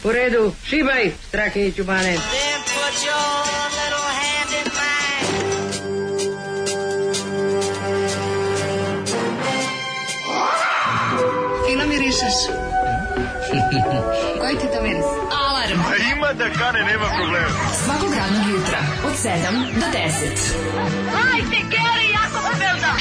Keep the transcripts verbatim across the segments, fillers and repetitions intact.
U redu, šibaj, Strahinji Ćubane. Fino mirišeš. Koji ti to miris? Alarm. A ima da kane, nema problema. Svakog radnog jutra, od sedam do deset. Hajde, Geri, jako se velda.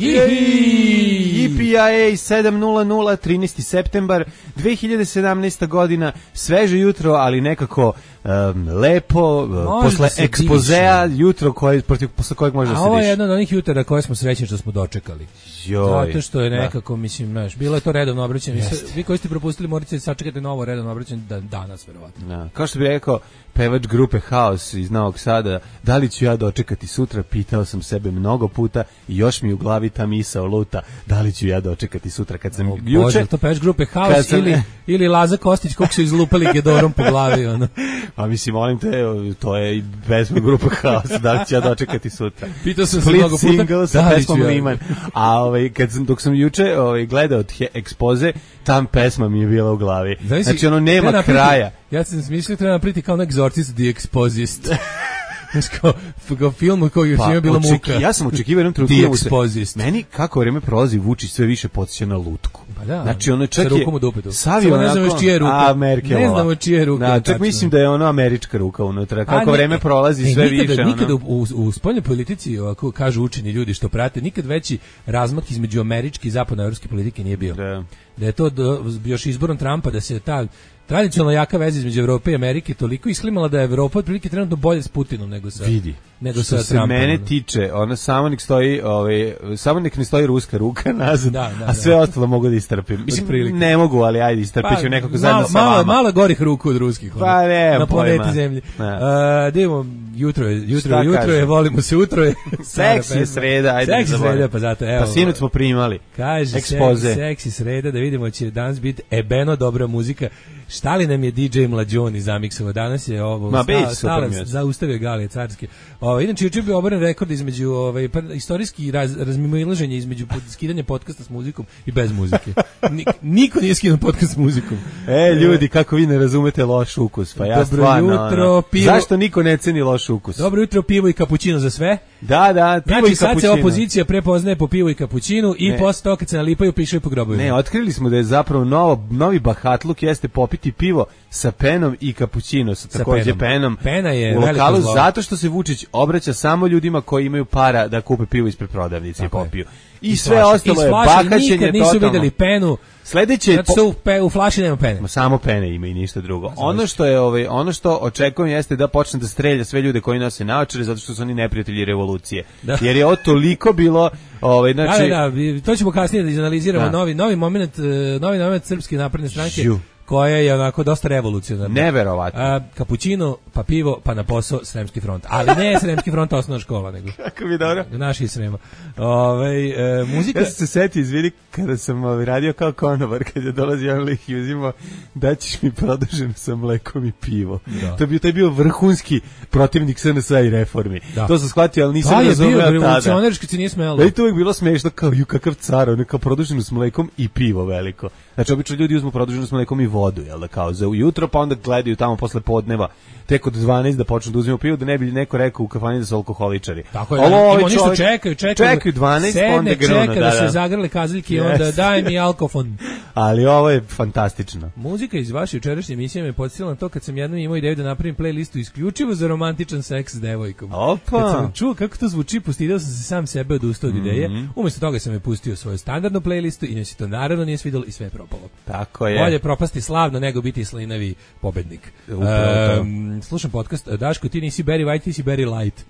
E P I A sedam nula nula, trinaesti septembar dve hiljade sedamnaesta godina, sveže jutro, ali nekako um, lepo, može posle da ekspozea, diše. Jutro koje, protiv, posle kojeg može da se diše. A ovo je jedno od onih jutara koje smo srećni što smo dočekali. Joj, zato što je nekako, da. mislim, znaš, bilo je to redovno obraćanje. Vi koji ste propustili morate sačekati novo redovno obraćanje da, danas, verovatno. Da. Kao što bi rekao pevač grupe Haos iz Novog Sada, da li ću ja dočekati sutra, pitao sam sebe mnogo puta i još mi u glavi ta misao luta, da li ću ja dočekati sutra kad sam o, juče... Bože, to pevač grupe Haos sam, ili, ili Laza Kostić kog su izlupali gedorom po glavi, ono. Pa mislim, molim te, to je i pesma grupe Haos, da li ću ja dočekati sutra. Pitao sam se mnogo puta, single sa pesmom Liman. A ovaj, kad sam, dok sam juče ovaj, gledao ekspoze, tam pesma mi je bila u glavi. Znači, znači ono nema napriti, kraja. Ja sam smislio treba napriti kao nek Exorcist The Exposist. Znači kao, kao film koji pa, je bila muka. Ja sam očekivao jednom trenutku se, meni kako vreme prolazi Vučić sve više podsjeća na lutku. Pa da, znači ono čak je savio ne znamo čije ruke. A Merkelova. Ne znamo čije ruke. Da, čak mislim da je ono američka ruka unutra. Kako vreme prolazi sve nikada, više. Nikada ono... u, u spoljnoj politici, ovako kažu učeni ljudi što prate, nikad veći razmak između američke i zapadnoevropske politike nije bio. Da. Da je to do, još izborom Trumpa da se ta tradicionalno jaka veza između Evrope i Amerike toliko isklimala da je Evropa otprilike trenutno bolje s Putinom nego sa vidi nego što sa se Trumpom. Mene tiče, ona samo nek stoji, ovaj samo nek ne stoji ruska ruka nazad, da, da, a sve da. Ostalo mogu da istrpim. Mislim ne mogu, ali ajde istrpiću pa, nekako zajedno sa vama. Malo malo gorih ruku od ruskih. Pa ne, na planeti Zemlji. Uh, Dimo jutro je, jutro je, jutro je, volimo se jutro je. Seksi sreda, ajde. Seksi sreda, pa zato evo. Pa sinoć smo primali. Kaže ekspoze. Seksi sreda, da vidimo će danas biti ebeno dobra muzika. Šta li nam je D J Mlađoni zamiksovao? Danas je ovo Ma, stala, stala zaustavio Galije Carske. Ovo, inače, juče bio oboren rekord između ovaj, istorijski raz, razmimoilaženje između skidanja podcasta s muzikom i bez muzike. Nik, niko nije skinuo podcast s muzikom. E, ljudi, kako vi ne razumete loš ukus? Pa ja Dobro stvarno, jutro, ono, pivo. Zašto niko ne ceni loš ukus? Dobro jutro, pivo i kapućino za sve. Da, da, pivo znači, i kapućino. Sad se opozicija prepoznaje po pivu i kapućinu i ne. Posle toga kad se nalipaju pišaju po grobovima. Ne, otkrili smo da je zapravo novo, novi bahatluk jeste popiti pivo sa penom i kapućino sa takođe penom. Pena je u lokalu zato što se Vučić obraća samo ljudima koji imaju para da kupe pivo ispred prodavnice i popiju. I, I sve flaši, ostalo je bahaćenje nikad nisu totalno. Videli penu. Sledeće zato što u, pe, u flaši nema pene. Ma samo pene ima i ništa drugo. Ono što je ovaj ono što očekujem jeste da počne da strelja sve ljude koji nose naočare zato što su oni neprijatelji revolucije. Da. Jer je ovo toliko bilo ovaj znači da, da, da, to ćemo kasnije da izanaliziramo da. novi novi momenat novi momenat Srpske napredne stranke. Žu. Koja je onako dosta revolucionarna. Neverovatno. A, kapućino, pa pivo, pa na posao Sremski front. Ali ne Sremski front osnovna škola, nego. Kako mi dobro. Naši iz Srema. Ove, e, muzika... Ja sam se setio, izvini, kada sam ovaj, radio kao konobar, kad je dolazio on lik i uzimao, da ćeš mi produženo sa mlekom i pivo. Da. To je bio, to je bio vrhunski protivnik S N S-a i reformi. Da. To sam shvatio, ali nisam razumeo tada. Da, je bio revolucionarski, se nije smelo. Da i to uvijek bilo smiješno, kao ju kakav car, ono kao produženo s mlekom i pivo veliko. Znači, obično ljudi uzmu produženo s mlekom i vodu, jel da, kao za ujutro, pa onda gledaju tamo posle podneva, tek od dvanaest da počnu da uzimaju pivo, da ne bi neko rekao u kafani da su alkoholičari. Tako je, ovo, ima ništa čekaju, čekaju. Čekaju dvanaest, sedne, onda grunu. Čeka da, da se zagrle kazaljke i onda daj mi alkofon. Ali ovo je fantastično. Muzika iz vaše jučerašnje emisije me podsjetila na to kad sam jednom imao ideju da napravim playlistu isključivo za romantičan seks s devojkom. Opa. Kad sam čuo kako to zvuči, postidao sam se sam sebe odustao od mm-hmm. ideje. Umjesto toga sam je pustio svoju standardnu playlistu i ne se to naravno nije svidjelo i sve je propalo. Tako je. Bolje propasti slavno nego biti slinavi pobednik. Um, slušam podcast, Daško, ti nisi Barry White, ti si Barry Light.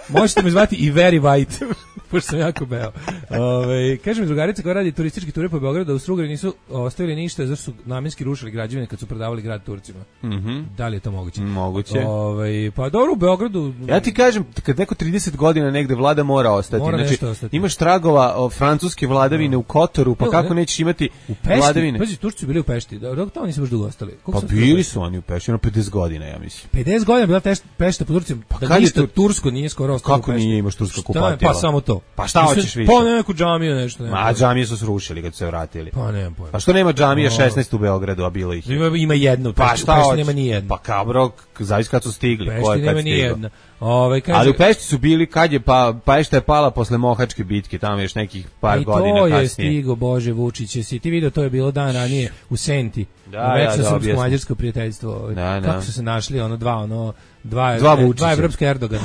Možete me zvati i Very White, pošto sam jako beo. Ove, kaže mi drugarica koja radi turističke ture po Beogradu da u Strugari nisu ostavili ništa zato su namjenski rušili građevine kad su prodavali grad Turcima. Mm-hmm. Da li je to moguće? Moguće. Ove, pa dobro, u Beogradu... Ja ti kažem, kad neko trideset godina negde vlada mora ostati. Mora znači, ostati. Imaš tragova o francuske vladavine no. u Kotoru, pa Evo, kako ne? nećeš imati u Pešti, vladavine? Pazi, Turci su bili u Pešti, dok tamo nisu baš dugo ostali. Koliko pa bili su oni u Pešti, ono pedeset godina, ja mislim. pedeset godina bila Pešta po Turcima, pa da ništa tu... tursko nije skoro ostalo kako u Pešti. Nije imaš turska kupatila? Pa samo to. Pa šta hoćeš više? Pa neku džamiju nešto. Nema. A džamije su srušili kad su se vratili. Pa nemam pojma. Pa što nema džamija šesnaest u Beogradu, a bilo ih? Ima, ima jedno, pa šta hoćeš? Nema ni jedna. Pa kabro, zavisi kad su stigli. Pešti ko je kad nema ni jedna. Ove, kaže, ali u Pešti su bili kad je pa Pešta je pala posle Mohačke bitke, tamo još nekih par i godina kasnije. I to je stigo, Bože Vučić, si ti video, to je bilo dan ranije u Senti. Da, večno ja, da, srpsko-mađarsko prijateljstvo. Da, da. Kako su se našli, ono dva, ono dva, dva, e, dva evropske Erdogana.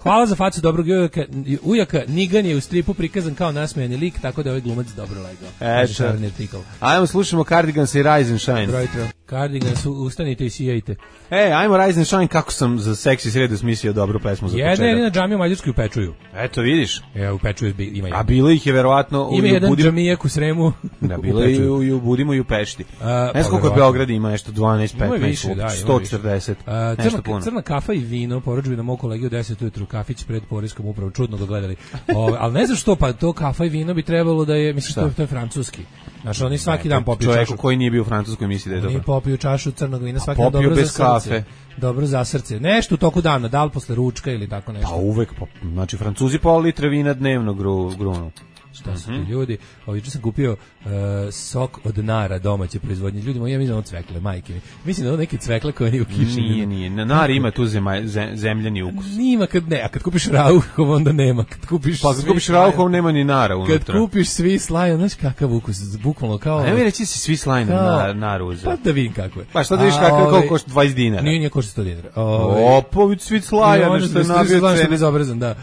Hvala za facu dobrog ujaka. Ujaka Nigan je u stripu prikazan kao nasmejani lik, tako da je ovaj glumac dobro legao. Eto. Ajmo slušamo Cardigans i Rise and Shine. Brojtro. Cardigans, ustanite i sijajte. E, ajmo Rise and Shine, kako sam za seksi sredu smislio dobru pesmu za početak. Jedna jedina džamija u Mađarskoj u Pečuju. Eto, vidiš. E, u Pečuju ima jedan. A bilo ih je verovatno... Ima jedan budim... džamijak u Sremu. Da, bilo je i u, i u Budimu i u Pešti. Ne znam koliko je Beograd ima, nešto dvanaest, petnaest, sto četrdeset, uh, nešto puno. Crna kafa i vino, poručbi na mog kolegi u deset ujutru, kafić pred Poreskom upravom, čudno ga gledali. O, ali ne znam što, pa to kafa i vino bi trebalo da je, mislim, to, to je francuski. Znaš, oni svaki ne, dan popiju čašu. Čovjeku koji nije bio u Francuskoj misli da je dobro. Oni popiju čašu crnog vina svaki dan, dobro bez za srce. Kafe. Dobro za srce. Nešto u toku dana, da li posle ručka ili tako nešto. Pa uvek, pa, znači Francuzi pola litre vina dnevno gru, grunu. Šta su ti ljudi? Ovo juče sam kupio uh, sok od nara domaće proizvodnje. Ljudi moji, ja mislim da ono cvekle, majke mi. Mislim da ono neke cvekle koje nije u kiši. Nije, nije. Nar ima tu zema, zemljani ukus. Nima kad ne, a kad kupiš rauhov onda nema. Kad kupiš pa kad kupiš rauhov nema ni nara unutra. Kad kupiš svi slajan, znaš kakav ukus, bukvalno kao... A ne mi reći si svi slajan na naru uzeo. Pa da vidim kako je. Pa šta da vidiš kako koliko košta dvadeset dinara. Nije, nije košta sto dinara. Opović svi slajan, što je nabio cene. Bezobrazan, da.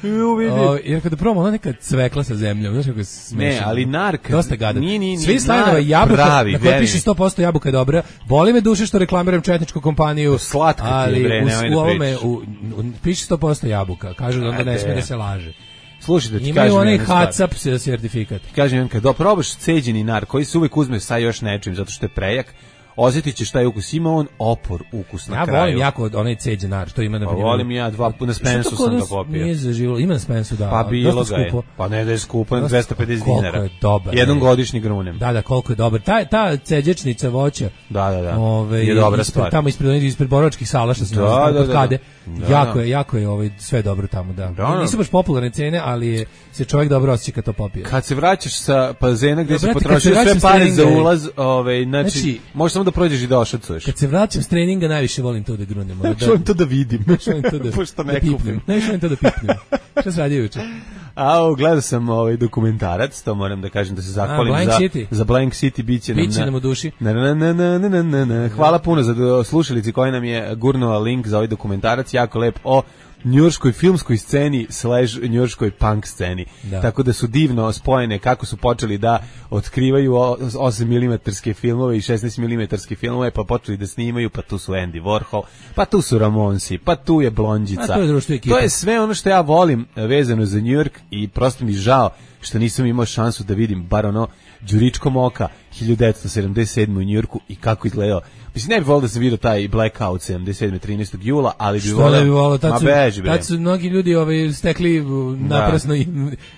Jer kada probamo ona neka cvekla sa zemljom, znaš kako smešno. Ne, ali narka. Dosta gadan. Nije, nije, svi slajdove jabuka, pravi, na kojoj piše sto posto jabuka je dobra. Boli me duše što reklamiram četničku kompaniju. Slatka ti je, bre, nemoj da u ovome, u, u, piše sto posto jabuka. Kažu da onda ne smije da se laže. Slušaj, da ti imaju onaj H A C A P sertifikat. Kažem, kad doprobaš ceđeni nar, koji se uvek uzme sa još nečim, zato što je prejak, osjetit ćeš taj ukus, ima on opor ukus na ja kraju. Ja volim jako onaj ceđen nar, što ima na primjer. Pa volim ja, dva puta na Spensu sam ga popio. Nije zaživilo, ima na Spensu, da. Pa bilo ga je, pa ne da je skupo, dvesta pedeset dinara. Koliko je dobar. Jednom godišnji grunem. Da, da, koliko je dobar. Ta, ta ceđečnica voća, da, da, da. Ove, je dobra ispred, stvar. Tamo ispred, ispred Borovačkih sala, što se da, nalazi, da, kod da, Kade. Da, jako da. je, jako je ovaj, sve dobro tamo, da. da, da. Nisu baš popularne cene, ali je, se čovjek dobro osjeća kad to popije. Kad se vraćaš sa bazena gdje ja, si brate, potrošio sve pare treninga, za ulaz, ovaj, znači, znači možeš samo da prođeš i da ošacuješ. Kad se vraćam s treninga, najviše volim to da grunem. Da, volim to da vidim. Volim to da, pošto ne da pipnem. Najviše volim to da pipnem. Šta se radi juče? A, gledao sam ovaj dokumentarac, to moram da kažem da se zahvalim A, za, City. za Blank City, biće nam, biće nam u duši. Na, na, na, na, na, na, na. Hvala puno za slušalici koji nam je gurnula link za ovaj dokumentarac, jako lep o njujorškoj filmskoj sceni slash njujorškoj punk sceni. Da. Tako da su divno spojene kako su počeli da otkrivaju osam milimetarske filmove i šesnaest milimetarske filmove, pa počeli da snimaju, pa tu su Andy Warhol, pa tu su Ramonsi, pa tu je Blondjica. To je društvo ekipa. To je sve ono što ja volim vezano za New York i prosto mi žao što nisam imao šansu da vidim bar ono đuričkom oka hiljadu devetsto sedamdeset sedme u Njujorku i kako izgledao. Mislim, ne bih volio da sam vidio taj blackout sedamdeset sedme trinaestog jula, ali bi volio... Što ne bi volio? Tad, tad su mnogi ljudi ovaj, stekli naprasno i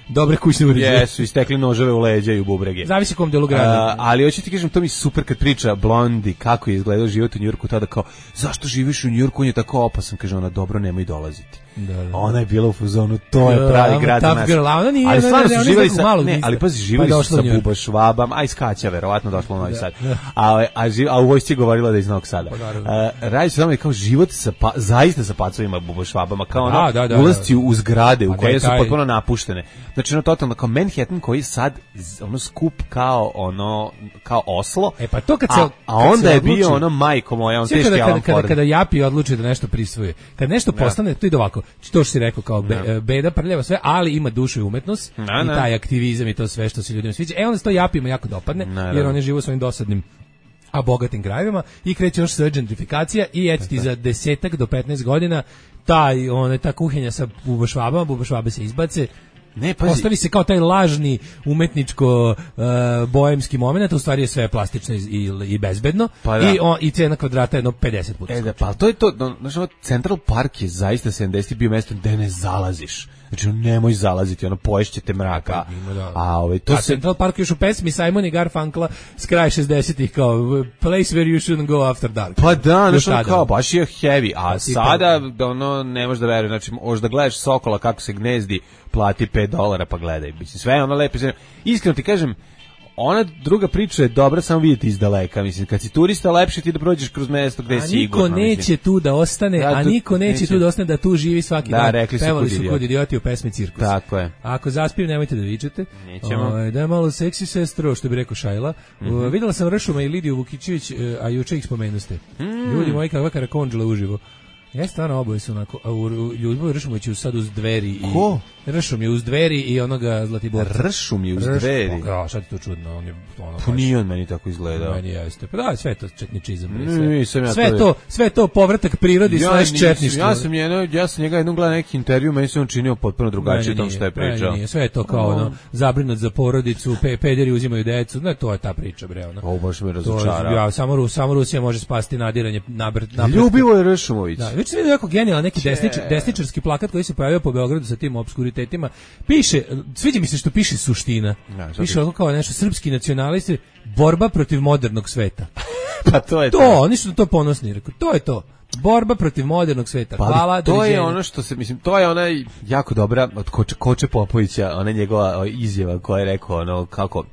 dobre kućne uređaje. Jesu, i stekli noževe u leđa i u bubrege. Zavisi kom delu grada. Uh, ali hoću ti kažem, to mi super kad priča Blondi, kako je izgledao život u Njujorku, tada kao, zašto živiš u Njujorku, on je tako opasan, kaže ona, dobro, nemoj dolaziti. Da, da. Ona je bila u fazonu, to je pravi grad za nas. Girl, ona nije, ali stvarno su živjeli sa, malo ne, ali pazi, živjeli pa su sa Buba Švabam, a iz Kaća, verovatno došlo u Novi Sad. A, a, a u vojsci je govorila da je iz Novog Sada. Pa, radi se tamo kao život sa pa, zaista sa pacovima Buba Švabama, kao ono, da, da, da, ulazci u zgrade u koje su potpuno napuštene. Znači ono totalno kao Manhattan koji je sad ono skup kao ono kao Oslo. E pa to kad se a, a onda je bio ono majko moja, on teški Alan Ford. Kada kada Japi odluči da nešto prisvoje. Kad nešto postane, to ide ovako. To što si rekao kao be, beda prljava sve, ali ima dušu i umetnost na, i na. taj aktivizam i to sve što se ljudima sviđa. E onda se to Japima jako dopadne, na, jer oni žive u svojim dosadnim a bogatim krajevima i kreće još sve gentrifikacija i eto ti za desetak do petnaest godina taj, one, ta kuhinja sa bubašvabama, bubašvabe se izbace. Ne, pazi. Ostavi se kao taj lažni umetničko uh, boemski moment, u stvari je sve plastično i, i, i bezbedno pa i, on, i cena kvadrata je jedno pedeset puta. E da, pa to je to, znači Central Park je zaista sedamdesetih bio mesto gde ne zalaziš. Znači, nemoj zalaziti, ono, poješćete mraka. A, ovaj, to se... Central Park još u pesmi Simon i Garfunkla s kraja šezdesetih kao place where you shouldn't go after dark. Pa da, nešto kao, baš je heavy, a sada, ono, ne možeš da veruješ, znači, možeš da gledaš sokola kako se gnezdi, plati pet dolara pa gledaj. Mislim, sve je ono lepo. Iskreno ti kažem, ona druga priča je dobra samo vidjeti iz daleka. Mislim, kad si turista, lepše ti da prođeš kroz mesto gde je sigurno. A niko neće mislim. tu da ostane, da, a niko neće, neće tu da ostane da tu živi svaki da, dan. Rekli su Pevali kud su kod idioti u pesmi Cirkus. Tako je. A ako zaspijem, nemojte da vičete. Nećemo. O, da je malo seksi sestro, što bi rekao Šajla. Mm -hmm. Videla sam Ršuma i Lidiju Vukićević, a juče ih spomenuste. Mm. Ljudi moji, kakva karakonđela uživo. Ja stvarno oboje su onako, a u Ljuboju Ršumoviću sad uz Dveri i... Ko? Ršum je uz Dveri i onoga Zlatiborca. Ršum je uz Ršum, Dveri? Ja, sad je to čudno. On je, ono, pa nije on meni tako izgledao. Meni jeste. Pa da, sve to četničizam. Sve, sve, ja sve, to, to, sve to povratak prirodi ja slash četništvo. Ja sam, jedno, ja sam njega jednom gledao neki intervju, meni se on činio potpuno drugačije tom što je pričao. Nije, sve je to kao ono, zabrinut za porodicu, pe, pederi uzimaju decu, ne, to je ta priča, bre. Ono. Ovo baš me razočarao. Ja, samo, samo Rusija može spasti nadiranje nabrt. Ljubivo je Ršumović. Da, već sam vidio jako genijalan neki desnič, desničarski plakat koji se pojavio po Beogradu sa tim obskuritetima. Piše, sviđa mi se što piše suština. Ja, piše ovako kao nešto srpski nacionalisti, borba protiv modernog sveta. Pa to je to. To, oni su to ponosni, rekao, to je to. Borba protiv modernog sveta. Pa, hvala, to doviđenja. Je ono što se, mislim, to je ona jako dobra od Koče, Koče Popovića, ona njegova izjava koja je rekao ono kako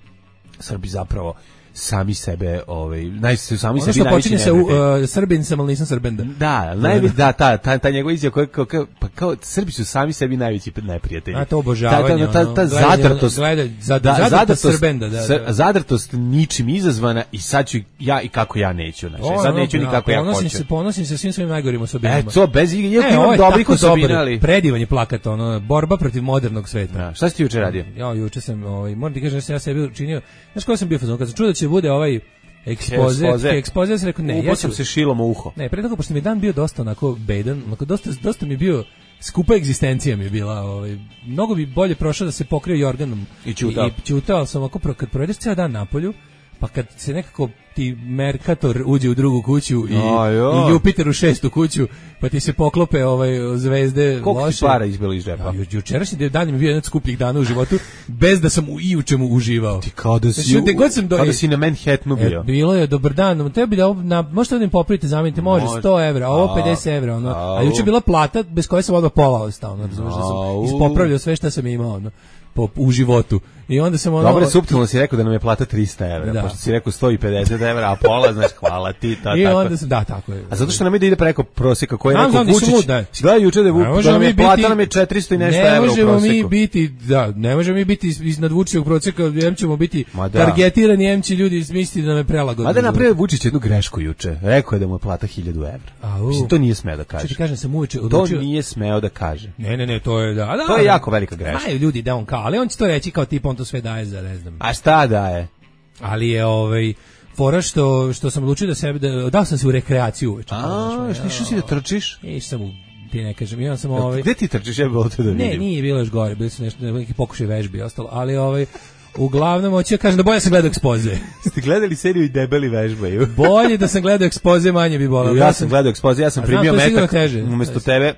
Srbi zapravo sami sebe, ovaj, naj se sami ono sebi najveći počinje se u uh, Srbin sam, ali nisam Srbenda. Da, najveći da ta ta ta njegova izjava koja kao, kao pa kao Srbi su sami sebi najveći neprijatelji. A to obožavanje. Ta ta, ta, ta zadrtost, gledaj, zad, da, zadrtost Srbenda, da, da. Zadrtost ničim izazvana i sad ću ja i kako ja neću, znači sad neću ni kako ja hoću. Ponosim se, ponosim se svim svojim najgorim osobinama. E, to bez iako imam dobrih osobina, ali predivan je plakat, ono, borba protiv modernog sveta. Da, šta si ti juče radio? Ja juče sam, ovaj, moram ti kažem da sam ja sebi učinio, znaš kako sam bio fazon, kad sam čuo da će bude ovaj ekspoze, ekspoze, sam rekao ne, ja sam se šilom u uho. Ne, pre toga pošto mi dan bio dosta onako bedan, onako dosta dosta mi bio skupa egzistencija mi je bila, ovaj mnogo bi bolje prošao da se pokrio jorganom i ćutao. I ćutao sam ovako pro, kad provedeš ceo dan napolju, pa kad se nekako ti Mercator uđe u drugu kuću i, i Jupiter u šestu kuću, pa ti se poklope ovaj zvezde. Koliko loše. Ti para izbilo iz džepa? Ja, jučerašnji dan mi bio jedan od skupljih dana u životu, bez da sam u i u čemu uživao. Ti kao da si, znači, god sam do... kao da si na Manhattanu bio. E, bilo je dobar dan, tebi da na, možete da mi popravite, zamenite, može, sto evra, ovo pedeset evra, ono. A juče bila plata bez koje sam odmah pola ostao, ono, razumiješ da sam ispopravljao sve što sam imao, ono. Po, u životu. I onda sam ono... Dobro, suptilno si rekao da nam je plata trista evra, da. Pošto si rekao sto pedeset evra, a pola, znaš, hvala ti, ta, I tako. onda sam, da, tako je. A zato što nam ide preko prosjeka koji je rekao Vučić, si gledao juče da je Vučić, da nam je plata nam je četiristo i nešto evra u prosjeku. Ne možemo mi biti, da, ne možemo mi biti iznad Vučićevog prosjeka, jem ćemo biti targetirani, jem će ljudi misliti da nam je prelagodno. Mada napravio Vučić jednu grešku juče, rekao je da mu je plata hiljadu evra. Mislim, to nije smeo da kaže. Što ti kažem, sam uveče odlučio... To nije smeo da kaže. Ne, ne, ne, to je, da, da. To je jako velika greška. Znaju ljudi da on kao, ali on će to reći kao tip, on to sve daje za, ne znam. A šta daje? Ali je ovaj fora što što sam odlučio da sebe da dao sam se u rekreaciju uveče. A, što išao si da trčiš? Išao sam u, ti ne kažem, ja sam ovaj. Gde ti trčiš, ja bih volio da vidim. Ne, nije bilo još gore, bili su nešto neki pokušaj vežbi i ostalo, ali ovaj uglavnom hoću da kažem da bolje sam gledao ekspoze. Ste gledali seriju i debeli vežbaju? Bolje da sam gledao ekspoze, manje bi bolelo. Ja sam gledao ekspoze, ja sam primio metak umesto tebe.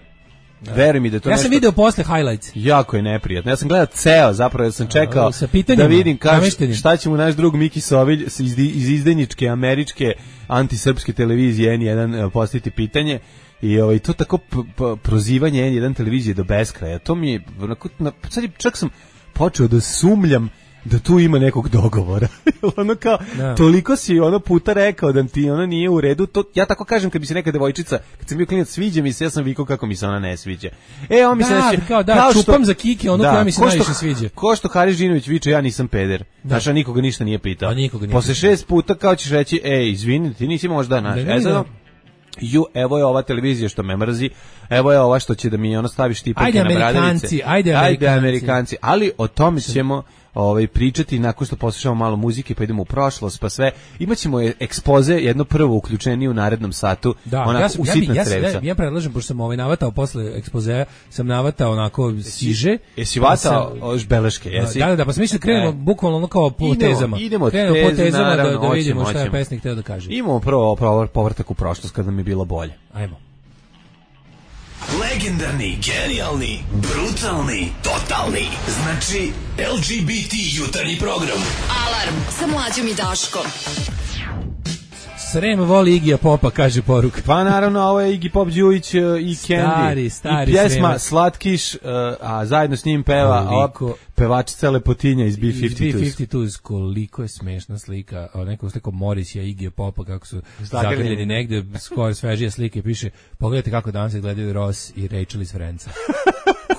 Da. Veruj mi da to ja nešto... sam video posle highlights. Jako je neprijatno. Ja sam gledao ceo, zapravo ja sam čekao da vidim kaž, šta će mu naš drug Miki Sovilj iz, iz izdajničke američke antisrpske televizije N jedan postaviti pitanje. I ovaj to tako p, p, prozivanje N jedan televizije do beskraja. To mi je onako, na, sad čak sam počeo da sumljam da tu ima nekog dogovora. Ono kao, da. Toliko si ono puta rekao da ti ono nije u redu. To, ja tako kažem kad bi se neka devojčica, kad sam bio klinac, sviđa mi se, ja sam vikao kako mi se ona ne sviđa. E, on mi se da, neće, kao da, kao čupam što, za kiki, ono koja mi se najviše sviđa. Ko što Haris Žinović viče, ja nisam peder. Znaš, a nikoga ništa nije pitao. A nikoga nije Posle šest puta kao ćeš reći, ej, izvini, ti nisi možda naš. E, sad, ju, evo je ova televizija što me mrzi, evo je ova što će da mi ono stavi štipake na bradavice. Ajde Amerikanci, ajde Amerikanci, ali o tome ćemo ovaj pričati nakon što poslušamo malo muzike, pa idemo u prošlost, pa sve. Imaćemo ekspoze, jedno prvo uključenje u narednom satu, da, onako ja sam, u sitna ja, crevca. Ja, ja predlažem, pošto sam ovaj navatao posle ekspozea, sam navatao onako siže. Jesi vatao pa beleške, jesi? Da, da, da, pa sam mislio da krenemo e. bukvalno ono kao po tezama. Idemo od krenemo teze, po tezama naravno, da, da vidimo oćemo, šta je oćemo. pesnik hteo da kaže. Imamo prvo, prvo povrtak u prošlost kada nam je bilo bolje. Ajmo. Legendarni, genijalni, brutalni, totalni. Znači, L G B T jutarnji program. Alarm sa Mlađom i Daškom. Srem voli Igija Popa, kaže poruka. Pa naravno, ovo je Iggy Pop, Đujić i Candy. Stari, stari I pjesma Sremac. Slatkiš, a zajedno s njim peva Koliko... pevačica Lepotinja iz B Iz pedeset dva. B pedeset dva, koliko je smešna slika, o nekom slikom Morrisija i Igija Popa, kako su zagrljeni negde, skoro svežije slike, piše, pogledajte kako danas izgledaju Ross i Rachel iz Friendsa.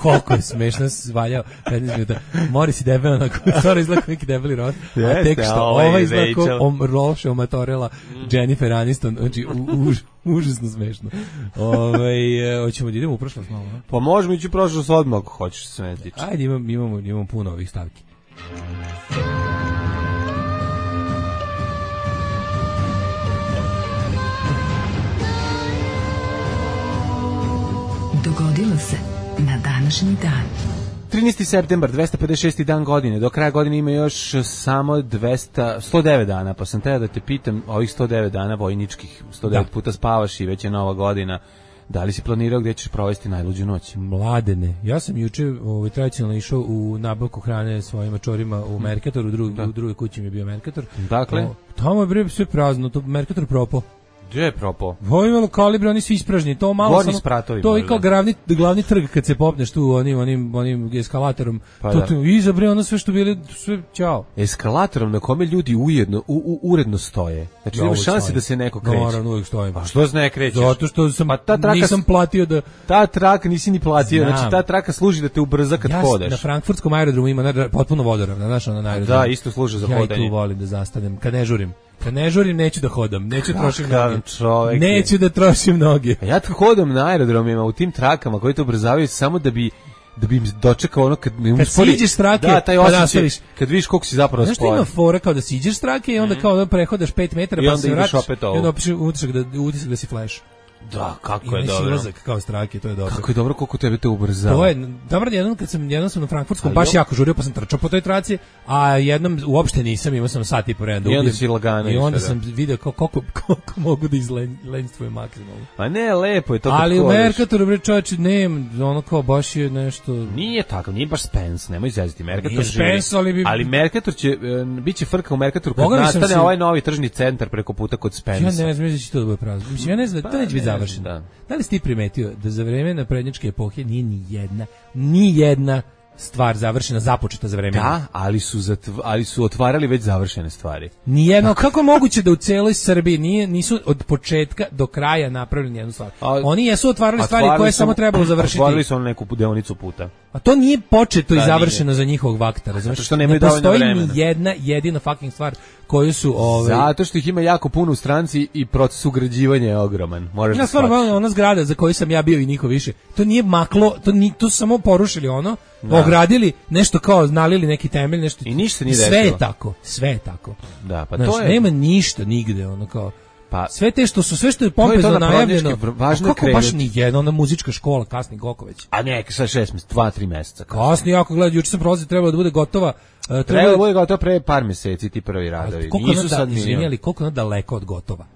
Koliko je smešno svaljao petnaest minuta. Morris i debel, onako, stvarno izgleda kao neki debeli Ross, a tek što ovaj izgleda kao om, Rolše omatorela Jennifer Aniston, znači u, u, užasno smešno. Ove, hoćemo da idemo u prošlost malo, ne? Pa možemo ići u prošlost odmah ako hoćeš se ne tiče. Ajde, imam, imamo, imamo puno ovih stavki. Dogodilo se na današnji dan. trinaesti septembar, dvesta pedeset šesti dan godine. Do kraja godine ima još samo dvesta, sto devet dana, pa sam teo da te pitam, ovih sto devet dana vojničkih, sto devet da. Puta spavaš i već je nova godina. Da li si planirao gdje ćeš provesti najluđu noć? Mladene. Ja sam juče ovaj, tradicionalno išao u nabavku hrane svojim mačorima u Mercatoru, u, drug, u drugoj kući mi je bio Mercator. Dakle? O, tamo je bre sve prazno, to Mercator propo. Gdje je propo? Ovo imalo kalibre, oni su ispražni, to malo Gornji samo, spratovi, to je kao glavni, glavni trg kad se popneš tu onim, onim, onim eskalatorom, pa to, da. to iza bre ono sve što bili, sve, ćao. Eskalatorom na kome ljudi ujedno, u, u, uredno stoje. Znači ja, nema šanse stojim. Da se neko kreće. Naravno, uvijek stojim. Pa što se ne krećeš? Zato što sam, pa ta traka, nisam platio da... Ta traka nisi ni platio, Znam. znači ta traka služi da te ubrza kad ja, hodaš. Na frankfurtskom aerodromu ima na, potpuno vodoravna, znaš ono na aerodromu. Da, isto služi za ja hodanje. Ja i tu volim da zastanem, kad ne žurim. Kad ne žurim, neću da hodam, neću da trošim noge. Čovek neću da trošim noge. A ja tu hodam na aerodromima u tim trakama koji te ubrzavaju samo da bi da bi im dočekao ono kad mi kad uspori. siđeš strake, da, taj pa osjećaj, nastaviš. Kad vidiš koliko si zapravo sporan. Znaš što ima fora kao da siđeš strake i onda kao da prehodaš pet metara pa se vratiš i onda opiš utisak da, utisak da si flash. Da, kako I je dobro. Silazak kao strake, to je dobro. Kako je dobro koliko tebe te ubrzava. To je dobro, jednom kad sam jednom sam na frankfurtskom baš jako žurio, pa sam trčao po toj traci, a jednom uopšte nisam, imao sam sat i po vremena. I onda si lagano. I onda sam video kako koliko koliko mogu da izlenstvujem maksimalno. A ne, lepo je to. Ali u Mercatoru bre čoveče, ne, ono kao baš je nešto. Nije tako, nije baš Spence, nemoj zezati. Mercator Spence, ali bi... ali Mercator će biće frka u Mercatoru kad nastane se... ovaj novi tržni centar preko puta kod Spence. Ja ne znam da će to da bude prazno. Mislim, ja ne znam, pa, to neće biti završeno. Da. Da li si ti primetio da za vreme naprednjačke epohe nije ni jedna, ni jedna stvar završena, započeta za vreme? Da, ali su, zatv, ali su otvarali već završene stvari. Nijedno, kako je moguće da u celoj Srbiji nije, nisu od početka do kraja napravili nijednu stvar? A, Oni jesu otvarali stvari koje su, samo trebalo završiti. Otvarali su neku deonicu puta. A to nije početo da, i završeno nije. Za njihovog vakta, razumiješ? Što ne postoji ni jedna jedina fucking stvar koju su... Ove... Zato što ih ima jako puno u stranci i proces ugrađivanja je ogroman. Moraš ja da stvarno, ona zgrada za koju sam ja bio i niko više, to nije maklo, to, ni, to su samo porušili ono, da. Ogradili, nešto kao nalili neki temelj, nešto... I ništa nije sve desilo. je tako, sve je tako. Da, pa znaš, to je... nema ništa nigde, ono kao... Pa, sve te što su, sve što je pompezno najavljeno, važno kako krenuti. Baš ni jedna, ona muzička škola, kasni Gokoveć. A ne, sa šest mjeseca, dva, tri mjeseca. Kasni, jako gledaj, juče sam prolazio, trebalo da bude gotova. Uh, trebalo, trebalo da bude gotova pre par mjeseci, ti prvi radovi. Nisu sad da, izvinjali, koliko je ona daleko od gotova.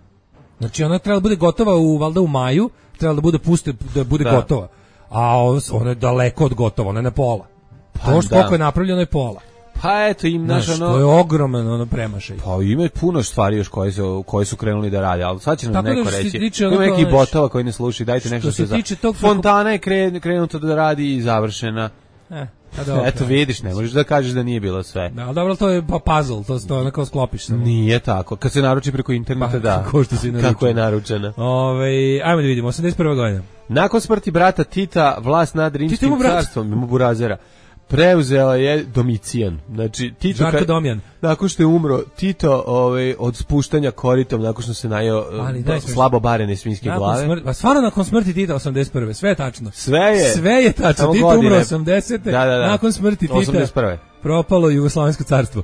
Znači, ona trebala da bude gotova u, valjda u maju, trebala da bude puste, da bude da. Gotova. A ona je daleko od gotova, ona je na pola. Pa, to što koliko je napravljeno je pola. Pa eto im naš ono... To je ogroman ono premašaj. Pa ima puno stvari još koje su, koje su krenuli da rade, ali sad će nam neko da reći. Ima nekih botova koji ne slušaju, dajte nešto se za... Tog... Fontana je kren, krenuto da radi i završena. Eh, dobro, eto vidiš, ne možeš da kažeš da nije bilo sve. Da, ali dobro, to je puzzle, to se to onako sklopiš samo. Nije tako, kad se naruči preko interneta, pa, da. Kako, što si kako je naručena. Ove, ajmo da vidimo, osamdeset prva godina. Nakon smrti brata Tita, vlast nad Rimskim carstvom, ima burazera, preuzela je Domicijan. Znači Tito Žarko kad, Domjan. Nakon što je umro Tito, ovaj od spuštanja koritom, nakon što se najeo ba, slabo barene svinjske nakon glave. Smrti, pa stvarno nakon smrti Tita osamdeset prve, sve je tačno. Sve je. Sve je tačno. Tito godine. Umro osamdesete. Da, da, da. Nakon smrti Tita. osamdeset prve. Propalo Jugoslovensko carstvo.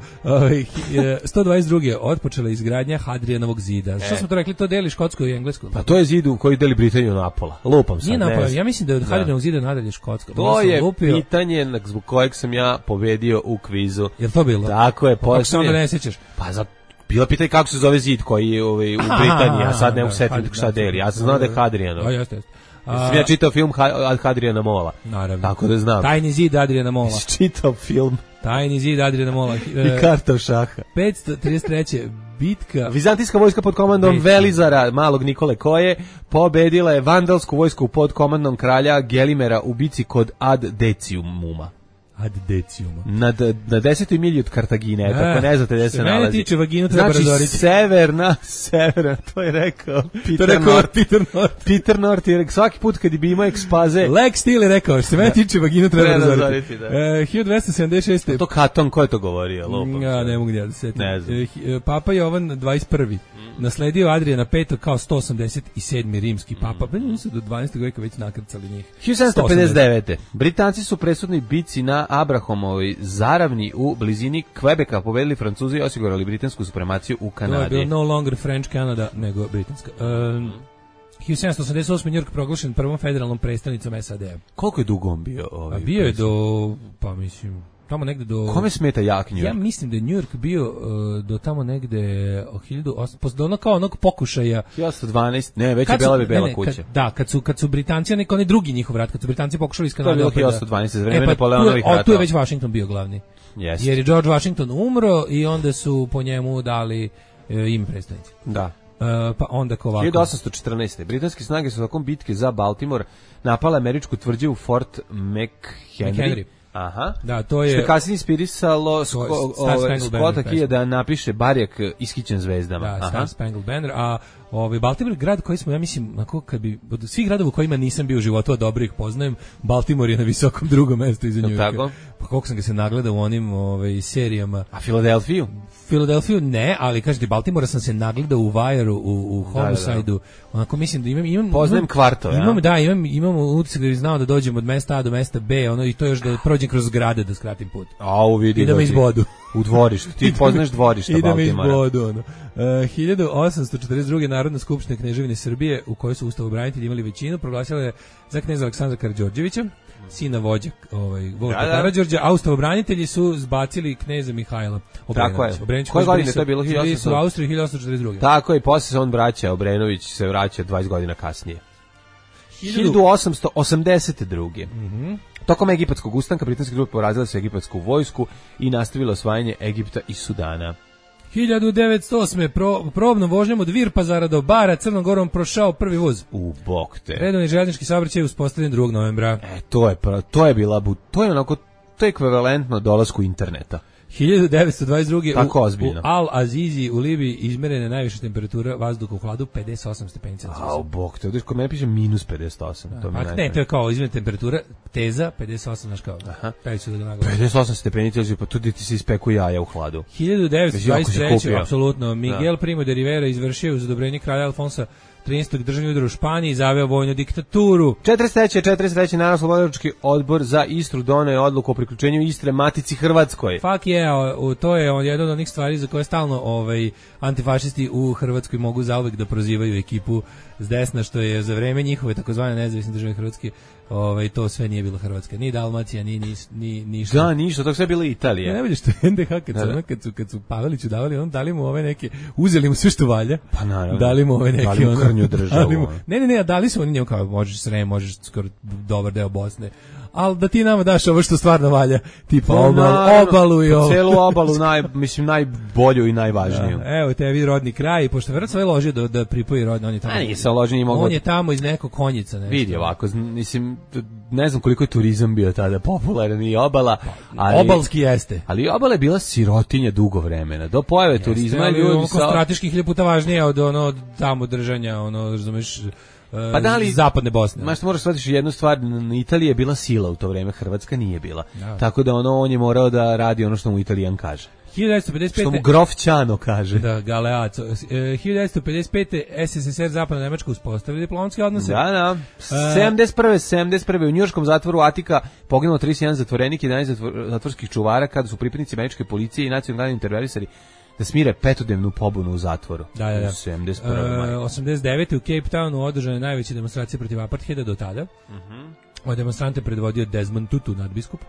sto dvadeset druge otpočela izgradnja Hadrijanovog zida. Što e. smo to rekli, to deli Škotsko i Englesko? Pa to je zid u koji deli Britaniju napola. Lupam sad. Nije napola, ja mislim da je od Hadrijanovog zida nadalje Škotsko. To je lupio. Pitanje zbog kojeg sam ja pobedio u kvizu. Jel to bilo? Tako je. Kako se onda ne sjećaš? Pa za bilo pitanje kako se zove zid koji je ovaj, u Britaniji, a sad ne u setim šta deli. Ja sam znao da je Hadrijanov. A jeste, jeste. A, ja čitao film od Hadrijana Mola. Naravno. Tako da znam. Tajni zid Adrijana Mola. Čitao film. Tajni zid Adrijana Mola. I karta u šaha. petsto trideset treće bitka. Vizantijska vojska pod komandom Bitka. Velizara, malog Nikole Koje, pobedila je vandalsku vojsku pod komandom kralja Gelimera u bici kod Ad Deciumuma. Ad Decium. Na, na desetoj milji od Kartagine, eto, ako ne znate gde se nalazi. Mene tiče vaginu treba znači, razoriti. severna, severna, to je rekao Peter to rekao North. Peter North. Peter North je rekao, svaki put kad bi imao ekspaze... Lex Steele je rekao, što se mene tiče vaginu treba, treba razoriti. Da. E, hiljadu dvesta sedamdeset šeste. To Katon, ko je to govorio? Lopam, ja ne mogu ja da se setim. Ne znam. E, Papa Jovan dvadeset prvi. Mm. Nasledio Adrijana petog kao sto osamdeset sedmi rimski papa. Mm. Oni su do dvanaestog veka već nakrcali njih. hiljadu sedamsto pedeset devete. Britanci su presudnoj bici na Abrahamovoj zaravni u blizini Kvebeka pobedili Francuzi i osigurali britansku supremaciju u Kanadi. To je bilo no longer French Canada, nego britanska. Um, hiljadu sedamsto osamdeset osme. New York proglašen prvom federalnom predstavnicom S A D-a. Koliko je dugo on bio? Ovaj, A bio je do, pa mislim, tamo negde do... Kome smeta jak New York? Ja mislim da je New York bio uh, do tamo negde o hiljadu osamsto, do ono kao onog pokušaja. hiljadu osamsto dvanaest, ne, već je Bela bi Bela kuća. Kad, da, kad su, kad su Britanci, neki oni drugi njihov rat, kad su Britanci pokušali iz Kanade... To je bilo hiljadu osamsto dvanaest, za vreme e, pa, Napoleonovih ratova. Tu je već Washington bio glavni. Yes. Jer je George Washington umro i onda su po njemu dali e, im predstavnici. Da. Uh, pa onda ko ovako. hiljadu osamsto četrnaeste. Britanske snage su tokom bitke za Baltimore napale američku tvrđavu Fort McHenry. McHenry. Aha. Da, to je... Što je kasnije inspirisalo Scotta Keya da napiše Barjak ishićen zvezdama. Da, Star Spangled Banner, a ovaj Baltimore grad koji smo, ja mislim, onako kad bi od svih gradova u kojima nisam bio u životu, a dobro ih poznajem, Baltimore je na visokom drugom mestu iza New Yorka. Pa koliko sam ga se nagledao u onim ovaj serijama. A Filadelfiju? Filadelfiju ne, ali kažete Baltimora sam se nagledao u Wire-u, u, u Homicide-u. Da, da, da. Onako mislim da imam imam poznajem kvarto, ja. Imam da, imam imam utisak da bih znao da dođem od mesta A do mesta B, ono i to još da prođem kroz zgrade da skratim put. A u vidi. I da me izbodu. U dvorištu. Ti poznaš dvorišta Baltimora. I da me izbodu, ono. Uh, hiljadu osamsto četrdeset druge. Narodna skupština Kneževine Srbije, u kojoj su ustavobranitelji imali većinu, proglasila je za kneza Aleksandra Karađorđevića, sina vođa ovaj Vojka da, da. Karađorđa, a ustavobranitelji su zbacili kneza Mihajla Obrenovića. Tako je. Koje godine to je bilo? hiljadu osamsto u Austriji hiljadu osamsto četrdeset druge. Tako je, posle se on vraća, Obrenović se vraća dvadeset godina kasnije. hiljadu osamsto osamdeset druge. Mhm. Mm Tokom egipatskog ustanka britanske trupe porazile su egipatsku vojsku i nastavilo osvajanje Egipta i Sudana. hiljadu devetsto osme. Pro, probnom vožnjom od Virpazara do Bara Crnom Gorom prošao prvi voz. U bok te. Redovni željeznički saobraćaj je uspostavljen drugog novembra. E, to je to je bila to je onako to je ekvivalentno dolasku interneta. hiljadu devetsto dvadeset druge. Tako u, ozbiljno. U Al-Azizi u Libiji izmerena najviša temperatura vazduha u hladu pedeset osam stepeni Celzijusa. A, bog te, kod mene piše minus pedeset osam. Da, to mi a ne, to je kao izmerena temperatura, teza pedeset osam, znaš kao. Aha. Da pedeset osam stepeni Celzijusa, pa tu ti se ispeku jaja u hladu. hiljadu devetsto dvadeset treće. apsolutno, Miguel da. Primo de Rivera izvršio uz odobrenje kralja Alfonsa trinaestog državni udar u Španiji i zaveo vojnu diktaturu. četrdeset treće. četrdeset treće. Narodno-oslobodilački odbor za Istru doneo je odluku o priključenju Istre Matici Hrvatskoj. Fuck yeah, to je jedna od onih stvari za koje stalno ovaj, antifašisti u Hrvatskoj mogu zauvek da prozivaju ekipu s desna, što je za vreme njihove takozvane nezavisne države Hrvatske, ovaj, to sve nije bilo Hrvatska. Ni Dalmacija, ni, ni, ni ništa. Da, ništa, to sve bilo Italija. Ja, ne vidiš što N D H kad su, ono, kad su, kad su Paveliću davali, on dali mu ove neke, uzeli mu sve što valja. Pa naravno. Dali mu ove neke, dali mu krnju državu. Mu, ne, ne, ne, dali su oni njemu kao, možeš Srem, možeš skoro dobar deo Bosne. Ali da ti nama daš ovo što stvarno valja, tipa obal, obalu i ovo. Celu obalu, naj, mislim, najbolju i najvažniju. Da, evo tebi rodni kraj, pošto vrlo sve ložio da, da pripoji rodni, on je tamo. A nije se ložio, nije mogao. On je tamo iz nekog konjica. Nešto. Vidi ovako, mislim, ne znam koliko je turizam bio tada popularan i obala. Ali, obalski jeste. Ali obala je bila sirotinja dugo vremena. Do pojave jeste, turizma ljudi sa... strateški hiljadu puta važnije od ono tamo držanja, ono, razumeš... Pa da li, zapadne Bosne. Maš moraš shvatiti jednu stvar, Italija je bila sila u to vreme, Hrvatska nije bila. Da. Tako da ono on je morao da radi ono što mu Italijan kaže. hiljadu devetsto pedeset pete. Što mu Grof Ćano kaže. Da, Galeaco. hiljadu devetsto pedeset pete. S S S R Zapadna Nemačka uspostavili diplomatske odnose. Da, da. sedamdeset prve. sedamdeset prve. u njujorškom zatvoru Atika poginulo trideset jedan zatvorenik i jedanaest zatvorskih čuvara kada su pripadnici američke policije i nacionalni interverisari da smire petodnevnu pobunu u zatvoru. Da, da, da. sedamdeset prve. Uh, osamdeset devete. u Cape Townu održane najveće demonstracije protiv apartheida do tada. Mhm. Uh -huh. Od demonstrante predvodio Desmond Tutu, nadbiskup.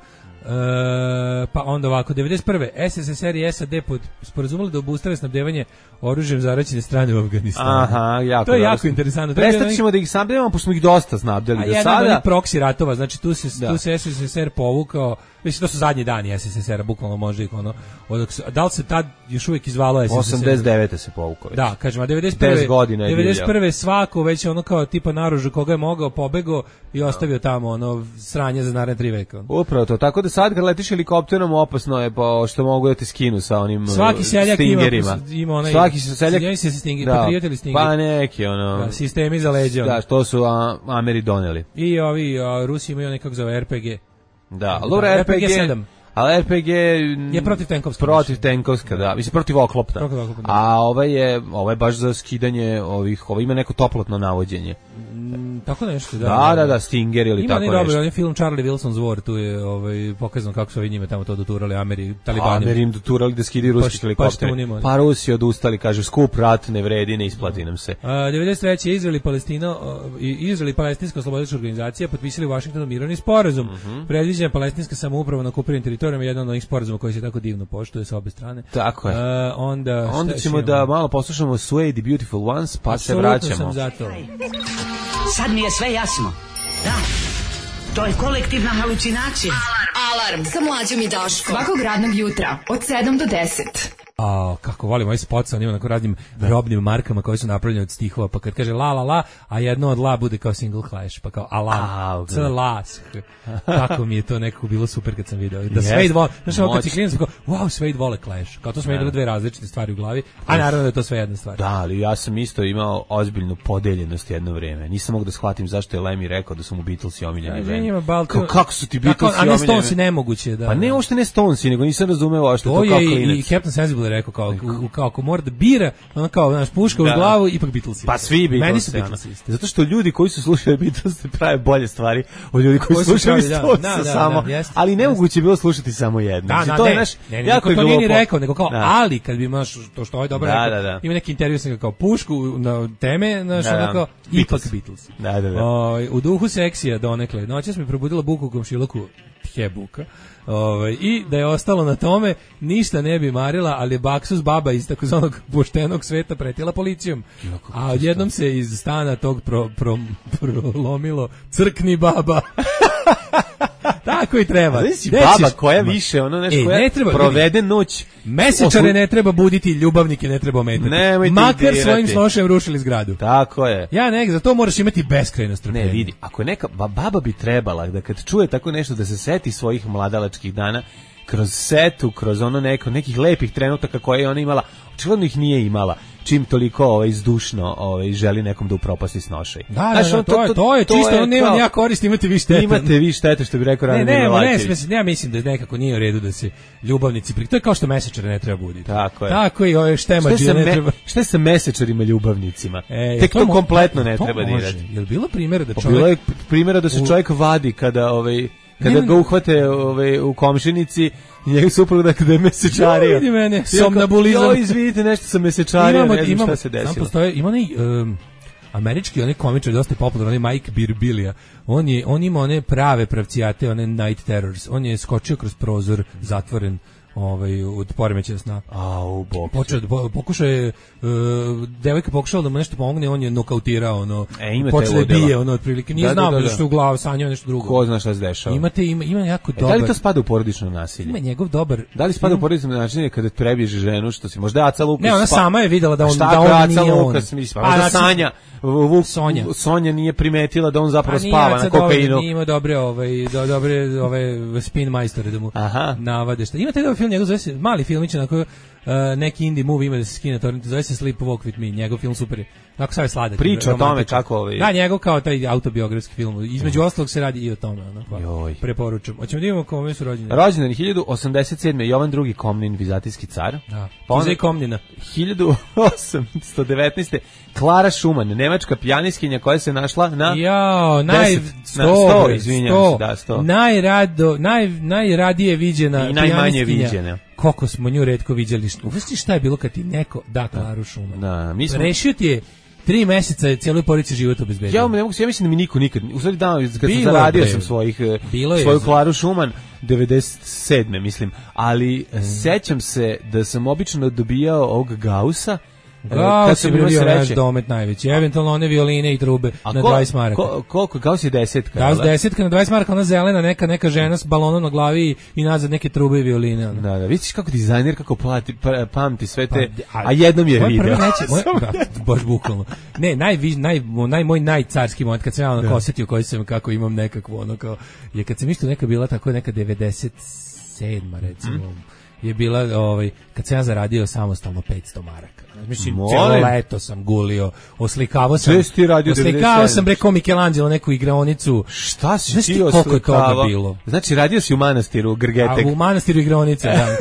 pa onda ovako, devedeset prve S S S R i S A D pod sporazumeli da obustave snabdevanje oružjem zaraćene strane u Afganistanu. Aha, jako. To je jako interesantno. Prestat ćemo da ih snabdevamo, pošto smo ih dosta snabdeli do sada. A jedan od proksi ratova, znači tu se, da. tu se S S S R povukao, mislim, to su zadnji dani S S S R-a, bukvalno može ih ono, od, da li se tad još uvijek izvalo S S S R? osamdeset devete se povukao. Da, kažem, a devedeset prve godina je devedeset prve svako već ono kao tipa naružu koga je mogao, pobegao i ostavio tamo ono sranje za naredne tri veka. Upravo to, tako da sad kad letiš helikopterom opasno je po što mogu da te skinu sa onim svaki seljak stingerima. Ima, ima onaj, svaki seljak se se stinger, da, prijatelji stinger. Pa neki ono. Da, sistemi za leđa. Da, što su a, Ameri doneli. I ovi a, Rusi imaju nekako zove R P G. Da, Lura R P G sedam. Ali R P G je protiv tenkovska. Protiv tenkovska, da. Mislim protiv oklopna. Protiv oklopna. A ovaj je, ovaj baš za skidanje ovih, ovaj ima neko toplotno navođenje. Mm, tako nešto, da. Da, da, da, Stinger ili ima tako nešto. Ima dobro, on je film Charlie Wilson's War, tu je ovaj pokazano kako su ovi njime tamo to doturali Ameri, Talibani. Ameri im doturali da skidaju ruski helikopteri. Pa, pa Rusi odustali, kaže skup rat ne vredi, ne isplati nam se. A, devedeset treće Izrael i Palestina i Izrael i Palestinska oslobodilačka organizacija potpisali u Vašingtonu mirovni sporazum. Mm -hmm. Predviđena palestinska samouprava na okupiranim teritorijama, jedan od onih sporazuma koji se tako divno poštuje sa obe strane. Tako je. A, onda onda ćemo da malo poslušamo Suede the Beautiful Ones, pa se vraćamo. Sam zato. Sad mi je sve jasno. Da, to je kolektivna halucinacija. Alarm, Alarm. Sa mlađom i Daškom. Svakog radnog jutra od sedam do deset. A kako volim ovaj spot sa onim onako raznim robnim markama koje su napravljene od stihova, pa kad kaže la la la, a jedno od la bude kao single clash, pa kao alarm, c la kako mi je to nekako bilo super kad sam video. Da Suede vole, znaš ovo kad si klinac, kao wow, Suede vole Clash, kao to smo imali dve različite stvari u glavi, a naravno da je to sve jedna stvar. Da, ali ja sam isto imao ozbiljnu podeljenost jedno vrijeme. Nisam mogao da shvatim zašto je Lemmy rekao da su mu Beatlesi omiljeni bend. Kako, kako su ti Beatlesi omiljeni? A ne Stonesi nemoguće, da. Pa ne, uopšte ne Stonesi, nego nisam razumeo što to kao klinac. I Captain Sensible rekao kao kao ako mora da bira, ono kao naš puška u glavu, ipak Beatlesi. Pa svi Beatlesi. Meni su Beatlesi. Zato što ljudi koji su slušali Beatlesi prave bolje stvari od ljudi koji, koji slušaju Stonesa samo. Da, da, ali nemoguće je bilo slušati samo jedno. Da, da, to ne, je naš ne, ne, jako je to nije rekao, nego kao da. Ali kad bi imaš to što ovaj dobro da, rekao, da, da. ima neki intervju sa kao pušku na teme, naš da, onako ipak Beatlesi. Da, da, da. O, u duhu seksija donekle. Noćas mi probudila buku u komšiluku, he buka. Ove, i da je ostalo na tome, ništa ne bi marila, ali je baksus baba iz takozvanog poštenog sveta pretila policijom. A odjednom se iz stana tog pro, pro, prolomilo crkni baba. Tako i treba. Znači baba koja više, ono nešto e, koja ne treba, provede noć. Mesečare Oslu... ne treba buditi, ljubavnike ne treba ometati. Makar svojim snošem rušili zgradu. Tako je. Ja nek, za to moraš imati beskrajno strpljenje. Ne, vidi, ako je neka, baba bi trebala da kad čuje tako nešto da se seti svojih mladalačkih dana, kroz setu, kroz ono neko, nekih lepih trenutaka koje je ona imala, očigledno ih nije imala. Čim toliko ovaj izdušno ovaj želi nekom da upropasti snošaj. Da, da, da, to, je, to je to čisto, on nema nija korist, imate vi štete. Imate vi štete, što bi rekao Rade Milanović. Ne, ne, ja mislim da nekako nije u redu da se ljubavnici pri. To je kao što mesečare ne treba buditi. Tako je. Tako i ove štemađe ne treba. Šta je sa mesečarima ljubavnicima? E, Tek to, to kompletno ne treba dirati. Jel bilo primjera da čovjek bilo je primjera da se čovjek vadi kada ovaj kada ga uhvate ovaj u komšinici, njegov suprug da kada je mesečario. Vidi mene, somnambulizam. Jo, izvidite, nešto sam mesečario, ne znam šta se desilo. Sam postoje, ima onaj um, američki, onaj komičar, dosta popularan, onaj Mike Birbiglia. On je, on ima one prave pravcijate, one night terrors. On je skočio kroz prozor, zatvoren, ovaj od poremećaja sna. A u bok. Počeo pokušao je uh, devojka pokušala da mu nešto pomogne, on je nokautirao, ono. E, počeo da bije, ono otprilike. Nije da, znao da, da, da. Što u glavu sanjao nešto drugo. Ko zna šta se dešava. Imate ima ima jako e, dobar. Da li to spada u porodično nasilje? Ima njegov dobar. Da li spada u porodično nasilje kada prebježe ženu, što si možda Aca Lukas? Ne, ona spa... sama je videla da on šta da on nije on. Lukas, mislim, pa možda Sanja, Vuk, Sonja. Sonja nije primetila da on zapravo spava na kokainu. Nije ima dobre ovaj do, dobre ove spin majstore da mu Aha. navade šta. Imate ovaj film njegov zove se mali filmić na koji Uh, neki indie movie ima da se skine torrent, zove se Sleep Walk With Me, njegov film super je. Tako sad je sladak. Priča o tome kako ovaj. Da, njegov kao taj autobiografski film. Između mm. ostalog se radi i o tome, ono. Preporučujem. Hoćemo da vidimo kome su rođeni. Rođendan hiljadu osamdeset sedme Jovan drugi Komnin, vizantijski car. Da. Pa on Komnina. hiljadu osamsto devetnaeste Klara Schumann, nemačka pijanistkinja koja se našla na Jao, naj sto, izvinjavam se, da, sto. Najrado, naj najradije viđena i najmanje viđena. Koliko smo nju retko viđali. Uvesti šta je bilo kad ti neko da Klaru Schumann. Da, mi smo rešio ti je Tri meseca je cijeloj porodici život obezbedio. Ja ne mogu se, ja mislim da mi niko nikad, u stvari da, kad sam zaradio sam svojih, svoju Klaru Šuman, devedeset sedme mislim, ali mm. sećam se da sam obično dobijao ovog Gaussa, Gauss je bio naš domet najveći, eventualno one violine i trube a na ko, dvadeset maraka. Ko, koliko? Gauss je desetka. Gauss desetka na dvadeset maraka, ona zelena, neka neka žena s balonom na glavi i nazad neke trube i violine. Ona. Da, da, vidiš kako dizajner, kako plati, pa, pamti sve te, pa, a, a jednom je video. Neće, moj, da, baš bukvalno. Ne, naj, naj, naj, moj najcarski moment, kad sam ja ono osetio koji sam, kako imam nekakvo, ono kao, je kad sam isto neka bila tako neka devedeset sedma recimo, mm. je bila, ovaj, kad sam ja zaradio samostalno petsto maraka. Mislim, cijelo leto sam gulio, oslikavao sam, oslikavao sam preko Michelangelo neku igraonicu. Šta si ti oslikavao? Bilo? Znači, radio si u manastiru Grgetek. A u manastiru igraonice, da.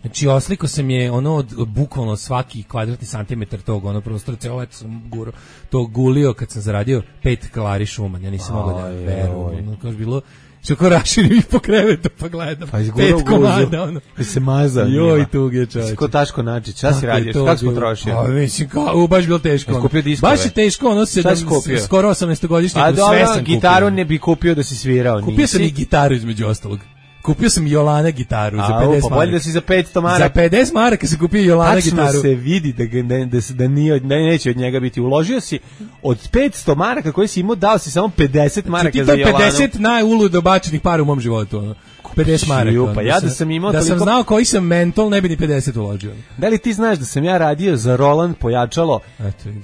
Znači, osliko sam je ono od bukvalno svaki kvadratni santimetar tog, ono prostora, celo leto sam guro, to gulio kad sam zaradio pet Klari Šuman. Ja nisam mogao da verujem. Ono, kao je bilo... Što ko raširim ih po krevetu pa gledam. Pa pet komada, ono. Da se maza. Joj, tuge čovječe. Ko Taško Načić, šta si radiš? Kako si potrošio? A, mislim, kao, baš bilo teško. Ono. Skupio diskove? Baš je teško, ono, sedam, skoro osamnaestogodišnjeg, sve dobro, sam gitaru ne bi kupio da si svirao. Kupio nisi? Sam i gitaru između ostalog. Kupio sam Jolana gitaru a, za pedeset pa maraka. Bolje da si za petsto maraka. Za pedeset maraka se kupio Jolana tačno gitaru. Tačno se vidi da, ga, da, da, da, nije, da neće od njega biti. Uložio si od petsto maraka koje si imao, dao si samo pedeset maraka za Jolanu. pedeset najuludo bačenih para u mom životu. Ono. pedeset maraka. Pa ja da sam imao da toliko... sam znao koji sam mentol, ne bi ni pedeset uložio. Da li ti znaš da sam ja radio za Roland pojačalo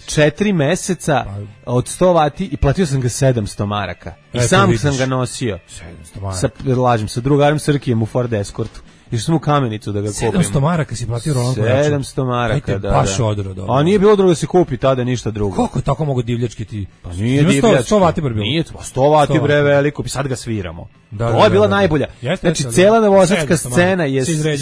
četiri meseca od sto vati i platio sam ga sedamsto maraka. I Eto, sam vidiš. Sam ga nosio. sedamsto maraka. Sa, lažem, sa drugarom Srkijem u Ford Escortu. Išao sam u Kamenicu da ga kupim. sedamsto maraka si platio Roland pojačalo. sedamsto maraka, da. Baš da. odro, dobro. A nije bilo drugo da se kupi tada ništa drugo. Kako je tako mogo divljački ti? Pa nije divljački. sto vati bar bilo. Nije, sto vati bre veliko, sad ga sviramo. Da, to da, je bila da, da, najbolja. Jeste, znači, jeste, cela novosadska scena je, se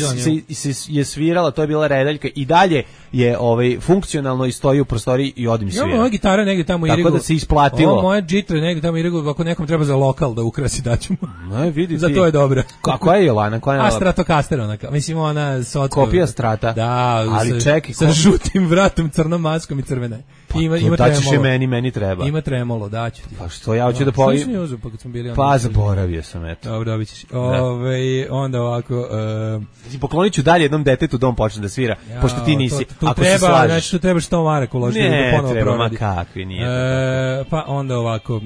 se, se, je svirala, to je bila redaljka i dalje je ovaj, funkcionalno i stoji u prostoriji i odim svira. Ja, moja gitara negdje tamo Tako irigu. da se isplatilo. Ovo moje džitre negdje tamo irigu, ako nekom treba za lokal da ukrasi, daćemo. No, vidi za to je dobro. A koja je Jolana? Koja je A Stratocaster onaka. Mislim, ona sotko. Kopija Strata. Da, ali sa, čekaj, sa ko... žutim vratom, crnom maskom i crvene. Pa, ima ima daćeš je meni, meni treba. Ima tremolo, daću ti. Pa što ja hoću da povim. Pa, kad smo bili pa zaboravio sam, eto. Dobro, dobit ćeš. Ove, onda ovako... Uh, poklonit ću dalje jednom detetu da on počne da svira, ja, pošto ti nisi. To, tu ako treba, se slažeš. Znači, tu treba sto maraka uložiti da ponovo treba, proradi. Ma kakvi, nije e, pa onda ovako... Uh,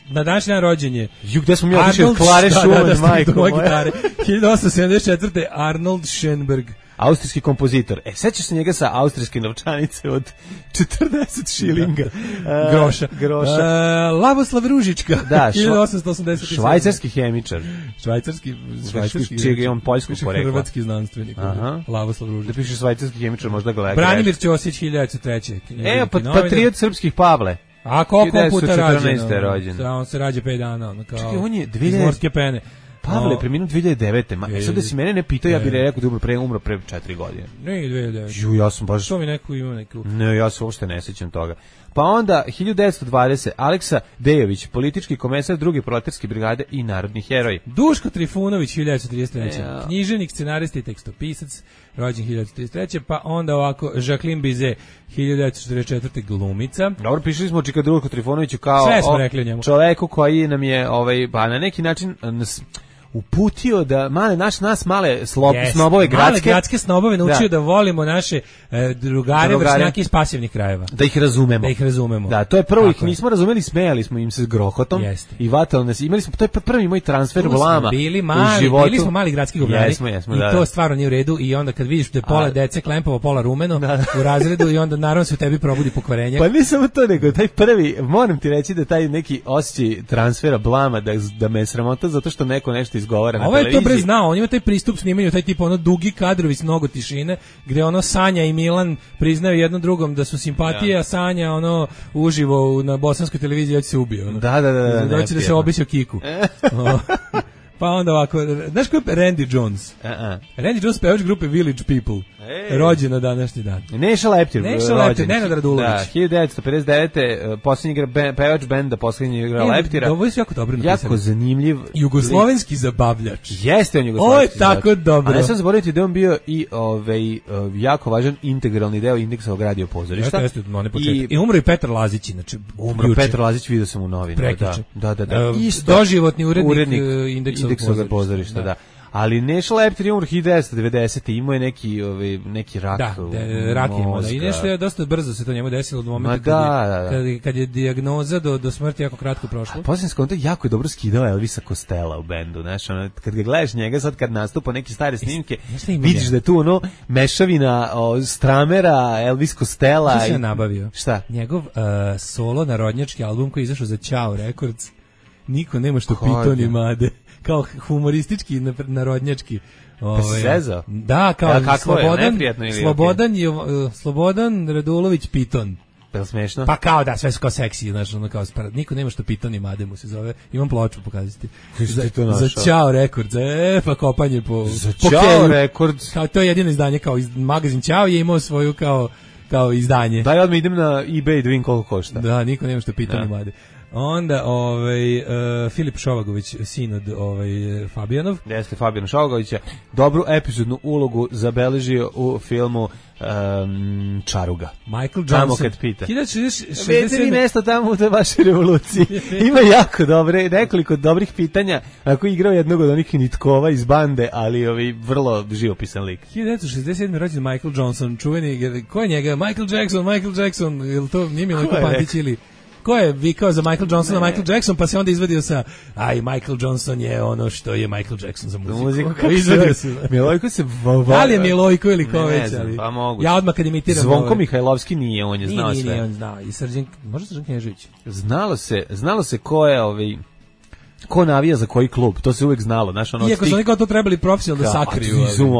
na današnji dan rođenje... Ju, gde smo mi otišli od Klare Šuman, da, da, majko moja. hiljadu osamsto sedamdeset četvrte. Arnold Schoenberg. Austrijski kompozitor. E, sećaš se njega sa austrijske novčanice od četrdeset šilinga. Uh, groša. Groša. Uh, Lavoslav Ružička. Da, hiljadu osamsto osamdeset sedam. Švajcarski hemičar. Švajcarski, švajcarski. Čijeg je on poljskog porekla. Hrvatski znanstvenik. Aha. Lavoslav Ružička. Da piše švajcarski hemičar, možda ga gleda. Branimir Ćosić, hiljadu devetsto treće. E, pa, patriot srpskih Pavle. A koliko puta rađeno? rođen. On se rađe pet dana. Ono, kao, čekaj, on je dvije hiljade... iz morske pene. Pavle je preminuo dvije hiljade devete. Ma, sad da si mene ne pitao, ja bih rekao da umro pre, umro pre četiri godine. Ne, dvije hiljade devete. Ju, ja sam baš... Što mi neku ima neku... Ne, ja se uopšte ne sećam toga. Pa onda, hiljadu devetsto dvadesete. Aleksa Dejović, politički komesar druge proletarske brigade i narodni heroj. Duško Trifunović, hiljadu devetsto trideset treće. Ja. Književnik, scenarista i tekstopisac, rođen hiljadu devetsto trideset treće. Pa onda ovako, Jacqueline Bizet, hiljadu devetsto četrdeset četvrte. glumica. Dobro, pišli smo Čika Duško Trifunoviću kao sve smo rekli o njemu. Čoveku koji nam je, ovaj, pa na neki način... Nas, uputio da male naš nas male slob, yes, snobove gradske male gradske snobove naučio da, da volimo naše e, drugare, drugare vršnjake iz pasivnih krajeva, da ih razumemo, da ih razumemo. Da, to je prvo, ih nismo razumeli, smejali smo im se s grohotom. Jeste. I vatali nas, imali smo, to je prvi moj transfer vlama. Bili mali, bili smo mali gradski govnari. Jesmo, jesmo, i da, to da. stvarno nije u redu i onda kad vidiš da je pola A, dece klempovo, pola rumeno da, da. u razredu i onda naravno se u tebi probudi pokvarenje. Pa ne samo to, nego taj prvi, moram ti reći da taj neki osjećaj transfera blama da da me sramota zato što neko nešto izgovara na televiziji. Dobro znao, on ima taj pristup snimanju, taj tip ono dugi kadrovi s mnogo tišine, gde ono Sanja i Milan priznaju jednom drugom da su simpatije, ja. a Sanja ono uživo na bosanskoj televiziji hoće se ubije. Ono. Da, da, da. da, da, da se obisi o kiku. Pa onda ovako, znaš ko je Randy Jones? Uh-uh. Randy Jones pevač grupe Village People. Ej. Rođen na današnji dan. Neša Leptir. Neša Leptir, Nenad Radulović. Da, hiljadu devetsto pedeset devete. posljednji igra be, pevač benda, posljednji igra e, Leptira. Ovo je jako dobro napisano. Jako zanimljiv. Jugoslovenski zabavljač. Jeste on jugoslovenski zabavljač. Ovo je tako dobro. A ne sam zaboraviti da on bio i ovaj, jako važan integralni deo Indeksovog radio pozorišta. Jeste, jeste, one početke. I, I umro i Petar Lazić, znači. Umro Petar Lazić, vidio sam u novinama. Da, da, da. Uh, Isto. Doživotni urednik, urednik Indeksovog pozorišta, pozorišta da. da. Ali Neša Leptir je umro hiljadu devetsto devedesete. Imao je neki, ovaj, neki rak. Da, de, rak je imao. Da. I nešto je dosta brzo se to njemu desilo od momenta da, kad, da, da. kad, kad je dijagnoza do, do smrti jako kratko prošlo. Posljednji skonto jako je dobro skidao Elvisa Costello u bendu. Znaš, ono, kad ga gledaš njega sad kad nastupa neke stare snimke, vidiš da je tu ono mešavina o, Stramera, Elvis Costello. Što se je nabavio? Šta? Njegov uh, solo narodnjački album koji je izašao za Ćao Records. Niko nema što piton i made. Kao humoristički, narodnjački. Pa si sezao? Da, kao ja, Slobodan, je, Slobodan, je, uh, Slobodan Radulović Piton. Pa je smešno? Pa kao da, sve su kao seksi, znaš, ono kao spara. Niko nema što Piton i Made mu se zove. Imam ploču pokazati. Za, za Ćao Records, e, pa kopanje po... Za po Ćao Records? Kao, to je jedino izdanje, kao iz, magazin Ćao je imao svoju kao, kao izdanje. Daj odmah idem na eBay da vidim koliko košta. Da, niko nema što Piton i Made. Onda ovaj uh, Filip Šovagović, sin od ovaj Fabijanov. Jeste Fabijan Šovagović je dobru epizodnu ulogu zabeležio u filmu um, Čaruga. Michael Johnson. hiljadu šezdeset sedam. Vidite vi nešto tamo u toj vašoj revoluciji. Ima jako dobre, nekoliko dobrih pitanja. Ako je igrao jednog od onih nitkova iz bande, ali ovaj vrlo živopisan lik. hiljadu šezdeset sedam. rođen Michael Johnson, čuveni, ko je njega? Michael Jackson, Michael Jackson, je to nije Milojko Pantić ili... Ko je vikao za Michael Johnsona, Michael Jackson, pa se onda izvadio sa, aj, Michael Johnson je ono što je Michael Jackson za muziku. muziku izvadio se. Milojko se... Da li je Milojko ili ko već? Pa moguće. Ja odmah kad imitiram... Zvonko ovaj... Mihajlovski nije, on je znao nije, sve. Nije, on znao. I Srđan, možda Srđan Knježević? Znalo se, znalo se ko je ovaj... ko navija za koji klub, to se uvek znalo, znaš, ono. Iako su oni kao to trebali profesionalno da sakriju.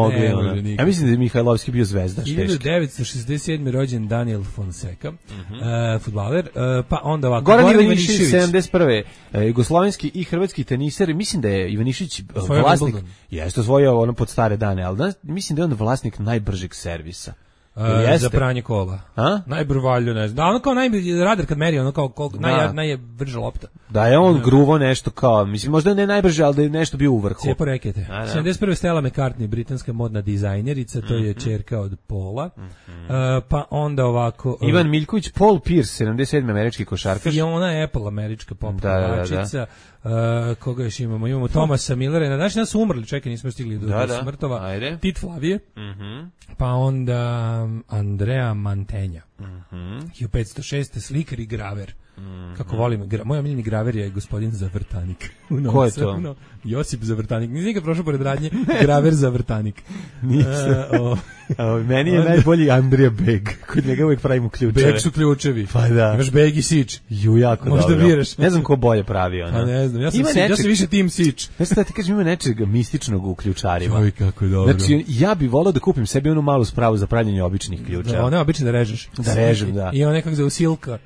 Ne, ne, ja mislim da je Mihajlovski bio zvezda. hiljadu devetsto šezdeset sedme. rođen Daniel Fonseca, uh-huh. uh, fudbaler, uh, pa onda ovako. Goran, Goran Ivanišević, sedamdeset prve. Uh, jugoslovenski i hrvatski teniser, mislim da je Ivanišić uh, vlasnik, jeste osvojio ono pod stare dane, ali da, mislim da je on vlasnik najbržeg servisa. Uh, za pranje kola. A? Najbrvalju, ne znam. Da, ono kao najbolji radar kad meri, ono kao kol, naj, najbrža lopta. Da je on gruvo nešto kao, mislim, možda ne najbrže, ali da je nešto bio u vrhu. Cijepo rekete. sedamdeset prve. Stella McCartney, britanska modna dizajnerica, to je ćerka od Paula. Uh, pa onda ovako... Uh, Ivan Miljković, Paul Pierce, sedamdeset sedme. američki košarkaš. Fiona Apple, američka pop pevačica. Uh, koga još imamo? Imamo Tomasa Millera. Na današnji dan su umrli, čekaj, nismo stigli do, da, do smrtova. Ajde. Tit Flavije. Uh-huh. Pa onda Andrea Mantenja. Uh-huh. hiljadu petsto šeste. slikar i graver. Mm-hmm. Kako volim, gra, moj omiljeni graver je gospodin Zavrtanik. Ko je to? No, Josip Zavrtanik. Nisi nikad prošao pored radnje, graver Zavrtanik. Nisam. Uh, o, meni je najbolji Andrija Beg. Kod njega uvijek pravimo ključeve. Beg su ključevi. Pa da. Imaš Beg i Sič. Ju, jako možda dobro. Biraš. Ne znam ko bolje pravi ono. Pa ne znam, ja sam, si, nečeg, ja sam više tim Sič. Ne znam da ti kažem, ima nečeg mističnog u ključarima. Oj, kako je dobro. Znači, ja bih volao da kupim sebi onu malu spravu za pravljenje običnih ključeva. Da, one obične da režeš. Da režem, da. I one kako zove silka.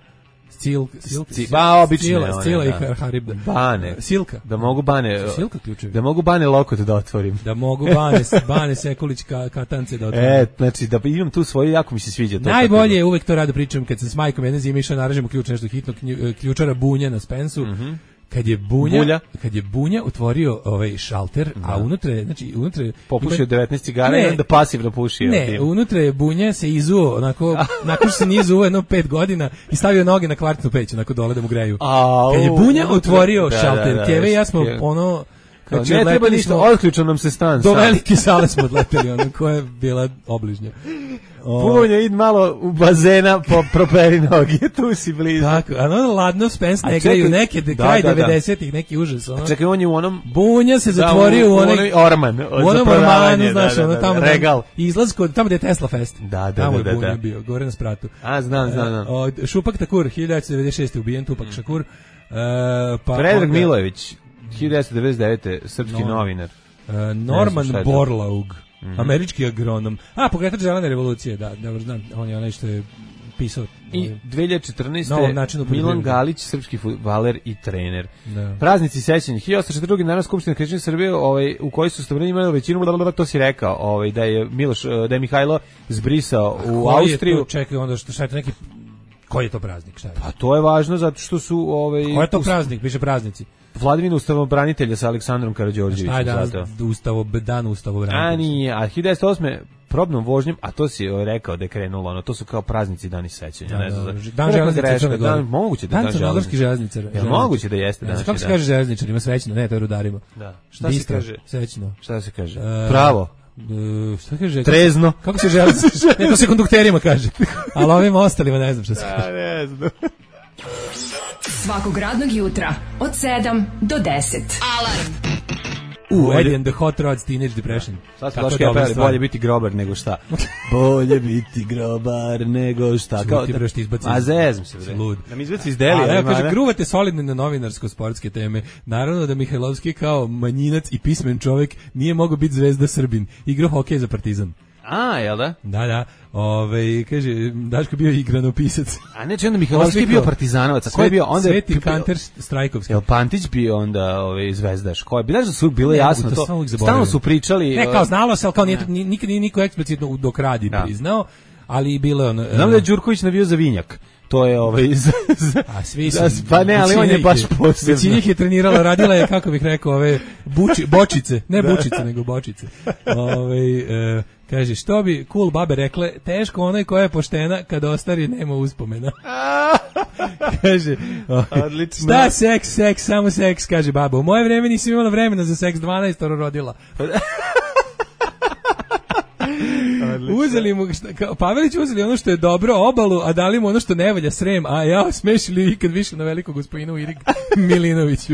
Silk, silk, ba obične, stila, stila i haribda. Bane. Silka. Da mogu bane. Silka ključevi. Da mogu bane lokot da otvorim. Da mogu bane, bane Sekulić ka, katance da otvorim. E, znači da imam tu svoje, jako mi se sviđa to. Najbolje je, uvek to rado pričam kad sam s majkom jedne zime išao naražemo ključ nešto hitno, ključara Bunja na Spensu. Mm-hmm. Kad je Bunja, Bulja. kad je Bunja otvorio ovaj šalter, da. A unutra je, znači unutra je popušio devetnaest cigara i onda pasivno pušio. Ne, unutra je Bunja se izuo, onako, nakon što se nije izuo jedno pet godina i stavio noge na kvartnu peć, onako dole da mu greju. A, kad je Bunja otvorio da, šalter, da, da, Keve i ja smo ono... Znači, ne treba ništa, otključao nam se stan. Do velike sale smo odleteli, ono, koja je bila obližnja. Punja, id malo u bazena, po properi noge, tu si blizu. Tako, a ono ladno Spence ne igraju neke, de, da, kraj da, devedesetih, neki užas. Ono. A čekaj, on je u onom... Bunja se zatvorio da, u, u onaj... Orman. U onom Ormanu, znaš, da, ono, da, tamo... da, regal. Izlaz kod, tamo gde je Tesla Fest. Da, da, tamo da, da. Tamo je Bunja bio, gore na spratu. A, znam, znam, znam. Od Šupak Takur, hiljadu devetsto devedeset šeste. ubijen Tupak mm. Šakur. Uh, pa Predrag onda... Milojević, hiljadu devetsto devedeset devete. srpski no. novinar. Uh, Norman Borlaug, mm-hmm. američki agronom. A, pokretač zelene revolucije, da, dobro znam, on je onaj što je pisao. I dve hiljade četrnaeste. Milan Galić, srpski fudbaler i trener. Da. Praznici sećanja. hiljadu osamsto četrdeset druge. Narodna skupština Kršćanske Srbije, ovaj, u kojoj su stavrani imali većinu, to si rekao, ovaj, da je Miloš, da je Mihajlo zbrisao u koji Austriju. Je to, čekaj, onda što šta je to neki... Koji je to praznik? Šta je? Pa to je važno zato što su... Ovaj, koji je to praznik? Piše praznici. Vladimir ustavobranitelja sa Aleksandrom Karađorđevićem. Šta je dan, ustavo, dan ustavobranitelja? A nije, a hiljadu devetsto osme probnom vožnjom, a to si rekao da je krenulo, ono, to su kao praznici dani sećanja. Da, ne znam, da, dan železnice Crne Gore. Dan, moguće da je dan crnogorskih železničara. Je moguće da jeste danas. Kako se kaže železničarima, svećno, ne, to je rudarima. Da. Šta Bistro, se kaže? Svećno. Šta se kaže? Uh, Pravo. Uh, šta kaže? Trezno. Kako se železnice? Ne, to se kondukterima kaže. Ali ovim ostalima ne znam šta se kaže. Ne znam. Svakog radnog jutra od sedam do deset. Alarm. U, Eddie and the Hot Rods, Teenage Depression. Sad su došli pevali, bolje biti grobar nego šta. Bolje biti grobar nego šta. Kao ti breš ti izbaci. A zezam se bre. Lud. Da mi izbaci iz Delija. Ali evo kaže, gruvate solidno na novinarsko-sportske teme. Naravno da Mihajlovski kao manjinac i pismen čovjek nije mogao biti zvezda Srbin. Igrao hokej za Partizan. A, jel da? Da, da. Ove, kaže, Daško bio igranopisac. A ne, čemu Mihajlovski je bio partizanovac. A ko je bio onda? Sveti Kanter Strajkovski. Jel Pantić bio onda ovaj zvezdaš? Ko je? Bilo da su bilo jasno to. Stalno su pričali. Ne, kao znalo se, al kao nije nikad nije niko eksplicitno dok radi priznao, ali bilo ono. Znam da je Đurković navio za Vinjak. To je ovaj z, z, a svi su pa ne, ali on je baš posebno. Većina ih je trenirala, radila je, kako bih rekao, ove buči, bočice, ne bučice, nego bočice. Ove, e, kaže, što bi cool babe rekle, teško onaj koja je poštena kad ostari nema uspomena. Kaže, odlično. Šta seks, seks, samo seks, kaže baba. U moje vreme nisam imala vremena za seks, dvanaest rodila. Uzeli mu, šta, Pavelić uzeli ono što je dobro, obalu, a dali mu ono što ne valja, Srem, a ja smešili ikad više na velikog gospodinu Irik Milinoviću.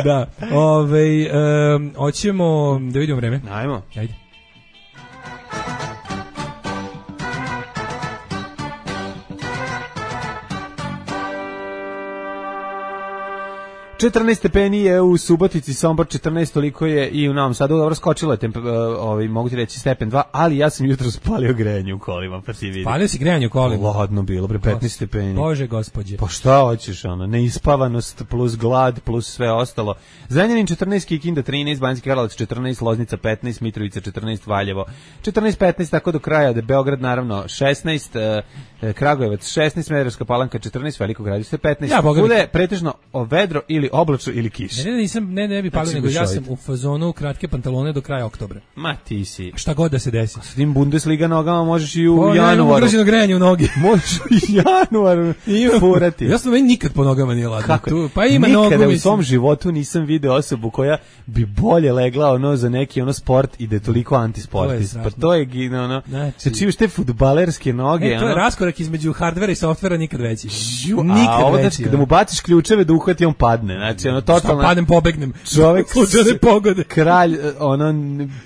Da, ovej, um, hoćemo da vidimo vreme. Ajmo. Ajde. četrnaest stepeni je u Subotici, Sombor četrnaest, toliko je i u Novom Sadu. Dobro, skočilo je, temp, ovaj, mogu ti reći stepen dva, ali ja sam jutro spalio grejanje u kolima, pa ti vidi. Spalio si grejanje u kolima? Ladno bilo, pre petnaest stepeni. Bože gospodje. Pa šta hoćeš, ono, neispavanost plus glad plus sve ostalo. Zrenjanin četrnaest, Kikinda trinaest, Banjski Karlovac četrnaest, Loznica petnaest, Mitrovica četrnaest, Valjevo četrnaest petnaest, tako do kraja, da Beograd naravno šesnaest, eh, Kragujevac šesnaest, Smederevska Palanka četrnaest, Veliko Gradište petnaest. Ja, bude pretežno vedro ili oblačno ili kiša. Ne, ne, nisam, ne, ne bi palio, nego ja sam u fazonu kratke pantalone do kraja oktobra. Ma ti si. Šta god da se desi. S tim Bundesliga nogama možeš i u o, januaru. Ja imam grejanje u nogi. Možeš i januaru furati. Ja sam meni nikad po nogama nije ladno. Kako? Tu, pa ima nikada nogu, u svom životu nisam video osobu koja bi bolje legla ono za neki ono sport i da je toliko antisportist. Pa to je ono. Znači, čuješ te fudbalerske noge. Ne, to je ono, raskorak između hardvera i softvera nikad veći. Žu, nikad a ovo veći. Kada mu baciš ključeve da uhvati, on padne. Znači, ono totalno. Padnem, pobegnem. Čovjek slučajne pogode. Kralj, ono,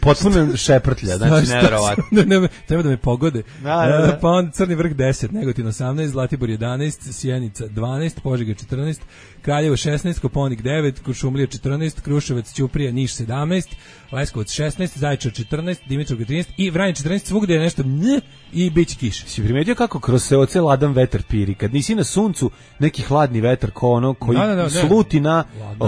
potpuno šeprtlja. Znači, nevjerovatno. Ne, ne, treba da me pogode. Da, da, da. Pa on Crni vrh deset, Negotin osamnaest, Zlatibor jedanaest, Sjenica dvanaest, Požega četrnaest, Kraljevo šesnaest, Koponik devet, Kuršumlija četrnaest, Kruševac, Ćuprija, Niš sedamnaest, Leskovac šesnaest, Zaječar četrnaest, Dimitrovgrad trinaest i Vranje četrnaest, svugdje je nešto nj i biće kiša. Si primetio kako kroz seoce ladan vetar piri? Kad nisi na suncu, neki hladni vetar ko ono koji da, da, da, sluti na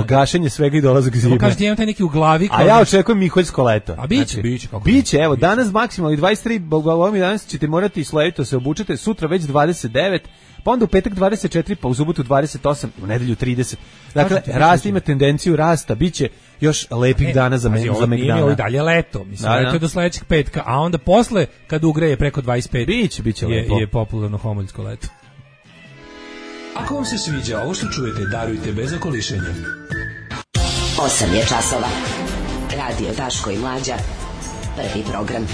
gašenje svega i dolazak zime. Kaže ti imam taj neki u glavi. A ja očekujem miholjsko leto. A biće, znači, biće. Kako biće, evo, biće. Danas maksimalno dvadeset tri, bogom i danas ćete morati slojito se obučete, sutra već dvadeset devet, pa onda u petak dvadeset četiri, pa u subotu dvadeset osam, u nedelju trideset. Dakle, rast ima tendenciju rasta, biće još lepih ne, dana za, me, za Megdana. Ovo je dalje leto, mislim, da, leto je do sledećeg petka, a onda posle, kad ugreje preko dvadeset pet, biće, biće je, lepo. Je popularno homoljsko leto. Ako vam se sviđa ovo što čujete, darujte bez okolišenja. osam je časova. Radio Daško i Mlađa. Prvi program.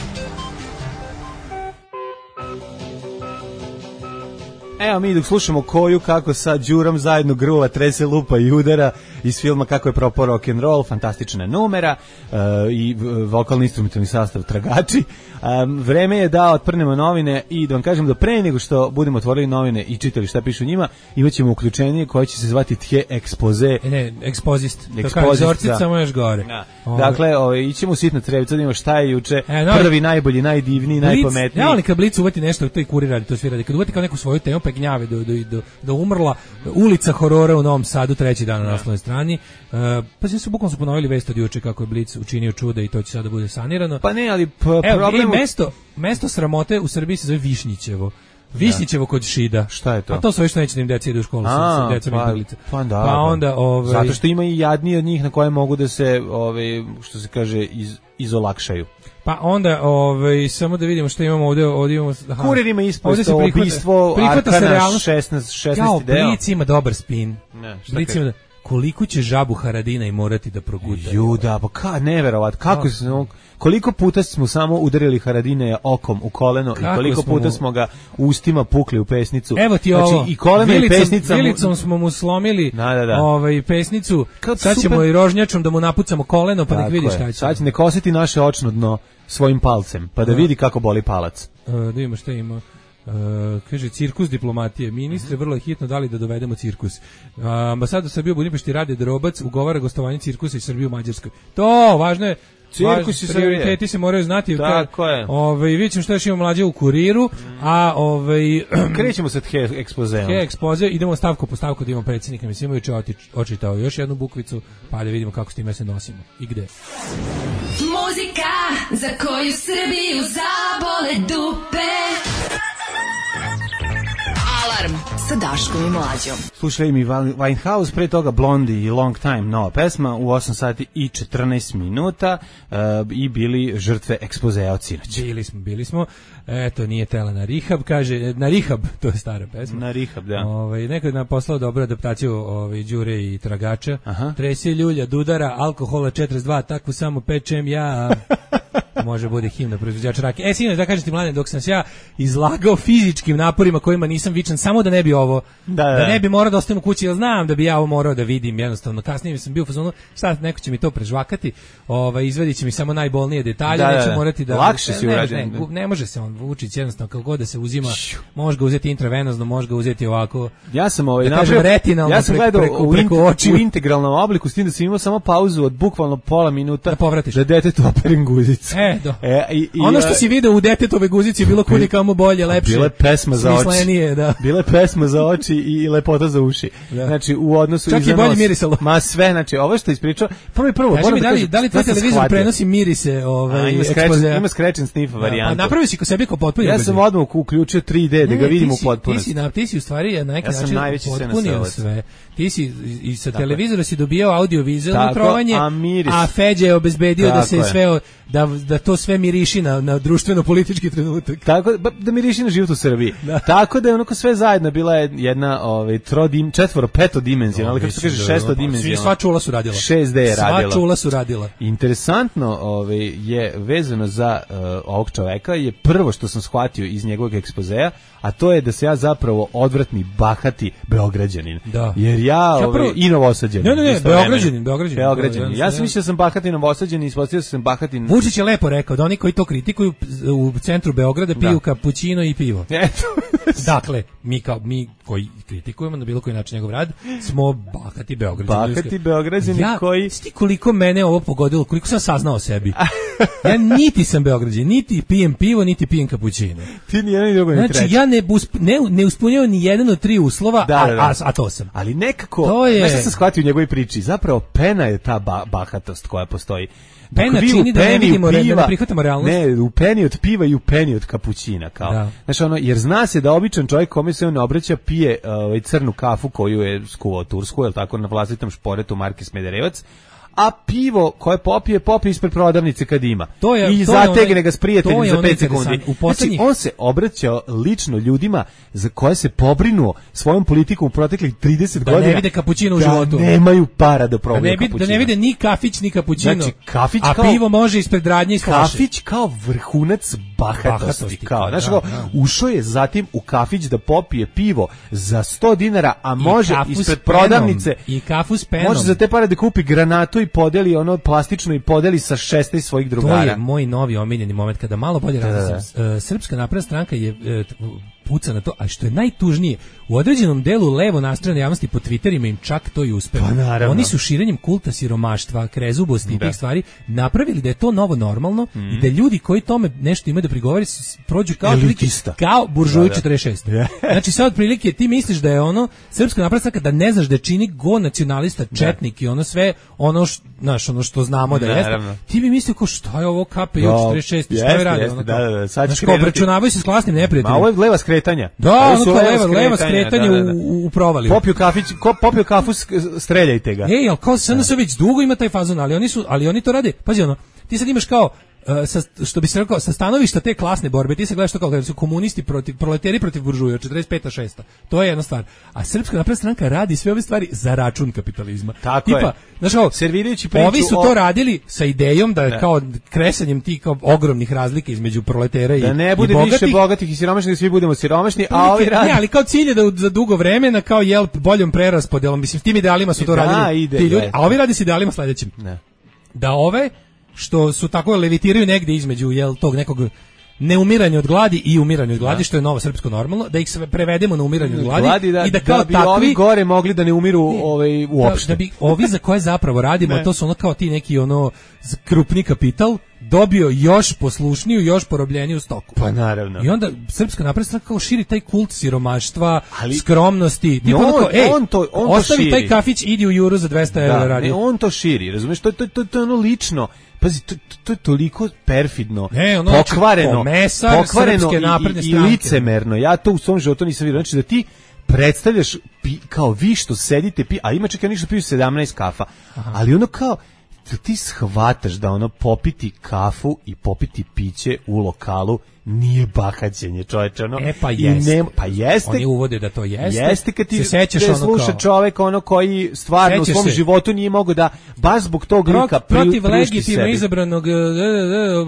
Evo mi dok slušamo Koju kako sad Đuram zajedno gruva, trese, lupa i udara, iz filma Kako je propao rock and roll, fantastična numera uh, i vokalni instrumentalni sastav Tragači. Um, vreme je da otprnemo novine i da vam kažem da pre nego što budemo otvorili novine i čitali šta piše u njima, imaćemo uključenje koje će se zvati Tje Ekspoze. Ne, ekspozist. Ekspozist, samo još gore. Da. Dakle, ovaj, ićemo u sitno trevicu, da imamo šta je juče, e, no, prvi, najbolji, najdivniji, Blic, najpametniji. Ja, ali kad Blic uvati nešto, to i Kurir radi, to svi radi. Kad uvati kao neku svoju temu, pa gnjave do, do, do, do umrla, ulica horora u Novom Sadu, treći dan na naslovnoj strani. Uh, pa se su bukvalno su ponovili vest od juče kako je Blic učinio čuda i to će sada bude sanirano. Pa ne, ali p- Evo, problem... mesto, mesto sramote u Srbiji se zove Višnjićevo. Višnjićevo kod Šida. Šta je to? A to su već neće da im deca idu u školu, sa decom pa, izbeglice. Pa, da, pa onda, ovaj... Zato što ima i jadniji od njih na koje mogu da se, ovaj, što se kaže, iz, izolakšaju. Pa onda, ovaj, samo da vidimo što imamo ovdje. ovdje imamo, aha, Kurir ima isposto ubistvo Arkana šesnaest, šesnaesti deo. Blic ima dobar spin. Ne, Blic ima da... Koliko će žabu Haradinaj morati da proguta? Ju, da, pa ka, neverovat, kako no. smo, koliko puta smo samo udarili Haradinaja okom u koleno kako i koliko puta mu... smo ga ustima pukli u pesnicu. Evo ti znači, ovo, i koleno vilicom, i pesnica vilicom smo mu slomili da, da, da. Ovaj, pesnicu, kad sad super... ćemo i rožnjačom da mu napucamo koleno, pa nek vidi šta će. Sad će nek osjeti naše očno dno svojim palcem, pa da vidi kako boli palac. Uh, da vidimo šta ima. Uh, kaže cirkus diplomatije. Ministre, vrlo je hitno dali da dovedemo cirkus. Uh, ambasador Srbije u Budimpešti Rade Drobac ugovara gostovanje cirkusa iz Srbije u Mađarskoj. To, važno je. Cirkus i prioriteti se moraju znati. Tako je. Ovaj, vidjet ćemo što još imamo mlađe u Kuriru, mm. a ovaj... krećemo sa Tje Ekspozeom. Tje Ekspoze, idemo stavku po stavku da imamo predsjednika. Mislim, juče očitao još jednu bukvicu, pa da vidimo kako s time se nosimo. I gde? Muzika za koju Srbiju zabole dupe. Alarm sa Daškom i Mlađom. Slušaj mi Winehouse, pre toga Blondie i Long Time, nova pesma u osam sati i četrnaest minuta uh, i bili žrtve ekspozea od sinoć. Bili smo, bili smo. Eto, nije tela na rihab, kaže, na rihab, to je stara pesma. Na rihab, da. Ovaj, neko je nam poslao dobru adaptaciju ovaj, Đure i Tragača. Aha. Trese ljulja, dudara, alkohola četrdeset dva, takvu samo pečem ja... Može bude himna proizvođača rake. E, sinoć, da kažem ti, Mladen, dok sam se ja izlagao fizičkim naporima kojima nisam vičan, samo da ne bi ovo, da, da. da ne bi morao da ostajem u kući, jer znam da bi ja ovo morao da vidim, jednostavno. Kasnije sam bio u fazonu, šta, neko će mi to prežvakati, ovaj, izvadit će mi samo najbolnije detalje, da, neće da. morati da... Lakše si urađen. Ne, ne, ne može se on Vučić, jednostavno, kako god da se uzima, može ga uzeti intravenozno, može ga uzeti ovako, ja sam ovaj, da kažem, retinalno, ja sam preko, gledao preko, u, preko očiju. U integralnom obliku, s tim da sam imao samo pauzu od bukvalno pola minuta da povratiš. Da detetu operim guzicu. E, do. E, i, i, ono što si video u detetove guzici je bilo kudi kamo bolje, lepše. Bila je pesma za oči. Da. Bila je pesma za oči i lepota za uši. Da. Znači, u odnosu čak i bolje mirisalo. Ma sve, znači, ovo što ispričao, prvo i prvo, kaži mi, da, da li, da li tvoj televizor prenosi mirise ovaj, a, ima ekspozea? Ima scratch and sniff varijantu. Pa napravio si ko sebi kao potpuno. Ja sam odmah uključio tri D da ga vidim u potpunosti. Ti si, na, ti si u stvari na neki ja način potpunio sve. Ti si i sa televizora si dobijao audio-vizualno trovanje, a, a Feđa je obezbedio tako da se je. sve da da to sve miriši na na društveno-politički trenutak. Tako da miriši na život u Srbiji. Da. Tako da je onako sve zajedno bila jedna ovaj trodim četvoro peto dimenzionalna, ali kako se kaže šesto dimenzionalna. Sva čula su radila. šest D je radila. Sva čula su radila. Interesantno, ovaj je vezano za uh, ovog čoveka je prvo što sam shvatio iz njegovog ekspozea, a to je da se ja zapravo odvratni bahati beograđanin. Da. Jer ja ovaj i Novosađanin. Ne, ne, ne, beograđanin, beograđanin. Beograđanin. Ja sam mislio da sam bahati Novosađanin, ispostavio sam bahati. Vučić je lepo rekao da oni koji to kritikuju u centru Beograda piju da. kapućino i pivo. Eto. Dakle, mi kao mi koji kritikujemo na bilo koji način njegov rad, smo bahati Beograđani. Bahati Beograđani ja, koji sti koliko mene ovo pogodilo, koliko sam saznao o sebi. Ja niti sam Beograđanin, niti pijem pivo, niti pijem kapućino. Ti ni jedan ni drugo ni treći. Znači ja ne usp, ne, ne ispunjavam ni jedan od tri uslova, da, a, da, da. A, a to sam. Ali nekako, to je... nešto sam shvatio u njegovoj priči, zapravo pena je ta ba, bahatost koja postoji. Pena čini da ne vidimo, da ne prihvatamo realnost. Ne, u peni od piva i u peni od kapućina, kao. Da. Znači ono, jer zna se da običan čovjek kome se on ne obraća pije ovaj crnu kafu koju je skuvao tursku, je l' tako, na vlastitom šporetu marke Smederevac, a pivo koje popije, popije ispred prodavnice kad ima. To je, I to zategne onaj, ga s prijateljem za pet sekundi. U poslednjih... Znači, on se obraćao lično ljudima za koje se pobrinuo svojom politikom u proteklih trideset da godina. Da ne vide kapućino u da životu. Da nemaju para da probaju da ne, kapućino. Da ne vide ni kafić, ni kapućino. Znači, kafić a kao, pivo može ispred radnje i slaše. Kafić kao vrhunac bahatosti. bahatosti kao, znači, da, da. Ušao je zatim u kafić da popije pivo za sto dinara, a može ispred prodavnice i kafu s penom. Može za te pare da kupi granatu i podeli ono plastično i podeli sa šesnaest svojih drugara. To je moj novi omiljeni moment kada malo bolje razmislim. Uh, Srpska napredna stranka je uh, puca na to, a što je najtužnije, u određenom delu levo nastrojene javnosti po Twitterima im čak to i uspelo. Pa, oni su širenjem kulta siromaštva, krezubosti i tih stvari napravili da je to novo normalno mm. i da ljudi koji tome nešto imaju da prigovori prođu kao elitista, kao buržuji četrdeset šest. Znači sad otprilike ti misliš da je ono Srpska napredna stranka, da ne znaš da čini go nacionalista, četnik i ono sve ono što, znaš, ono što znamo da jeste. Ti bi mislio kao šta je ovo K P J četrdeset šest, šta je radi? Ono, da, da, da, sad znaš, kao obračunavaju se s klasnim neprijateljima. Ma ovo je leva skretanja. Da, ono kao leva, leva skretanje da, da, da. u, u provaliju. Popio kafić, ko, popio kafu, streljajte ga. Ej, al kao S N S već dugo ima taj fazon, ali oni su, ali oni to rade. Pazi ono, ti sad imaš kao Uh, sa, što bi se rekao, sa stanovišta te klasne borbe, ti se gledaš to kao kada su komunisti protiv, proleteri protiv buržuja, četrdeset peta šesta. To je jedna stvar. A Srpska napredna stranka radi sve ove stvari za račun kapitalizma. Tako Tipa, je. Znaš, kao, servirajući priču ovi su o... to radili sa idejom da, da. kao kresanjem tih kao ogromnih razlika između proletera i, da ne bude i bogatih, više bogatih i siromašnih, da svi budemo siromašni, a ovi radi... Ne, ali kao cilj je da za dugo vremena kao jel boljom preraspodelom, mislim, s tim idealima su to da, radili ide, ti ljudi, je. A ovi radi s idealima sledećim. Ne. Da ove što su tako levitiraju negde između jel tog nekog neumiranja od gladi i umiranja od gladi, da. Što je novo srpsko normalno, da ih sve prevedemo na umiranje od gladi, gladi da, i da kao da bi takvi ovi gore mogli da ne umiru ovaj uopšte. Da, da bi ovi za koje zapravo radimo, to su ono kao ti neki ono krupni kapital dobio još poslušniju, još porobljeniju stoku. Pa naravno. I onda Srpska napredna stranka kao širi taj kult siromaštva, ali, skromnosti. Tipa on, kao, ej, on to, on ostavi to taj kafić, idi u Juru za dvesta evra radi. Ne, on to širi, razumiješ? To, to, to, to je ono lično. Pazi, to, to je toliko perfidno, ne, ono, pokvareno, pokvareno i, i, i licemerno. Ja to u svom životu nisam vidio. Znači da ti predstavljaš pi, kao vi što sedite, pi, a ima čekaj ništa piju sedamnaest kafa, aha. Ali ono kao, ti shvataš da ono popiti kafu i popiti piće u lokalu nije bahaćenje, čoveče, ono. E pa jeste. Ne, pa jeste. Oni uvode da to jeste. Jeste kad ti se sećaš ono sluša kao, čovek ono koji stvarno sećaš u svom se. životu nije mogao da baš zbog tog Pro, lika protiv legitimno izabranog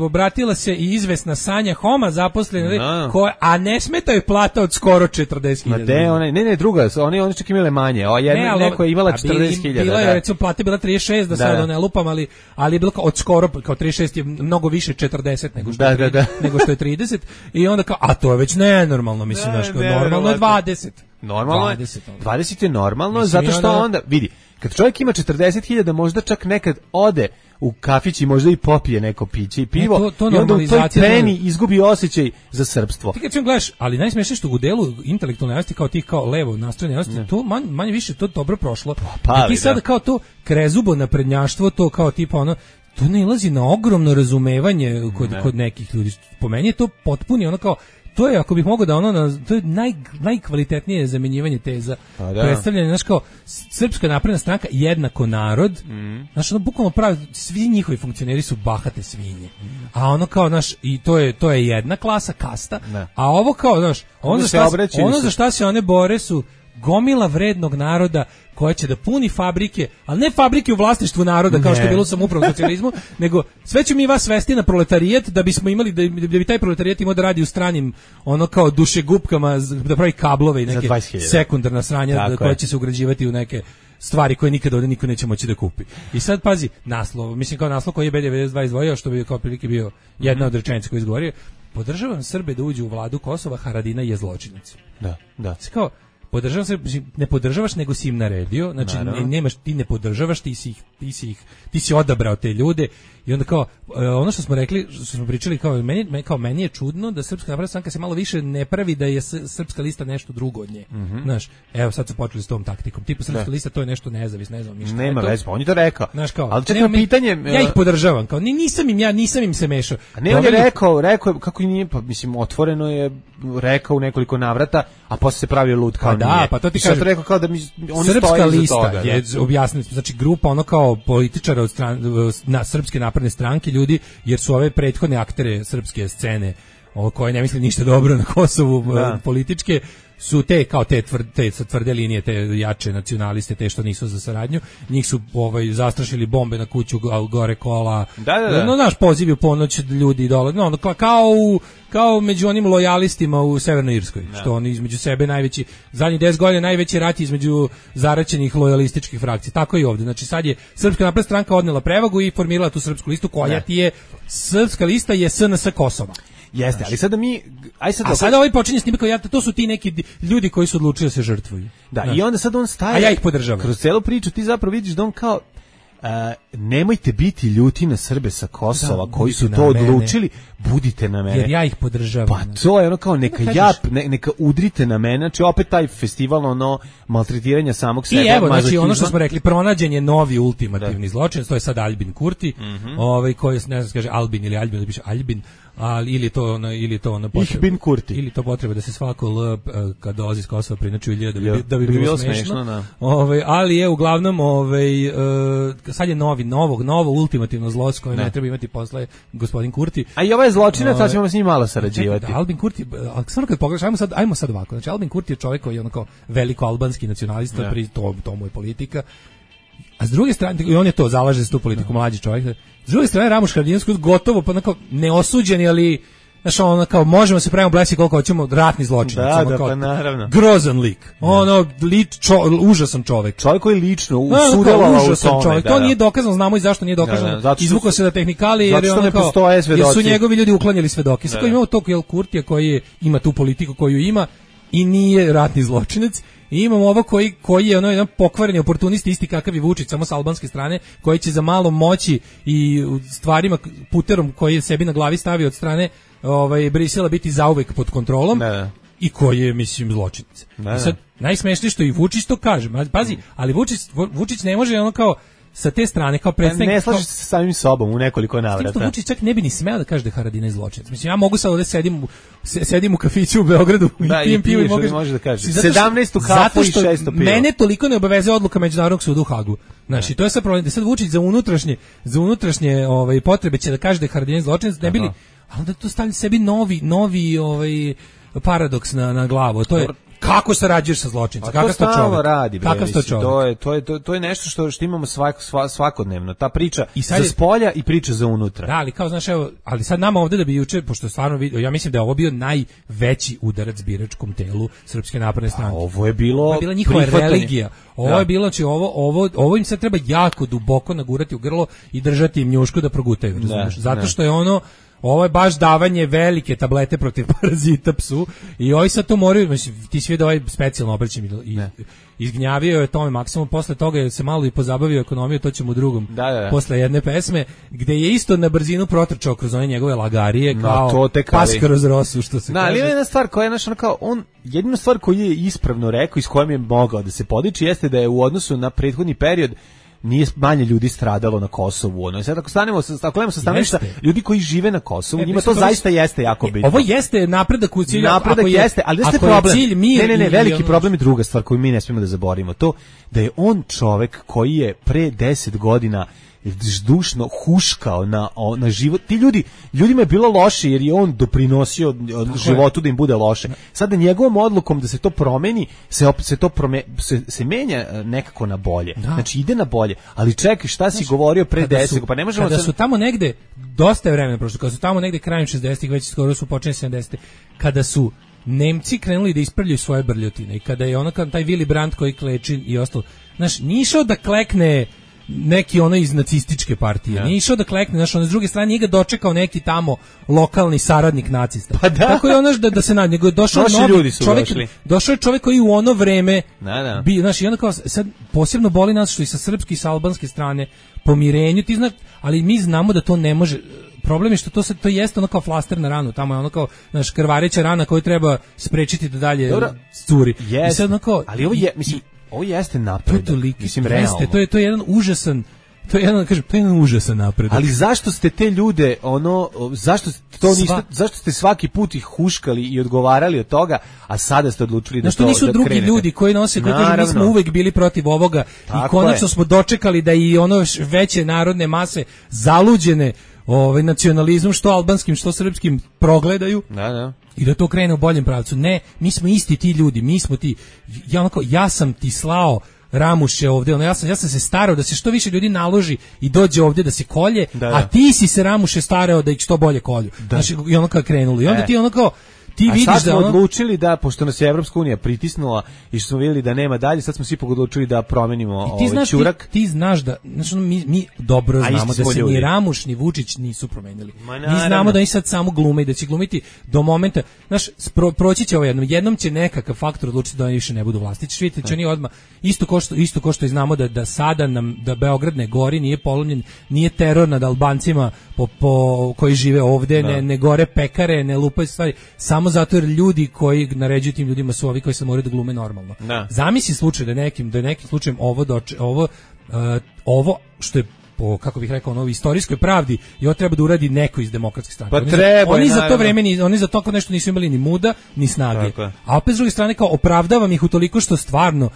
obratila se i izvesna Sanja Homa, zaposlena, koja, a ne smeta joj plata od skoro četrdeset hiljada. Ma ne, ne, ne, druga, oni oni čak imale manje. O jedna ne, neko je imala četrdeset hiljada. Bila je recimo plata bila trideset šest, da, da sad ne lupam, ali ali je bilo od skoro kao trideset šest je mnogo više četrdeset nego što da, je da, da. nego što je trideset. I onda kao, a to je već nenormalno, mislim, znaš, ne, normalno je dvadeset. Normalno je, dvadeset, dvadeset je normalno, mislim, zato što onda, onda, vidi, kad čovjek ima četrdeset hiljada, možda čak nekad ode u kafić i možda i popije neko piće i pivo, ne, to, to i onda u toj treni izgubi osjećaj za srpstvo. Ti kad ćemo gledaš, ali najsmešnije što u delu intelektualne javnosti kao tih kao levo nastrojene javnosti, to man, manje više to dobro prošlo. Pa, pa, ti sada kao to krezubo naprednjaštvo, to kao tipa ono, to ne ilazi na ogromno razumevanje kod, ne. kod nekih ljudi. Po meni je to potpuni ono kao, to je, ako bih mogao da ono, na, to je naj, najkvalitetnije zamenjivanje teza. Pa da. Predstavljanje, znaš kao, Srpska napredna stranka jednako narod, mm. znaš, ono, bukvalno pravi, svi njihovi funkcioneri su bahate svinje. Mm. A ono kao, znaš, i to je, to je jedna klasa, kasta, ne. A ovo kao, znaš, ono, za šta, ono za šta se one bore su gomila vrednog naroda koja će da puni fabrike, ali ne fabrike u vlasništvu naroda kao ne. Što je bilo u samoupravnom socijalizmu, nego sve ćemo mi vas svesti na proletarijat da bismo imali da, da bi taj proletarijat imao da radi u stranim ono kao dušegupkama da pravi kablove i neke sekundarna sranja da, koja će se ugrađivati u neke stvari koje nikada ovdje niko neće moći da kupi. I sad pazi, naslov, mislim kao naslov koji je B devedeset dva izdvojio, što bi kao prilike bio jedna od rečenica koju izgovorio, podržavam Srbe da uđu u vladu Kosova, Haradina je zločinac. Da, da. Kao podržavam se, ne podržavaš nego si im naredio, znači ne, nemaš, ti ne podržavaš, ti si ih, ti si ih, ti si odabrao te ljude i onda kao ono što smo rekli, što smo pričali kao meni, kao meni je čudno da Srpska napredna stranka se malo više ne pravi da je Srpska lista nešto drugo od nje. Mm-hmm. Znaš, evo sad su počeli s tom taktikom. Tipa Srpska lista to je nešto nezavisno, ne znam ništa. Nema veze, on je to rekao. Znaš kao, ali čekaj pitanje, ja ih podržavam, kao nisam im ja, nisam im se mešao. A ne, on je rekao, rekao kako nije, pa mislim otvoreno je rekao u nekoliko navrata, a posle se pravio lud kao pa da, nije. pa to ti kažem. kažem. rekao kao da mi oni Srpska stoje lista toga, je objasniti, znači grupa ono kao političara od stran, na srpske napredne stranke ljudi, jer su ove prethodne aktere srpske scene, o koje ne misle ništa dobro na Kosovu da. političke, su te kao te tvrde, te tvrde linije, te jače nacionaliste, te što nisu za saradnju, njih su ovaj zastrašili bombe na kuću gore kola. Da, da, da. No naš poziv u ponoć ljudi dole, no kao u, kao među onim lojalistima u Severnoj Irskoj, da. Što oni između sebe najveći zadnjih deset godina najveći rat između zaraćenih lojalističkih frakcija. Tako i ovdje. Znači sad je Srpska napredna stranka odnela prevagu i formirala tu srpsku listu koja ti je Srpska lista je S N S Kosova. Jeste, ali sada mi aj sad A sada ovaj počinje s njima kao ja, to su ti neki ljudi koji su odlučili da se žrtvuju. Da, da, i onda sad on staje. A ja ih podržavam. Kroz celu priču ti zapravo vidiš da on kao Uh, nemojte biti ljuti na Srbe sa Kosova da, koji su to odlučili, budite na mene. Jer ja ih podržavam. Pa to je ono kao neka jap, ne, neka udrite na mene, znači opet taj festival ono maltretiranja samog sebe. I evo, znači ono što smo rekli, pronađen je novi ultimativni da. zločin, to je sad Albin Kurti, mm-hmm. ovaj koji ne znam se kaže Albin ili Albin, ili piše Albin, ali ili to ono ili to ono potreba Kurti. Ili to potreba da se svako L kad dolazi iz Kosova prinači da bi, jo, da bi, bi bilo bilo smešno. smešno da. Ovaj ali je uglavnom ovaj uh, sad je novi novog novo ultimativno zlo s kojim ne treba imati posle gospodin Kurti. A i ovaj zločinac, sad ćemo s njim malo sarađivati. Da, Albin Kurti, samo kad pogledaš, ajmo sad, ajmo sad ovako. Znači Albin Kurti je čovjek koji je onako veliko albanski nacionalista, pri to, to mu je politika. A s druge strane, i on je to, zalaže za tu politiku, mlađi čovjek. S druge strane, Ramuš Haradinac gotovo, pa onako neosuđeni, ali znaš, ono kao, možemo se pravimo blesi koliko hoćemo, ratni zločinac. Da, da, kao, pa naravno. Grozan lik. Ono, lič, čo, užasan čovjek. Čovjek koji lično usudovao u tome. Čovjek. Da, to da. nije dokazano, znamo i zašto nije dokazano. Da, da, izvukao se da tehnikali, jer, je ono kao, jer su njegovi ljudi uklanjali svedoke. Sad da, imamo tog Jel Kurtija koji je, ima tu politiku koju ima i nije ratni zločinac. I imamo ovo koji, koji je ono jedan pokvareni oportunist isti kakav i Vučić, samo s albanske strane, koji će za malo moći i stvarima, puterom koji je sebi na glavi stavio od strane ovaj, Brisela biti zauvek pod kontrolom ne. I koji je, mislim, zločinac. I sad, najsmešnije što i Vučić to kaže, pazi, ali Vučić, Vučić ne može ono kao sa te strane kao predstavnik ne slaže se sa samim sobom u nekoliko navrata. Što Vučić čak ne bi ni smeo da kaže da je Haradinaj zločinac. Mislim ja mogu sad ovde sedim sedim u kafiću u Beogradu da, i pijem pivo i mogu može da kaže sedamnaestu kafu i šesto piva. Mene toliko ne obavezuje odluka Međunarodnog suda u Hagu. Znači to je sad problem da sad Vučić za unutrašnje za unutrašnje ovaj potrebe će da kaže da je Haradinaj zločinac, ne bili, ali da to stavlja sebi novi novi ovaj paradoks na na glavu. To je kako sarađuješ sa zločincem? Kakav to čovjek? Radi, bre, Kakav to čovjek? To je to je to, to je nešto što što imamo svak, svakodnevno. Ta priča za spolja i priča za unutra. Da, ali kao znaš, evo, ali sad nama ovde da bi juče, pošto stvarno vidio, ja mislim da je ovo bio najveći udarac biračkom telu Srpske napredne stranke. Ovo je bilo ovo je bila njihova religija. Ovo da. je bilo či ovo ovo ovo im se treba jako duboko nagurati u grlo i držati im njušku da progutaju, razumiješ? Zato što je ono ovo je baš davanje velike tablete protiv parazita psu i ovaj sad to moraju, mislim, ti si vidio ovaj specijalno obraćam i izgnjavio je tome maksimum, posle toga je se malo i pozabavio ekonomiju, to ćemo u drugom, da, da, da. posle jedne pesme, gde je isto na brzinu protrčao kroz one njegove lagarije, kao no, pas kroz rosu, što se no, kaže. Ali jedna stvar koja je naš, ono kao, on, jedina stvar koju je ispravno rekao i s kojom je mogao da se podiči, jeste da je u odnosu na prethodni period nije manje ljudi stradalo na Kosovu. Ono. Sad ako stanemo sa ako sa stanovišta ljudi koji žive na Kosovu, e, njima to zaista je, jeste jako bitno. Ovo jeste napredak u cilju, napredak ako je, jeste, ali jeste problem. Je ne, ne, ne, veliki problem je druga stvar koju mi ne smijemo da zaboravimo. To da je on čovek koji je pre deset godina zdušno huškao na, na život. Ti ljudi, ljudima je bilo loše jer je on doprinosio životu da im bude loše. Sada njegovom odlukom da se to promeni, se opet se to prome, se, se menja nekako na bolje. Da. Znači ide na bolje. Ali čekaj, šta si znači, govorio pre deset? Pa ne možemo kada sad... su tamo negde, dosta je vremena prošlo, kada su tamo negde krajem šezdesetih, već skoro su počeli sedamdesetih, kada su Nemci krenuli da ispravljaju svoje brljotine i kada je ono kao taj Willy Brandt koji kleči i ostalo, znaš, nije išao da klekne neki ono iz nacističke partije. Ja. Nije išao da klekne, znaš, on s druge strane nije ga dočekao neki tamo lokalni saradnik nacista. Pa da. Tako je ono da, da se nađe, nego je došao novi čovjek, došli. došao je čovjek koji u ono vreme da, da. bi, znaš, i onda kao, sad posebno boli nas što i sa srpske i sa albanske strane pomirenju, ti znaš, ali mi znamo da to ne može. Problem je što to se to jeste ono kao flaster na ranu, tamo je ono kao naš krvareća rana koju treba sprečiti da dalje Dobro, curi. Jest, I sad ono kao, ali ovo je, mislim, ovo jeste napredak, to, mislim, realno. Jeste, to je, to je jedan užasan, To je jedan, kažem, to je jedan užasan napredak. Ali zašto ste te ljude, ono, zašto to niste, Sva... zašto ste svaki put ih huškali i odgovarali od toga, a sada ste odlučili da Znaš, to da nisu drugi krenete. ljudi koji nose, koji kažu, mi smo uvek bili protiv ovoga. Tako i konačno je. Smo dočekali da i ono veće narodne mase zaluđene ovaj nacionalizmom, što albanskim, što srpskim, progledaju. Da, da. I da to krene u boljem pravcu. Ne, mi smo isti ti ljudi, mi smo ti, ja, onako, ja sam ti slao Ramuše ovde, ono, ja sam, ja sam se starao da se što više ljudi naloži i dođe ovde da se kolje, da, da. A ti si se Ramuše starao da ih što bolje kolju. Da. Znači, i ono kao krenulo. I onda e. ti ono kao, ti a vidiš sad smo da ono... odlučili da, pošto nas je Evropska unija pritisnula i što smo vidjeli da nema dalje, sad smo svi odlučili da promenimo ovaj znaš, ćurak. Ti, ti znaš da, znači, mi, mi dobro znamo da se ljudi. Ni Ramuš ni Vučić nisu promenili. Mi znamo da oni sad samo glume i da će glumiti do momenta, znaš, pro, proći će ovo jednom, jednom će nekakav faktor odlučiti da oni više ne budu vlasti. Ćeš vidjeti, će oni odmah, isto ko što, isto ko što i znamo da, da sada nam, da Beograd ne gori, nije polomljen, nije teror nad Albancima po, po, koji žive ovde, ne, ne gore pekare, ne lupaju stvari, samo zato jer ljudi koji naređuju tim ljudima su ovi koji se moraju da glume normalno. Da. Zamisli slučaj da nekim da nekim slučajem ovo doče, ovo uh, ovo što je po, kako bih rekao, ono, istorijskoj pravdi i ovo treba da uradi neko iz demokratske stranke. Pa oni treba, za, oni za to vreme ni, oni za to nešto nisu imali ni muda ni snage. A opet s druge strane kao opravdavam ih utoliko što stvarno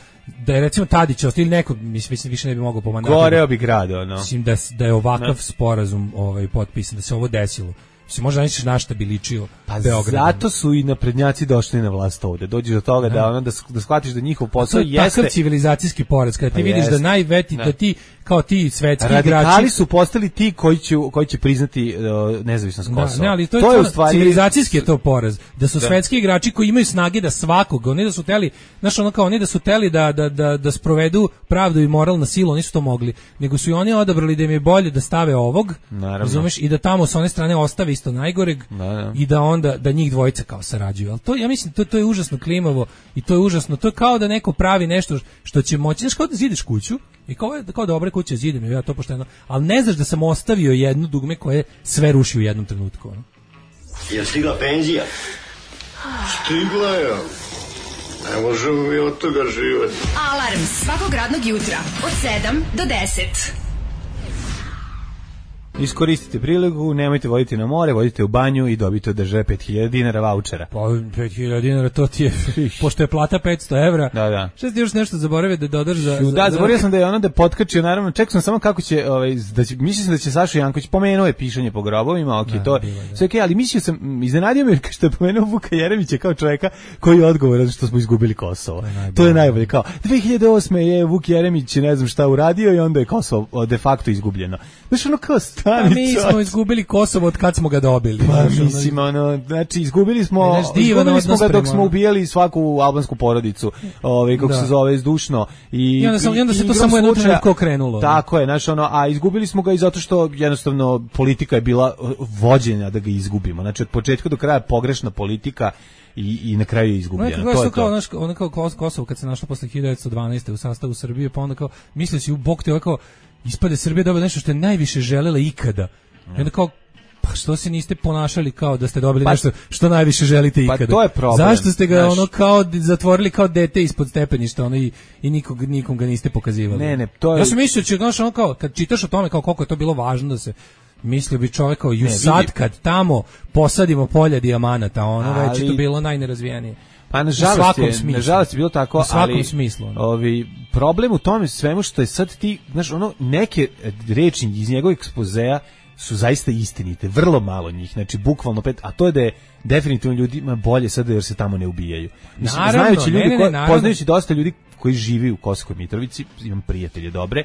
da je recimo Tadić ili neko, mislim više ne bi mogao pomagati. Goreo bi grad, ono. Mislim da da je ovakav no. sporazum ovaj potpisan, da se ovo desilo. Se možda nećeš na šta bi ličio pa Beograd. Zato su i naprednjaci došli na vlast ovde. Dođeš do toga da, da ono da, da shvatiš da njihov posao je jeste takav civilizacijski poraz kada ti pa vidiš jest. Da najveti da. da ti kao ti svetski igrači radikali su postali ti koji će koji će priznati uh, nezavisnost Kosova. Da, ne, ali to je, to je u stvari civilizacijski je to poraz. Da su da. svetski igrači koji imaju snage da svakog, oni da su teli, znaš ono kao oni da su teli da da da da sprovedu pravdu i moral na silu, oni su to mogli. Nego su i oni odabrali da im je bolje da stave ovog, razumeš, i da tamo sa one strane ostave isto najgoreg. Da, da. I da onda da njih dvojica kao sarađuju. Al to ja mislim to to je užasno klimavo i to je užasno. To je kao da neko pravi nešto što će moći, znaš, kao da zidiš kuću i kao je kao dobre kuće zidem, ja to pošteno. Al ne znaš da sam ostavio jedno dugme koje sve ruši u jednom trenutku, ono. Je stigla penzija? Stigla je. Ne možemo mi od toga živjeti. Alarm svakog radnog jutra od sedam do deset. Iskoristite priliku, nemojte voditi na more, vodite u banju i dobite od države pet hiljada dinara vaučera. Pa pet hiljada dinara, to ti je, pošto je plata petsto evra. Da, da. Šta ti još nešto zaboravio da dodaš za... Da, za... zaboravio sam da je ono da potkačio, naravno, čekao sam samo kako će, ovaj, da će, mislim da će Saša Janković, pomenuo je pišanje po grobovima, ok, da, to je, sve okej, ali mislio sam, iznenadio me što je pomenuo Vuka Jeremića kao čovjeka koji je odgovoran što smo izgubili Kosovo. To je, to je najbolje, kao, dve hiljade osme je Vuk Jeremić, ne znam šta uradio i onda je Kosovo de facto izgubljeno. Znaš, ono kao stani, pa mi smo izgubili Kosovo od kad smo ga dobili. Pa mislim, ono, znači izgubili smo, ne, izgubili smo ga dok smo ubijali svaku albansku porodicu, ovaj, kako da. se zove, zdušno. I, I onda, sam, i onda se to samo jedno trenutko krenulo. Tako je, znači ono, a izgubili smo ga i zato što jednostavno politika je bila vođenja da ga izgubimo. Znači od početka do kraja pogrešna politika i i na kraju je izgubljeno. No, to je kao, naš, ono kao Kosovo kad se našlo posle hiljadu devetsto dvanaeste u sastavu Srbije, pa onda kao mislio si u bok te ovako ispade Srbija dobila nešto što je najviše želela ikada. I onda kao, pa što se niste ponašali kao da ste dobili pa, nešto što najviše želite ikada? Pa to je problem. Zašto ste ga znaš, ono kao zatvorili kao dete ispod stepeništa, ono i, i nikog, nikom ga niste pokazivali? Ne, ne, to je... Ja sam mislio, će, znaš, ono kao, kad čitaš o tome kao koliko je to bilo važno da se mislio bi čovjek kao, ju sad kad tamo posadimo polja dijamanata, ono ali... već je to bilo najnerazvijenije. Pa nažalost je, nažalost je bilo tako, u svakom ali smislu. Ne? Ovi, problem u tome svemu što je sad ti, znaš, ono, neke reči iz njegovog ekspozea su zaista istinite, vrlo malo njih, znači bukvalno pet, a to je da je definitivno ljudima bolje sada jer se tamo ne ubijaju. Mislim, naravno, znajući ljudi, ne, ne, ne, poznajući dosta ljudi koji živi u Kosovskoj Mitrovici, imam prijatelje dobre,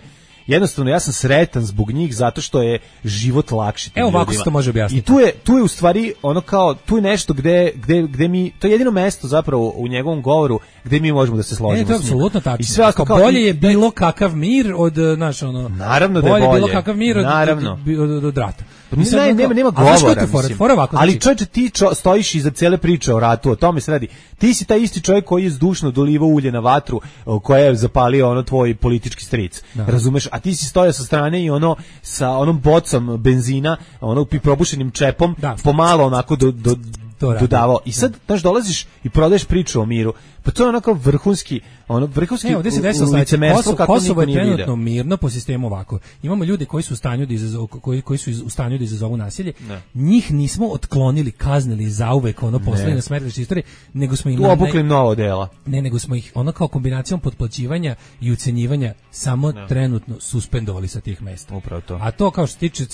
jednostavno ja sam sretan zbog njih zato što je život lakši. Evo ovako se to može objasniti. I tu je tu je u stvari ono kao tu je nešto gde gde gde mi to je jedino mesto zapravo u njegovom govoru gde mi možemo da se složimo. Ne, to je apsolutno tačno. I sve kao bolje je bilo kakav mir od naš ono. Naravno da je bolje. Bolje bilo kakav mir od naravno. od, od, od, od rata. Ne, nema nema govora. Ali čovječe ti čo, stojiš iza cele priče o ratu, o tome se radi. Ti si taj isti čovjek koji je zdušno dolivao ulje na vatru koja je zapalio ono tvoj politički stric. Da. Razumeš? A ti si stojao sa strane i ono sa onom bocom benzina, ono probušenim čepom, da. pomalo onako do, do to radi. dodavao. I sad, znaš, dolaziš i prodaješ priču o miru. Pa to je onako vrhunski, ono, vrhunski ne, ovdje se desilo licemerstvo kako Kosovo niko je nije trenutno mirno po sistemu ovako. Imamo ljude koji su u stanju da izazovu, koji, koji su u stanju da izazovu nasilje. Ne. Njih nismo otklonili, kaznili zauvek, ono, poslali na smetlište istorije, nego smo im... Tu obukli novo dela. Ne, nego smo ih, ono kao kombinacijom potplaćivanja i ucenjivanja samo ne. trenutno suspendovali sa tih mesta. Upravo to. A to kao što tiče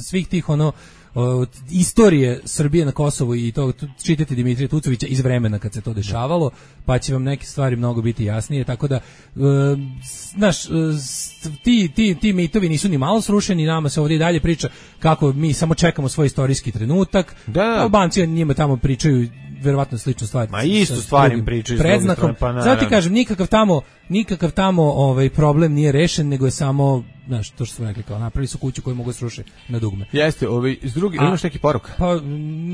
svih tih, ono, o, istorije Srbije na Kosovu i to čitati Dimitrija Tucovića iz vremena kad se to dešavalo, pa će vam neke stvari mnogo biti jasnije, tako da e, znaš, e, ti, ti, ti mitovi nisu ni malo srušeni, nama se ovdje i dalje priča kako mi samo čekamo svoj istorijski trenutak, da. Albanci njima tamo pričaju verovatno sličnu stvar. Ma istu stvar im pričaju predznakom. Pa zato ti kažem, nikakav tamo, nikakav tamo ovaj problem nije rešen, nego je samo, znaš, to što smo rekli, kao napravili su kuću koju mogu srušiti na dugme. Jeste, ovaj iz drugi, imaš neki poruka? Pa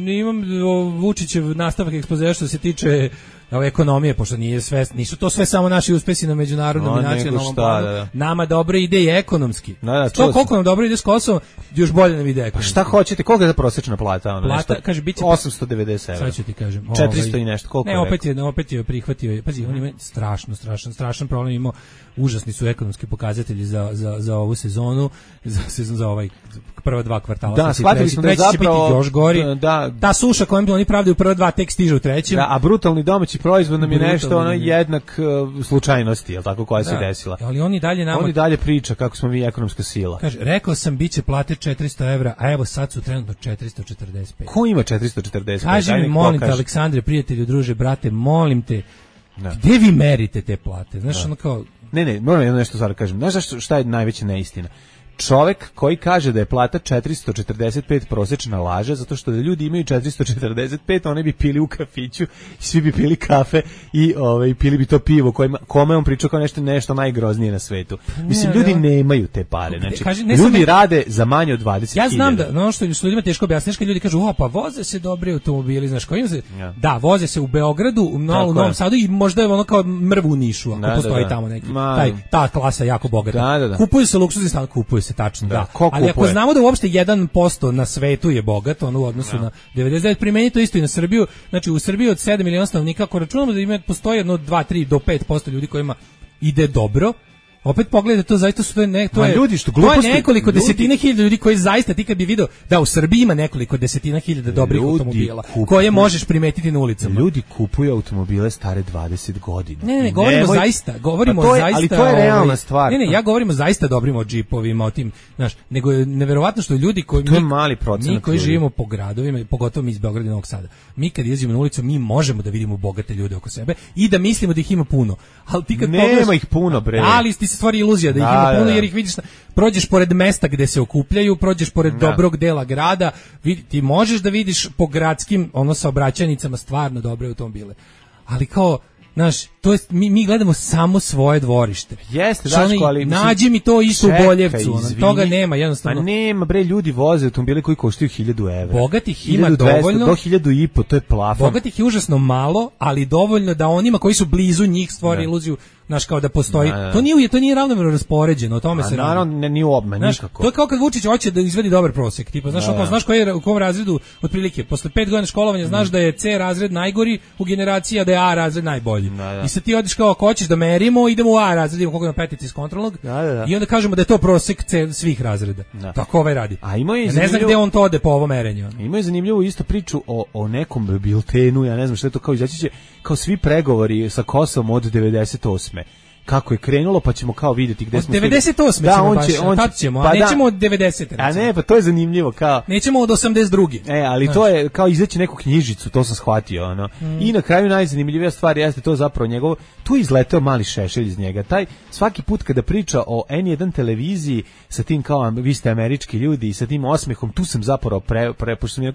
imam o, Vučićev nastavak ekspozea što se tiče o, ekonomije, pošto nije sve, nisu to sve samo naši uspesi na međunarodnom no, i nacionalnom planu. Da, da. Nama dobro ide i ekonomski. Da, da, to koliko nam dobro ide s Kosovom, još bolje nam ide ekonomski. Pa šta hoćete, koliko je za prosječna plata? Ono, plata, nešto, kaže, biće osamsto devedeset evra. Sad ću ti kažem. četiristo i nešto, koliko ne, je opet je, opet je prihvatio, pazi, on ima strašno, strašan, strašan problem imao, užasni su ekonomski pokazatelji za, za, za ovu sezonu, za sezon za ovaj prva dva kvartala. Da, shvatili smo da zapravo još gori. Da, ta suša kojom oni pravdaju prva dva tek stiže u trećem. Da, a brutalni domaći proizvod nam je nešto ono jednak uh, slučajnosti, je tako, koja da, se desila. Ali oni dalje nama Oni dalje priča kako smo mi ekonomska sila. Kaže, rekao sam biće plate četiristo evra, a evo sad su trenutno četiristo četrdeset pet. Ko ima četiristo četrdeset pet? Kaži mi, molim te, Aleksandre, prijatelju, druže, brate, molim te. Da. Gde vi merite te plate? Znaš, da. ono kao... Ne, ne, moram jedno nešto sad kažem. Znaš šta, šta je najveća neistina? Čovek koji kaže da je plata četiristo četrdeset pet prosečna laže, zato što da ljudi imaju četiristo četrdeset pet, oni bi pili u kafiću, svi bi pili kafe i ovaj pili bi to pivo kojima, kome on pričao kao nešto nešto najgroznije na svetu. Mislim, ljudi nemaju te pare. Znači, Kaži, ljudi ne, rade za manje od dvadeset hiljada. Ja znam da, no što s ljudima teško objasniš, kad ljudi kažu, o, pa voze se dobri automobili, znaš, kojim se, ja. da, voze se u Beogradu, u, no, u Novom Sadu i možda je ono kao mrvu u Nišu, ako da, postoji da, da. tamo neki, taj, ta klasa jako bogata. Da, da, da. Kupuju se luksuzni stan, kupuju se tačno, da. da. Ali ako znamo da uopšte jedan posto na svetu je bogat, ono u odnosu no. na devedeset devet, primeni to isto i na Srbiju. Znači u Srbiji od sedam miliona stanovnika, ako računamo da ima postoji jedno dva tri do pet posto ljudi kojima ide dobro, opet pogledajte to, zaista su to ne, to je ljudi što gluposti, to je nekoliko ljudi, desetina hiljada ljudi koji zaista ti kad bi video da u Srbiji ima nekoliko desetina hiljada dobrih ljudi automobila kupuju, koje možeš primetiti na ulicama. Ljudi kupuju automobile stare dvadeset godina. Ne, ne, ne govorimo Nemoj, zaista, govorimo je, zaista. Ali to je realna ovaj, stvar. Ne, ne, ja govorimo zaista dobrim o džipovima, o tim, znaš, nego je neverovatno što ljudi koji to je mali procenat. Mi koji ljudi. živimo po gradovima, pogotovo mi iz Beograda i Novog Sada. Mi kad izlazimo na ulicu, mi možemo da vidimo bogate ljude oko sebe i da mislimo da ih ima puno. Al ti kad nema pogledaš, ih puno, bre. Ali ti se stvori iluzija da ih ima puno, jer ih vidiš, prođeš pored mesta gde se okupljaju, prođeš pored da. dobrog dela grada, vidi, ti možeš da vidiš po gradskim ono saobraćajnicama stvarno dobre automobile. Ali kao, znaš, to jest, mi, mi gledamo samo svoje dvorište. Jeste, Daško, ali... Nađi mi to isto čekaj, u Boljevcu, ono, toga nema, jednostavno. A nema, bre, ljudi voze automobile koji koštaju hiljadu evra. Bogatih ima dovoljno. Do hiljadu i po, to je plafon. Bogatih je užasno malo, ali dovoljno da onima koji su blizu njih stvori iluziju, znaš, kao da postoji. Da, da. To nije, to nije ravnomerno raspoređeno, o tome a, se radi. Naravno, ne, nije obman, nikako. To je kao kad Vučić hoće da izvedi dobar prosek. Tipa, znaš, da, da. znaš koji je u kom razredu, otprilike, posle pet godina školovanja, znaš mm. da je C razred najgori u generaciji, a da je A razred najbolji. Da, da. I sad ti odiš kao, ako hoćeš da merimo, idemo u A razred, idemo koliko ima petici iz kontrolnog, da, da, da. I onda kažemo da je to prosek C svih razreda. Da. Tako ovaj radi. A ima je ja ne znam gde on to ode po ovom merenju. Ima je zanimljivu isto priču o, o nekom biltenu, ja ne znam što je to, kao izaći će, kao svi pregovori sa Kosovom od devedeset osme kako je krenulo, pa ćemo kao vidjeti gde od smo. devedeset osme da, ćemo on baš, će, on tad ćemo, pa a nećemo da, od devedesete. A ne, pa to je zanimljivo, kao. Nećemo od osamdeset druge. E, ali znači. To je kao izaći neku knjižicu, to sam shvatio, ono. Mm. I na kraju najzanimljivija stvar jeste to zapravo njegovo, tu je izleteo mali šešelj iz njega. Taj svaki put kada priča o en jedan televiziji sa tim kao vi ste američki ljudi i sa tim osmehom, tu sam zapravo pre, pre pošto mi je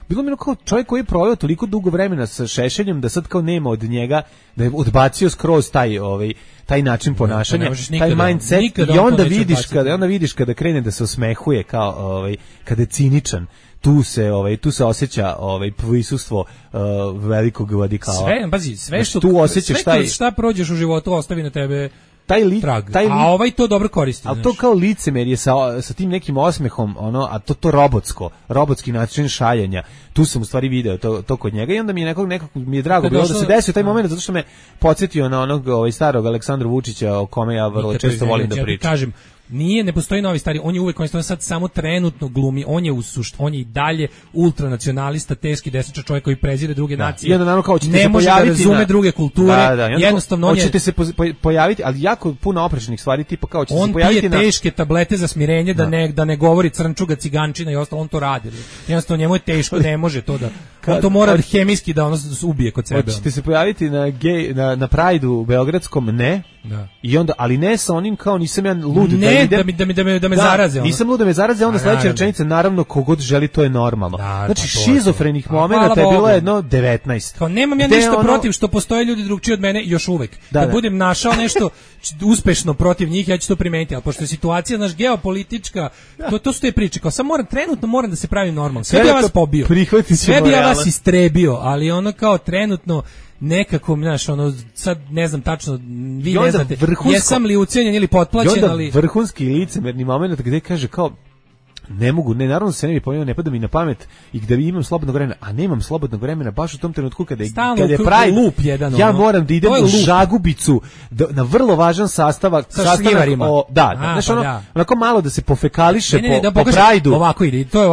bilo mi kao čovjek koji je proveo toliko dugo vremena sa šešeljem da sad kao nema od njega, da je odbacio skroz taj ovaj taj način ponašanja, ne, taj mindset i onda vidiš kada onda vidiš kada krene da se osmehuje kao ovaj kada je ciničan. Tu se ovaj tu se osjeća ovaj prisustvo uh, velikog radikala. Sve, pazi, sve što tu osjećaš šta šta prođeš u životu ostavi na tebe taj li, trag. Taj li, a ovaj to dobro koristi. Ali to kao licemerje sa, sa tim nekim osmehom, ono, a to to robotsko, robotski način šaljenja. Tu sam u stvari video to, to kod njega i onda mi je nekog, nekog mi je drago bilo da se desio taj moment zato što me podsjetio na onog ovaj, starog Aleksandra Vučića o kome ja vrlo često volim da pričam. Kažem, nije, ne postoji novi stari, on je uvek, on je sad samo trenutno glumi, on je u sušt, on je i dalje ultranacionalista, teški desničar čovjek koji prezire druge da. nacije. I onda naravno kao ćete ne se može da razume na... druge kulture, da, da. jednostavno on je... Hoćete se pojaviti, ali jako puno oprečnih stvari, tipa kao ćete on se pojaviti na... On pije teške tablete za smirenje da, da ne da ne govori crnčuga, cigančina i ostalo, on to radi. Jednostavno njemu je teško, ne može to da... On to mora hemijski da ono ubije kod sebe. Hoćete se pojaviti na gej, na na Prideu beogradskom, ne? Da. I onda, ali ne sa onim kao nisam ja lud ne, da idem. Da mi, da mi, da me, da me da, zaraze. Ono. Nisam lud da me zaraze, onda sledeća rečenica, naravno, kogod želi, to je normalno. Da, znači, pa šizofrenih momenata je bilo jedno devetnaest. Kao, nemam ja ništa ono... protiv što postoje ljudi drugčiji od mene još uvek. Da, da, da budem našao nešto uspešno protiv njih, ja ću to primeniti, ali pošto je situacija naš geopolitička, da. to, to su te priče. Kao, sam moram, trenutno moram da se pravim normalno. Sve bi ja vas pobio. Sve bi ja vas istrebio, ali ono kao trenutno nekako, znaš, ono, sad ne znam tačno, vi ne znate, vrhunsko, jesam li ucijenjen ili potplaćen, ali... I onda vrhunski licemerni moment gde kaže kao, ne mogu, ne, naravno se ne bi pojavio, ne pada mi na pamet i gde imam slobodnog vremena, a nemam slobodnog vremena baš u tom trenutku kada je, kada je Pride, lup jedan, ja moram da idem u Žagubicu da, na vrlo važan sastavak, sastavak o, da, da, znaš, ono, da. onako malo da se pofekališe ne, ne, ne, po, da po Prideu. Ovako ide, to je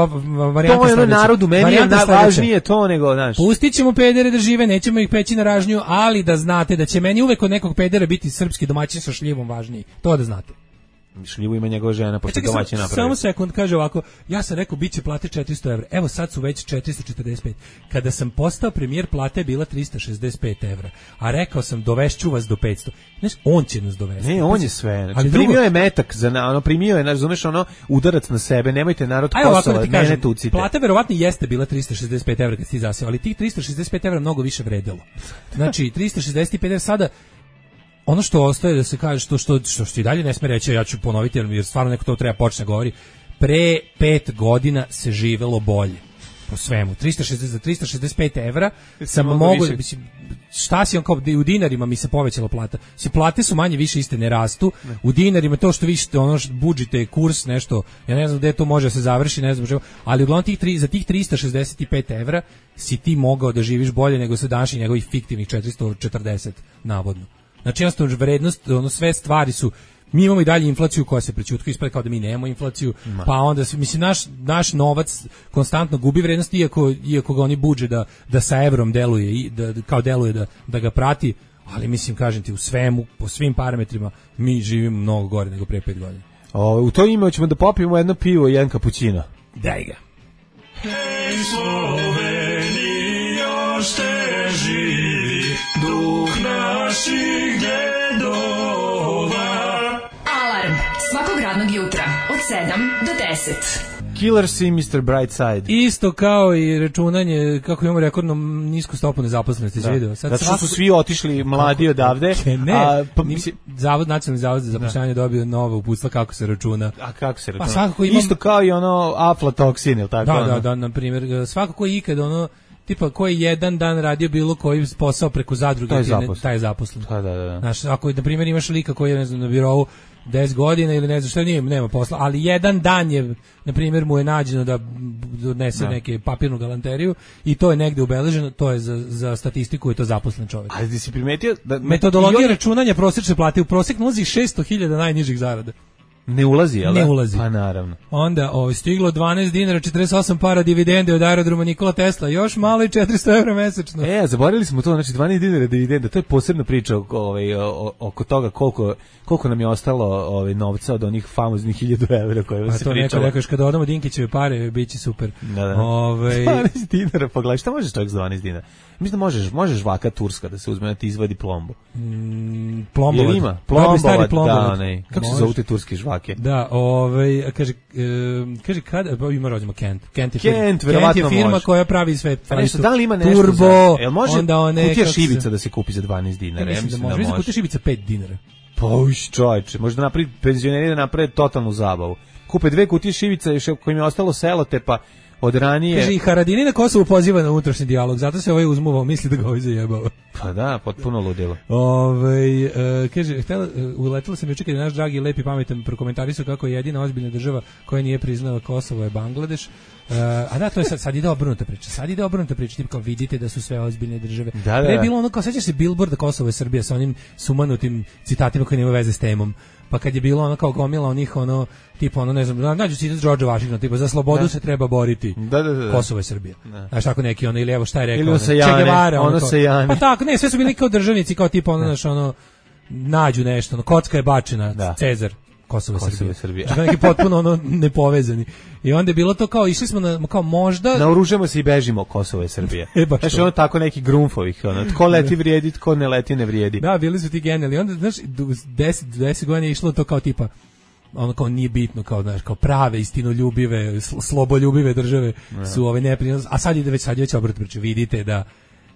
varijanta. To je ono narodu, meni je najvažnije to nego, znaš. Pustit ćemo pedere da žive, nećemo ih peći na ražnju, ali da znate da će meni uvek od nekog pedera biti srpski domaćin sa šljivom važniji. To da znate. Šljivu ima njegova žena, pošto e, domaći napravi. Samo sekund, kaže ovako, ja sam rekao, bit će plate četiristo evra, evo sad su već četiristo četrdeset pet. Kada sam postao premijer, plata je bila tristo šezdeset pet evra, a rekao sam, dovešću vas do petsto. Znaš, on će nas dovesti. Ne, on je sve. Znači, ali primio drugo... je metak, za, ono, primio je, razumeš, ono, udarac na sebe, nemojte narod Kosova, da mene tucite. Plata verovatno jeste bila tristo šezdeset pet evra kad si ti zaseo, ali tih tristo šezdeset pet evra mnogo više vredelo. Znači, tristo šezdeset pet evra sada, ono što ostaje da se kaže, što što što, što i dalje ne sme reći, ja ću ponoviti jer stvarno neko to treba počne govori, pre pet godina se živelo bolje po svemu. tristo šezdeset za tristo šezdeset pet evra sam mogu, mislim, šta si on kao u dinarima mi se povećala plata. Si plate su manje više iste ne rastu. Ne. U dinarima to što vi ono budžite kurs nešto, ja ne znam gde to može da se završi, ne znam što, ali uglavnom tih tri, za tih tristo šezdeset pet evra si ti mogao da živiš bolje nego sa današnjih njegovih fiktivnih četiristo četrdeset navodno. Znači jednostavno vrednost, ono sve stvari su, mi imamo i dalje inflaciju koja se prećutka ispada kao da mi nemamo inflaciju, Ma. pa onda mislim naš naš novac konstantno gubi vrednost iako iako ga oni budže da da sa evrom deluje i da kao deluje da da ga prati, ali mislim kažem ti u svemu po svim parametrima mi živimo mnogo gore nego pre pet godina. O, u to ime ćemo da popijemo jedno pivo i jedan kapućino. Daj ga. Hej Slovenija, još te živi duh naših dedova. Alarm svakog radnog jutra od sedam do deset. Killers i mister Brightside. Isto kao i računanje, kako imamo rekordno nisku stopu nezaposlenosti, da. video. Sad Zato što su svi otišli mladi odavde. Ne, a, pa, mislim, Zavod, Nacionalni zavod za zapošljavanje dobio novo uputstva kako se računa. A kako se računa? Pa svakako imam... Isto kao i ono aflatoksin, ili tako? Da, ono? da, da, na primjer, svako ko je ikad ono, tipa koji jedan dan radio bilo koji posao preko zadruge, taj je zaposlen. Taj je zaposlen. Da, da, da. Znaš, ako na primjer imaš lika koji je ne znam, na birovu deset godina ili ne znam šta, nije, nema posla, ali jedan dan je, na primjer, mu je nađeno da donese da. neke papirnu galanteriju i to je negde ubeleženo, to je za, za statistiku i to zaposlen čovjek. Ali ti si primetio da... Metodologija računanja prosječne plate u prosjek nalazi šesto hiljada najnižih zarada. Ne ulazi, jel? Ne ulazi. Pa naravno. Onda ovo, stiglo dvanaest dinara, četrdeset osam para dividende od aerodroma Nikola Tesla, još malo i četiristo evra mesečno. E, zaboravili smo to, znači dvanaest dinara dividende, to je posebna priča oko, ovaj, oko toga koliko, koliko nam je ostalo ovaj, novca od onih famoznih hiljadu evra koje pa se pričalo. A to neko rekaš, kada odamo Dinkićeve pare, bit će super. Da, da. Ove... dvanaest dinara, pogledaj, šta možeš čovjek s dvanaest dinara? Mislim da možeš, možeš vaka turska da se uzme da ti izvadi plombu. Mm, plombovad. Ima? Plombovat, plombovad. da, ne. Kako se zovu te turske žvake? Da, ovaj kaže, e, kaže kada, pa ima rođemo Kent. Kent je, Kent, firma, Kent je firma može. koja pravi sve. Pa nešto, da li ima nešto Turbo, za... Jel može onda one, kutija šibica se... da se kupi za dvanaest dinara? Ja, ja mislim da može. Mislim da kutija šibica pet dinara. Pa uš, čovječe, možda napravi penzioneri da naprave totalnu zabavu. Kupe dve kutije šibica još kojim je ostalo selotepa od ranije. Kaže, i Haradini na Kosovu poziva na unutrašnji dijalog, zato se ovaj uzmuvao, misli da ga ovaj zajebao. Pa da, potpuno ludilo. Ovaj e, kaže, htela, uletela sam juče kad je naš dragi, lepi, pametan prokomentarisao kako je jedina ozbiljna država koja nije priznala Kosovo je Bangladeš. Uh, a da, to je sad, sad ide obrnuta priča. Sad ide obrnuta priča, tipa kao vidite da su sve ozbiljne države. Da, da. Pre je bilo ono kao, sećaš se Billboarda Kosovo je Srbija sa onim sumanutim citatima koji nemaju veze s temom. Pa kad je bilo ono kao gomila onih ono tipa ono ne znam, nađu citat George Washington tipa za slobodu da. se treba boriti. Da, da, da. Kosovo je Srbija. Da. Znaš tako neki ono ili evo šta je rekao. Ili se Jane, Guevara, ono, ono se Jane. Pa tako, ne, sve su bili kao državnici, kao tipa ono naš ono nađu nešto, ono kocka je bačena, da. Cezar. Kosovo je Srbija. Srbija. Znači neki potpuno ono nepovezani. I onda je bilo to kao išli smo na kao možda naoružamo se i bežimo, Kosovo je Srbija. E, znači ono tako neki grunfovih, ono tko leti vrijedi, tko ne leti ne vrijedi. Da, bili su ti genijalni. Onda znaš deset, deset godina je išlo to kao tipa ono kao nije bitno kao znaš kao prave istinoljubive, sloboljubive države ja. su ove neprijatne, a sad ide već sad je već obrat priče. Vidite da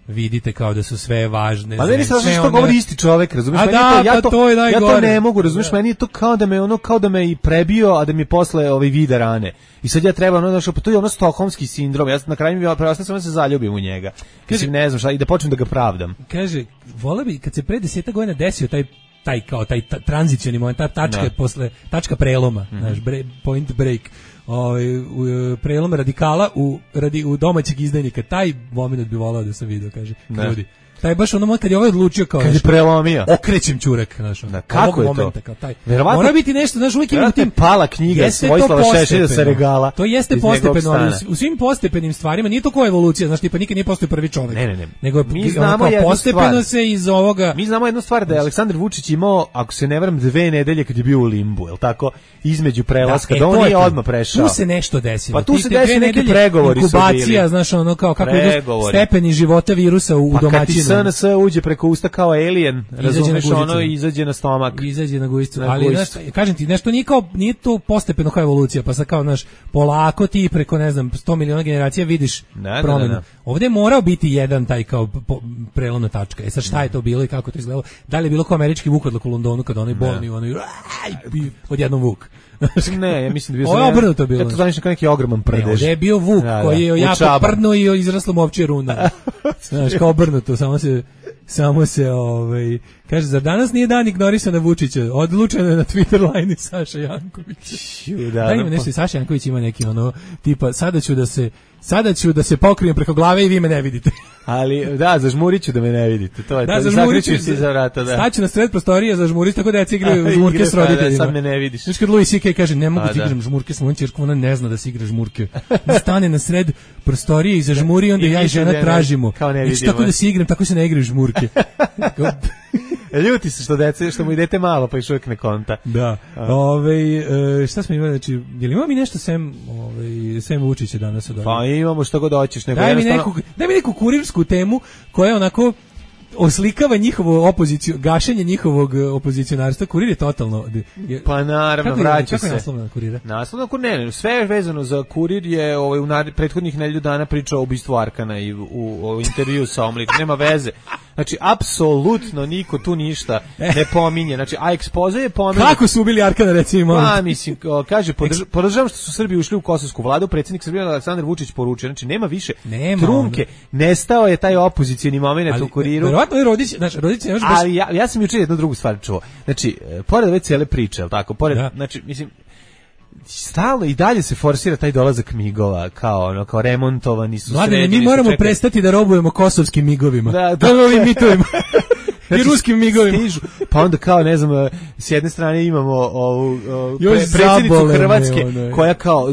vidite kao da su sve važne. Pa meni se što one... govori isti čovjek, razumiješ? A da, to, ja, pa to, to je ja to ne mogu, razumiješ? Meni je to kao da me ono kao da me i prebio, a da mi posle ovaj vide rane. I sad ja treba ono znači pa to je ono stokholmski sindrom. Ja na kraju mi preostaje samo da se zaljubim u njega. Mislim ne znam šta i da počnem da ga pravdam. Kaže, vole bi kad se pre deset godina desio taj taj kao taj ta, tranzicioni moment, ta tačka no. posle tačka preloma, mm-hmm. znaš, bre, point break. Ovaj prelom radikala u radi u domaćeg izdajnika, taj momenat bi voleo da sam video, kaže ljudi. Taj baš ono kad je ovaj odlučio kao kad je prelomio okrećem ćurak, znaš, da, kako je momenta, to kao taj mora biti nešto, znaš, uvijek ima tim pala knjiga Vojislava Šešelja sa regala, to jeste postepeno, ali u, u svim postepenim stvarima nije to kao evolucija, znaš, tipa nikad nije postao prvi čovjek, ne, ne, ne. nego mi znamo postepeno stvar. Se iz ovoga mi znamo jednu stvar da je Aleksandar Vučić imao, ako se ne varam, dve nedelje kad je bio u limbu, el tako, između prelaska, da, da on nije odmah prešao. Tu se nešto desilo, pa tu se desilo neki pregovori su bili, inkubacija, znaš, ono kao kako idu stepeni života virusa u domaćinu, preko usta kao alien, razumeš, ono izađe na stomak, izađe na gujicu, ali znaš, kažem ti, nešto nije kao, nije to postepeno kao evolucija, pa sad kao, znaš, polako ti preko, ne znam, sto miliona generacija vidiš da, promjenu. Da, da. Ovdje je morao biti jedan taj kao po, prelomna tačka. E sad šta je to bilo i kako to izgledalo? Da li je bilo kao američki vukodlak u Londonu kad onaj bolni, onaj odjednom vuk? Ne, ja mislim da bio ovo je obrnuto bilo. Ja to znaš kao neki ogroman prdež. Ne, je bio vuk da, koji je jako prdno i izraslo mu ovčje runa. Znaš, kao obrnuto, samo se samo se ovaj kaže za danas nije dan ignorisana Vučića, odlučeno je na Twitter line Saša Janković. Da, da ima nešto, Saša Janković ima neki ono tipa sada ću da se sada ću da se pokrijem preko glave i vi me ne vidite. Ali da, zažmuriću da me ne vidite. To je da, to. Zakričuš se za vrata, da. Staću na sred prostorije, zažmuriš tako da ja igraju žmurke s roditeljima. Sad me ne vidiš. Znači kad Louis C K kaže ne mogu da igram žmurke s mojom ćerkom, ona ne zna da se igra žmurke. Stane na sred prostorije i zažmuri, onda ja i žena tražimo. Znači tako da se igram, tako se ne igraju žmurke. Ljuti se što dece, što mu i dete malo, pa još uvijek ne konta. Da. Ove, e, šta smo imali, znači, je li ima mi nešto sem, ove, sem Vučića danas od ovih? Pa imamo što god hoćeš. Nego daj, mi jednostavno... neku, daj mi neku kurirsku temu koja je onako oslikava njihovu opoziciju, gašenje njihovog opozicionarstva. Kurir je totalno... Je, pa naravno, vraća se. Kako je naslov na Kurira? Naslov na Kurir, ne, sve je vezano za Kurir je ovaj, u nar, prethodnih nedelju dana pričao o ubistvu Arkana i u, u, u intervju sa Omlik. Nema veze. Znači, apsolutno niko tu ništa ne pominje. Znači, a ekspoze je pominje. Kako su ubili Arkana, recimo? Pa, mislim, kaže, podrž, podržavam što su Srbi ušli u kosovsku vladu, predsjednik Srbije Aleksandar Vučić poručio. Znači, nema više nema trunke. Onda. Nestao je taj opozicijni moment u Kuriru. Verovatno je Rodić, znači, Rodić je još baš... Ali ja, ja sam jučer jednu drugu stvar čuo. Znači, pored ove cijele priče, al tako, pored, da. Znači, mislim, stalno i dalje se forsira taj dolazak migova kao ono kao remontovani su sređeni. Mi moramo čekali. Prestati da robujemo kosovskim migovima. Da, da. Ovim mitovima. I ruskim migovima. Stižu. Pa onda kao, ne znam, s jedne strane imamo ovu pre, predsjednicu Hrvatske ono, koja kao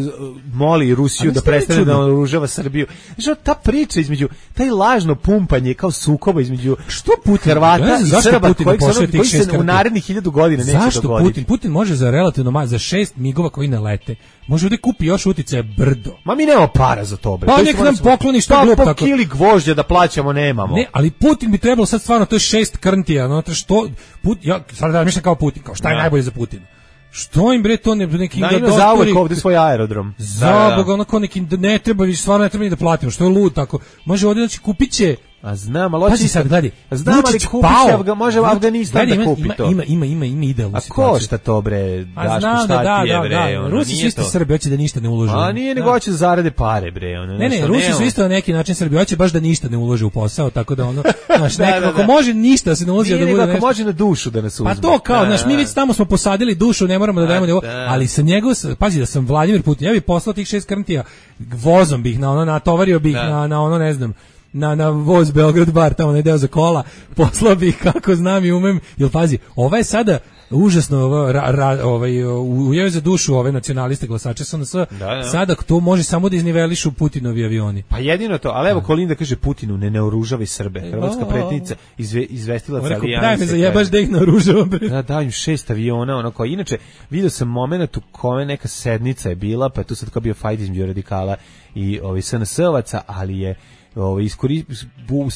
moli Rusiju da prestane da oružava Srbiju. Znači, ta priča između, taj lažno pumpanje kao sukoba između što Putin, Hrvata ja, i Srba koji, koji se u narednih hiljadu godina neće zašto dogoditi. Putin? Putin može za relativno ma, za šest migova koji ne lete. Može ovdje kupi još uticaje brdo. Ma mi nemamo para za to, bre. Pa nek nam pokloni što glup tako. Pa kili gvožđa da plaćamo nemamo. Ne, ali Putin bi trebalo sad stvarno, to je šest krntija, no što Put, ja sad da mislim kao Putin, kao šta je ja. Najbolje za Putina. Što im bre to ne neki da ima zauvek ovdje svoj aerodrom. Za Boga, onako neki ne treba više, stvarno ne treba ni da platimo, što je lud tako. Može ovdje znači kupiće A znam, ali Pazi sad, gledaj, znam, ali kupiš ga, može Afganistan da kupi to. Ima, ima, ima, ima idealnu situaciju. A košta to, bre, Daško, šta ti je, bre? Rusi su isto Srbi, hoće da ništa ne ulože. A nije, nego hoće da zarade pare, bre. Ono, ne, ne, Rusi su isto na neki način Srbi, hoće baš da ništa ne ulože u posao, tako da ono, znaš, nekako, ako može ništa da se ne uloži, da bude nešto. Ako može na dušu da nas uzme. Pa to kao, znaš, mi već tamo smo posadili dušu, ne moramo da dajemo nego, ali sa njegov, pazi da sam Vladimir Putin, ja bih poslao tih šest krntija, vozom bih na ono, natovario bih na, na ono, ne znam, na, na voz Beograd bar, tamo ne deo za kola, poslao bih kako znam i umem, jer pazi, ova je sada užasno ra, ra, ovaj, ujeo za dušu ove nacionaliste glasače S N S, da, da. Sada to može samo da iznivelišu Putinovi avioni. Pa jedino to, ali evo Kolinda kaže Putinu ne naoružavaj Srbe. Hrvatska predsjednica izve, izvestila Carijanice. Daj me zajebaš da ih naoružavam. Da, daj im šest aviona, ono kao, inače, vidio sam moment u kome neka sednica je bila, pa je tu sad kao bio fajt između radikala i ovi S N S-ovaca, ali je Ovaj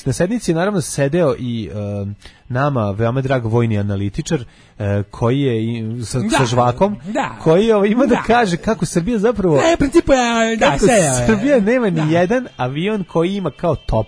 na sednici je naravno sedeo i uh, nama veoma drag vojni analitičar uh, koji je i, sa, da, sa žvakom da, koji ovaj, ima da, da kaže kako Srbija zapravo ne, principu je, da, kako se, Srbija nema ni da. jedan avion koji ima kao top.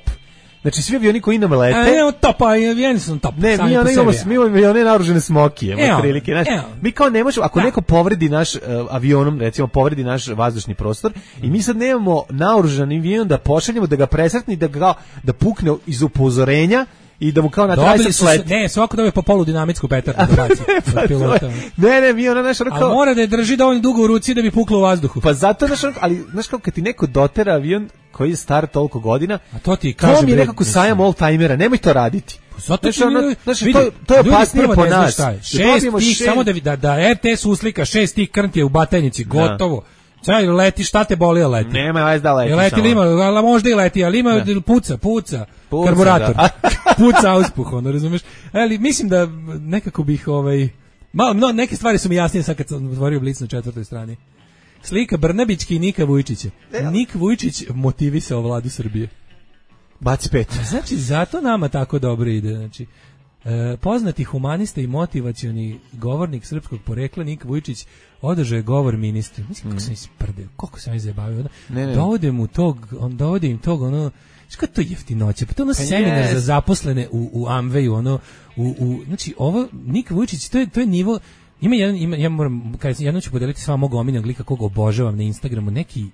Znači svi avioni koji nam lete. A ne, top, avioni su top. Ne, mi ono imamo, mi imamo avione naoružene smokije, evo, prilike, znači, mi kao ne možemo, ako da. neko povredi naš uh, avionom, recimo povredi naš vazdušni prostor, mm. i mi sad nemamo naoružani avion da pošaljemo, da ga presretni, da ga da pukne iz upozorenja i da mu kao na trajsam sleti. Ne, svako dobije po polu dinamitsku petardu da baci. Pa pilota. Ne, ne, mi ona naš ono kao... A mora da je drži dovoljno dugo u ruci da bi puklo u vazduhu. Pa zato, naš, ali, znaš kao kad ti neko dotera avion koji je star toliko godina, a to ti kaže, to mi je nekako sajam all-timera, nemoj to raditi. Pa zato znači, ono, znači, vidi, to, to je opasnije po nas. Šest tih, šest... samo da, da, da R T S uslika šest tih krntije u Batajnici, gotovo. Čaj, leti, šta te boli, leti? Nema, vajz da leti. Leti li ima, ali možda i leti, ali ima da. puca, puca, puca karburator, puca auspuh, ono, razumeš? Ali mislim da nekako bih, ovaj, malo, no, neke stvari su mi jasnije sad kad sam otvorio Blic na četvrtoj strani. Slika Brnabićki i Nika Vujčića. Nik Vujčić motivisao vladu Srbije. Baci pet. Znači, zato nama tako dobro ide, znači. E, poznati humanista i motivacioni govornik srpskog porekla Nik Vujčić održao je govor ministru. Mislim, kako sam isprdeo, koliko sam izjebavio. Dovode mu tog, on dovode im tog, ono, što je to jeftinoće? Pa to ono pa seminar yes. za zaposlene u, u Amveju, ono, u, u, znači, ovo, Nik Vujčić, to je, to je nivo, ima jedan, ima, ja moram, kada jednom ću podeliti s vama mog omiljenog lika koga obožavam na Instagramu, neki,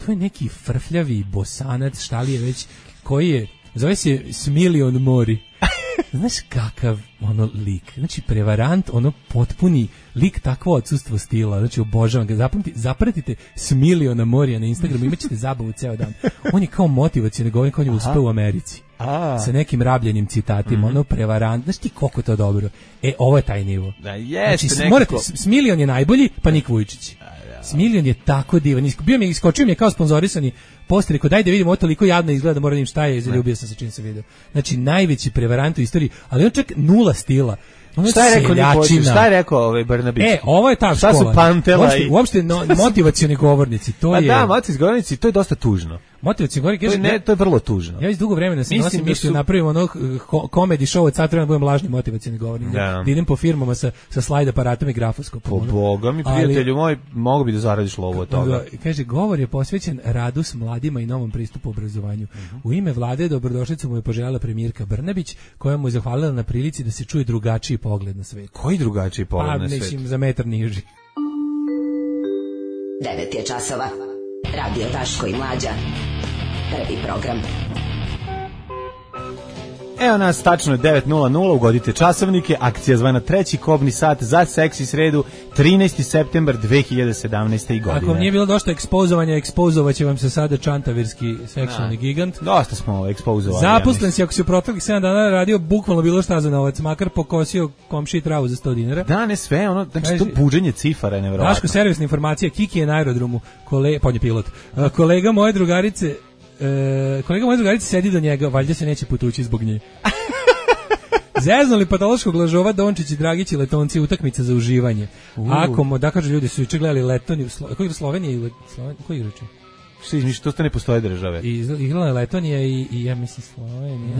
to je neki frfljavi bosanac, šta li je već, koji je, zove se Smilion Mori. Znaš kakav ono lik, znači prevarant, ono potpuni lik, takvo odsustvo stila, znači obožavam ga, zapamti, zapratite Smiliona Morija na Instagramu, imat ćete zabavu ceo dan. On je kao motivacioni govornik, on je uspeo u Americi. A. Sa nekim rabljenim citatima, mm-hmm. ono prevarant, znaš ti koliko to dobro. E, ovo je taj nivo. Da, jeste, znači, morate, Smilion je najbolji, pa Nik Vujčić. Smilion je tako divan, bio mi je, iskočio mi je kao sponzorisani post, rekao daj da vidimo, ovo toliko jadno izgleda da moram im šta je i zaljubio sam se čim se video. Znači najveći prevarant u istoriji, ali on čak nula stila. Ono šta je rekao Nikolić, šta je rekao ovaj Brnabić? E, ovo je ta šta škola. Su Pantela uopšte, i... uopšte no, motivacioni govornici, to pa je... Pa da, motivacioni govornici, to je dosta tužno. Motivacioni govornici, to je, ne, to je vrlo tužno. Ja iz dugo vremena sam nosim mišlju, su... napravim ono komedi show od sad treba da budem lažni motivacioni govornik. Da. Da idem po firmama sa, sa slajd aparatom i grafoskopom. Po ono. Boga mi, prijatelju ali, moj, mogu bi da zaradiš lovu od toga. Kaže, govor je posvećen radu s mladima i novom pristupu obrazovanju. Uh-huh. U ime vlade dobrodošlicu mu je poželjela premijerka Brnabić, koja mu je zahvalila na prilici da se čuje drugačiji pogled na svet. Koji drugačiji pogled pa, na svet? Mislim, za metar niži. devet je časova. Radio Daško i Mlađa. Prvi program. Evo nas, tačno je devet nula nula, ugodite časovnike, akcija zvana treći kobni sat za seksi sredu, trinaesti septembar dve hiljade sedamnaeste. godine. Ako vam nije bilo dosta ekspozovanja, ekspozovaće vam se sada čantavirski seksualni da. gigant. Dosta smo ekspozovali. Zaposlen ja si, ako si u proteklih sedam dana radio bukvalno bilo šta za novac, makar pokosio komši travu za sto dinara. Da, ne sve, ono, znači Kaži, to buđenje cifara je nevjerovatno. Daško, servisna informacija, Kiki je na aerodromu, kole, podnje pilot, uh, kolega moje drugarice, E, kolega moja drugarica sedi do njega, valjda se neće putući zbog nje. Zeznuli patološkog lažova Dončić i Dragić i Letonci, utakmica za uživanje. Uh. Ako, da kažu ljudi su juče gledali Letoni, Slo, koji je Slovenija ili Slovenija, koji je reči? Što izmišljaš, to ne postoje države. I igrala je Letonija i, i ja mislim Slovenija.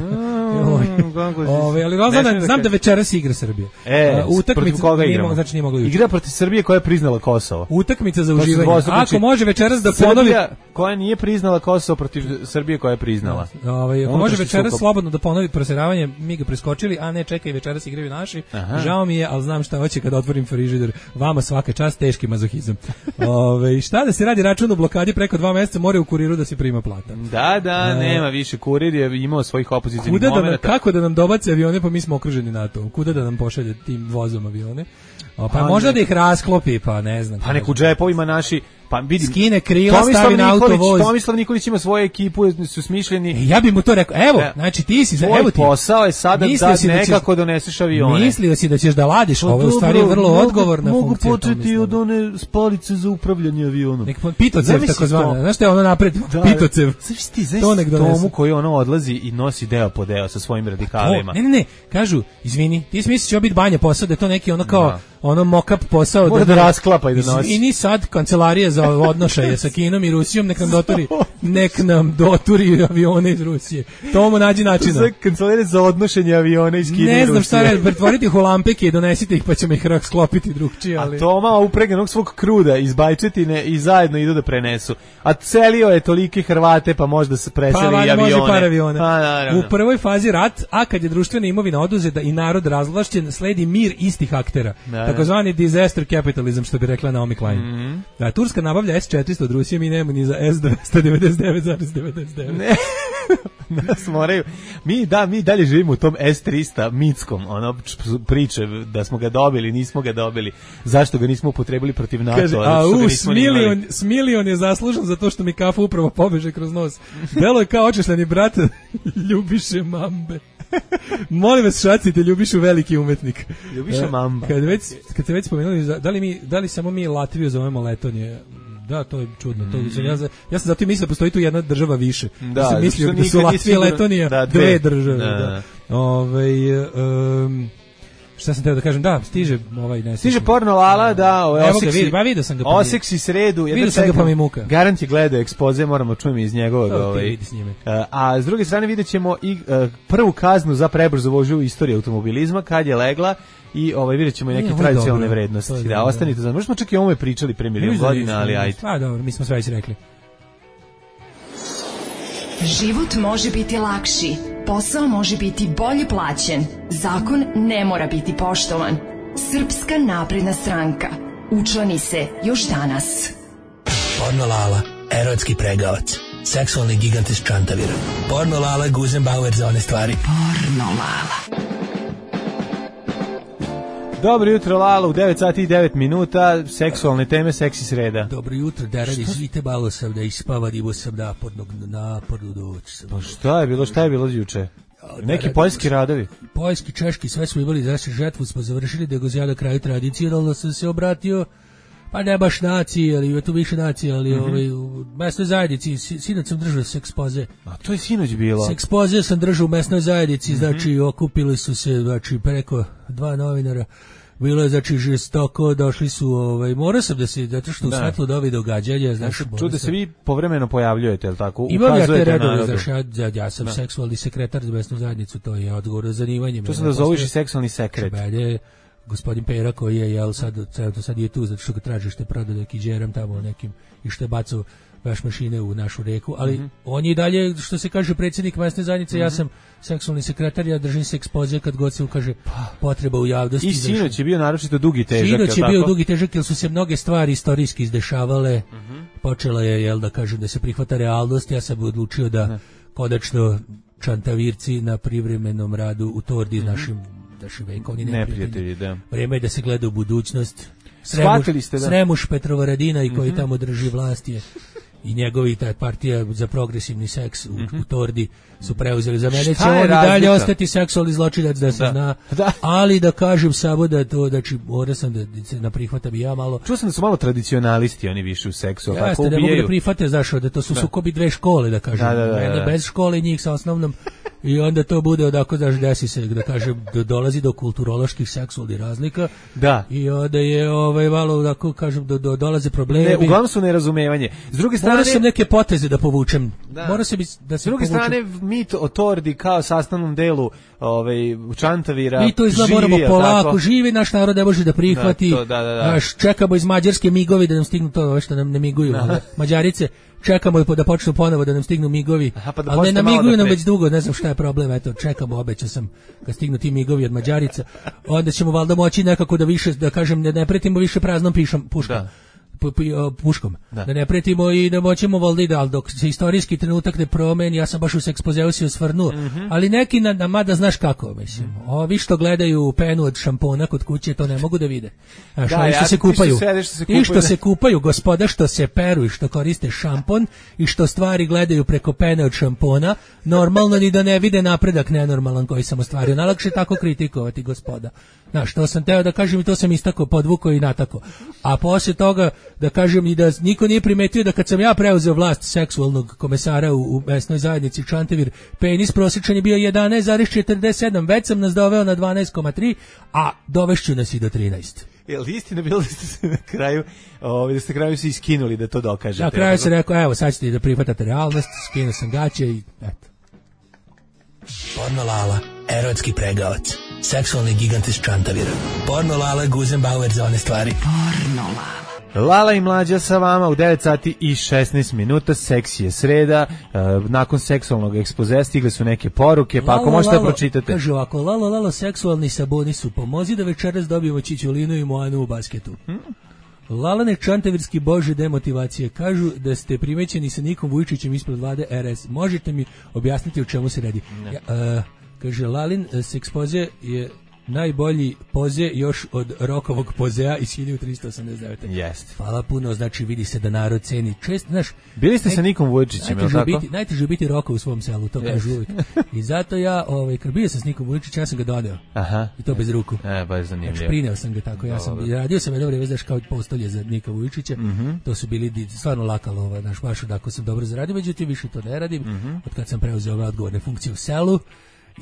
Ove, ali znam, da, znam da večeras igra Srbija. E, uh, protiv koga igramo? Znači nije mogla igra protiv Srbije koja je priznala Kosovo. Utakmica za uživanje. Ako može večeras da ponovi... Srbija koja nije priznala Kosovo protiv Srbije koja je priznala. Ove, ako može večeras sukob. Slobodno da ponovi proseravanje, mi ga preskočili, a ne čekaj, večeras igraju naši. Aha. Žao mi je, ali znam šta hoće kada otvorim frižider. Vama svaka čast, teški mazohizam. Ove, šta da se radi, račun u blokadi preko dva mjeseca, mora u kuriru da se prima plata. Da, da, e, nema više, kurir je imao svojih opozicijnih da momenata. Nam, kako da nam dobace avione, pa mi smo okruženi NATO. Kuda da nam pošalje tim vozom avione? O, pa, pa možda ne, da ih rasklopi, pa ne znam. Pa nek u džepovima naši, pa vidim, skine krila, stavi na autovoz. Tomislav Nikolić ima svoju ekipu, su smišljeni. E, ja bih mu to rekao, evo, ja, znači ti si, tvoj evo ti. posao je sada da nekako da doneseš avione. Mislio si da ćeš da ladiš, ovo je u stvari vrlo mogu, odgovorna mogu funkcija. Mogu početi od one spalice za upravljanje avionom. Nek Pitocev tako zvana, znaš što je ono napred, da, Pitocev. Znaš ti, znaš tomu koji ono odlazi i nosi deo po deo sa svojim radikalima. Ne, ne, ne, kažu, izvini, ti si misliš će biti banja posao, da je to neki ono kao, ono mock-up posao. Može da rasklapa i da nosi. I ni sad kancelarija za odnošaje sa Kinom i Rusijom, nek nam dotori, nek nam doturi avione iz Rusije. Tomo nađi načina. Za kancelarija za odnošenje aviona iz Kine i Rusije. Ne znam šta je, pretvoriti ih u lampeke i donesite ih pa ćemo ih sklopiti drugčije. Ali... A Toma upreganog svog kruda iz Bajčetine i zajedno idu da prenesu. A celio je tolike Hrvate pa možda se preseli pa, i avione. Može par aviona. A, naravno. U prvoj fazi rat, a kad je društvena imovina oduzeta i narod razvlašćen, sledi mir istih aktera. Takozvani disaster capitalism, što bi rekla Naomi Klein. Mm-hmm. Da, Turska nabavlja es četiristo od Rusije, mi nemamo ni za es dvesta devedeset devet zarez devedeset devet. Ne. Nas moraju. Mi da mi dalje živimo u tom es trista mitskom, ono priče da smo ga dobili, nismo ga dobili. Zašto ga nismo upotrebili protiv NATO? Kaže, a u Smilion, Smilion je zaslužan za to što mi kafa upravo pobeže kroz nos. Delo je kao očešljeni brat Ljubiše Mambe. Molim vas, šacite, Ljubišu veliki umetnik. Ljubiša Mamba. Kad već kad ste već spomenuli, da li mi da li samo mi Latviju zovemo Letonije? Da, to je čudno. To mm. ja, ja sam zato mislio da postoji tu jedna država više. Da, ja sam mislio da su Latvija i Letonija da, dve. dve države. Da. Da. Ove, um, šta sam teo da kažem? Da, stiže ovaj ne. Stiže porno Lala, da, ovaj oseksi. Pa vidio sam ga. Oseksi sredu, vidio sam ga pa mi muka. Garant je gledao ekspoze, moramo čujemo iz njegovog ovaj. A, a s druge strane videćemo i uh, prvu kaznu za prebrzo vožnju u istoriji automobilizma kad je legla. I ovaj videćemo i neke tradicionalne dobro, vrednosti. Da, dobro. Ostanite za. Možemo čak i o ovome pričali pre milion godina, ali ajde. Pa dobro, mi smo sve već rekli. Život može biti lakši, posao može biti bolje plaćen, zakon ne mora biti poštovan. Srpska napredna stranka. Učlani se još danas. Porno Lala, erotski pregavac, seksualni gigant iz Čantavira. Porno Lala, Guzenbauer za one stvari. Porno Lala. Dobro jutro, Lala, u devet sati i devet minuta, seksualne teme, seksi sreda. Dobro jutro, Darani, živite malo sam da ispava, divo sam napornog napornu doći. Pa šta je bilo, šta je bilo juče? Neki poljski radovi? Poljski, češki, sve smo imali, znači žetvu smo završili, da go na kraju tradicionalno sam se obratio, pa ne baš naciji, ali je tu više nacije, ali mm-hmm. ovaj, u mesnoj zajednici, sinoć sam držao sekspoze. A to je sinoć bilo? Sekspoze sam držao u mesnoj zajednici, mm-hmm. znači okupili su se, znači preko dva novinara, bilo je znači žestoko, došli su, ovaj, morao sam da se, zato što u svetlu dovi događanja, znači... Čuo da se vi povremeno pojavljujete, je li tako? Imam ja te redove, znači, ja, ja sam da. seksualni sekretar za mesnu zajednicu, to je odgovor na zanimanje. To sam da zoveš i seksualni sekret. Belje, gospodin Pera koji je, jel, sad, sad je tu, zato što ga traži što je prodao neki džeram tamo nekim i što je bacao veš mašine u našu reku, ali mm-hmm. on je i dalje, što se kaže, predsjednik mesne zajednice, mm-hmm. ja sam seksualni sekretar, ja držim se ekspoze kad god se ukaže potreba u javnosti. I sinoć je bio naročito dugi težak. Sinoć je bio dugi težak, jer su se mnoge stvari istorijski izdešavale, mm-hmm. počela je, jel, da kažem, da se prihvata realnost, ja sam odlučio da ne. konačno Čantavirci na privremenom radu u Tordi mm-hmm. našim daši vekovni neprijatelji, da. Vreme je da se gleda u budućnost. Sremuš, ste, da. Sremuš Petrovaradina i koji mm-hmm. tamo drži vlast je i njegovi ta partija za progresivni seks u, mm-hmm. u Tordi su preuzeli. Za mene će on i dalje ostati seksualni zločinac da se da. zna, da. ali da kažem samo da to, znači, mora sam da se naprihvatam i ja malo. Čuo sam da su malo tradicionalisti, oni više u seksu. Ja, tako ubijaju. Da mogu da prihvate, zašto, da to su da. sukobi dve škole, da kažem. Da, da, da, da. Mene bez škole i njih sa osnovnom i onda to bude odako, znaš, desi se, da kažem, do, dolazi do kulturoloških seksualnih razlika, da. I onda je, ovaj, malo, da kažem, do, do, dolaze problemi. Ne, uglavnom su nerazumevanje. S druge strane... Mora sam neke poteze da povučem. Da. Mora se bi, da se S druge povučem. strane, mit o tordi kao sastavnom delu ovaj, Čantavira mi to izgleda moramo polako, tako? Živi naš narod ne može da prihvati, da, to, da, da, da. Naš, čekamo iz Mađarske migovi da nam stignu to, što nam ne miguju, ali Mađarice, čekamo da počnu ponovo da nam stignu migovi, Aha, pa da ali ne namiguju da nam već dugo, ne znam šta je problem, eto, čekamo, obećao sam, kad stignu ti migovi od Mađarica, onda ćemo valjda moći nekako da više, da kažem, ne, ne pretimo više praznom pišom, puškom. Da. puškom, da. da ne pretimo i da moćemo valdi, ali dok se istorijski trenutak ne promeni, ja sam baš u ekspozeu se osvrnuo, mm-hmm. ali neki, na, na, mada znaš kako, mislim, ovi što gledaju penu od šampona kod kuće, to ne mogu da vide. Znaš, da, ovi što, ja, se kupaju, što sede, što se kupaju, i što se kupaju, gospoda što se peru i što koriste šampon i što stvari gledaju preko pene od šampona, normalno ni da ne vide napredak nenormalan koji sam ostvario. Najlakše tako kritikovati, gospoda. Znaš, to sam teo da kažem i to sam istako, podvukao i natako. A poslije toga da kažem i da niko nije primetio da kad sam ja preuzeo vlast seksualnog komesara u, u mesnoj zajednici Čantavir, penis prosječan je bio jedanaest zarez četrdeset sedam, već sam nas doveo na dvanaest zarez tri, a dovešću nas i do trinaest. Jel istina bilo da ste se na kraju, ovaj, da ste na kraju se iskinuli da to dokažete? Na kraju se rekao, evo sad ćete da prihvatate realnost, skinuo sam gaće i eto. Porno Lala, erotski pregavac, seksualni gigant iz Čantavira. Porno Lala, Guzenbauer za one stvari. Porno Lala. Lala i Mlađa sa vama u devet sati i šesnaest minuta, seksi je sreda, uh, nakon seksualnog ekspozea stigle su neke poruke, pa lalo, ako možete lalo, pročitate. Kaže ovako, lalo, lalo, seksualni saboni su, pomozi da večeras dobijemo Čičulinu i Moanu u basketu. Hmm? Lalane Čantavirski bože demotivacije, kažu da ste primećeni sa Nikom Vujčićem ispred vlade R S. Možete mi objasniti o čemu se radi? Ja, uh, kaže, Lalin sekspoze je najbolji poze još od rokovog pozea iz hiljadu tristo osamdeset devete. Jeste. Hvala puno, znači vidi se da narod ceni. Čest, znaš, bili ste naj, sa Nikom Vujčićem, je li tako? Biti, najteže biti Roko u svom selu, to yes. kažu uvijek. I zato ja, ovaj, kad bio sam s Nikom Vujčićem, ja sam ga doneo. Aha. I to bez ruku. E, baš zanimljivo. Znači, prineo sam ga tako, ja sam, radio sam jedno vrijeme, znaš, kao postolje za Nika Vujčića, mm-hmm. to su bili stvarno lakalo, ovaj, znaš, baš odako sam dobro zaradio, međutim, više to ne radim, mm-hmm. od kad sam preuzeo ove odgovorne funkcije u selu.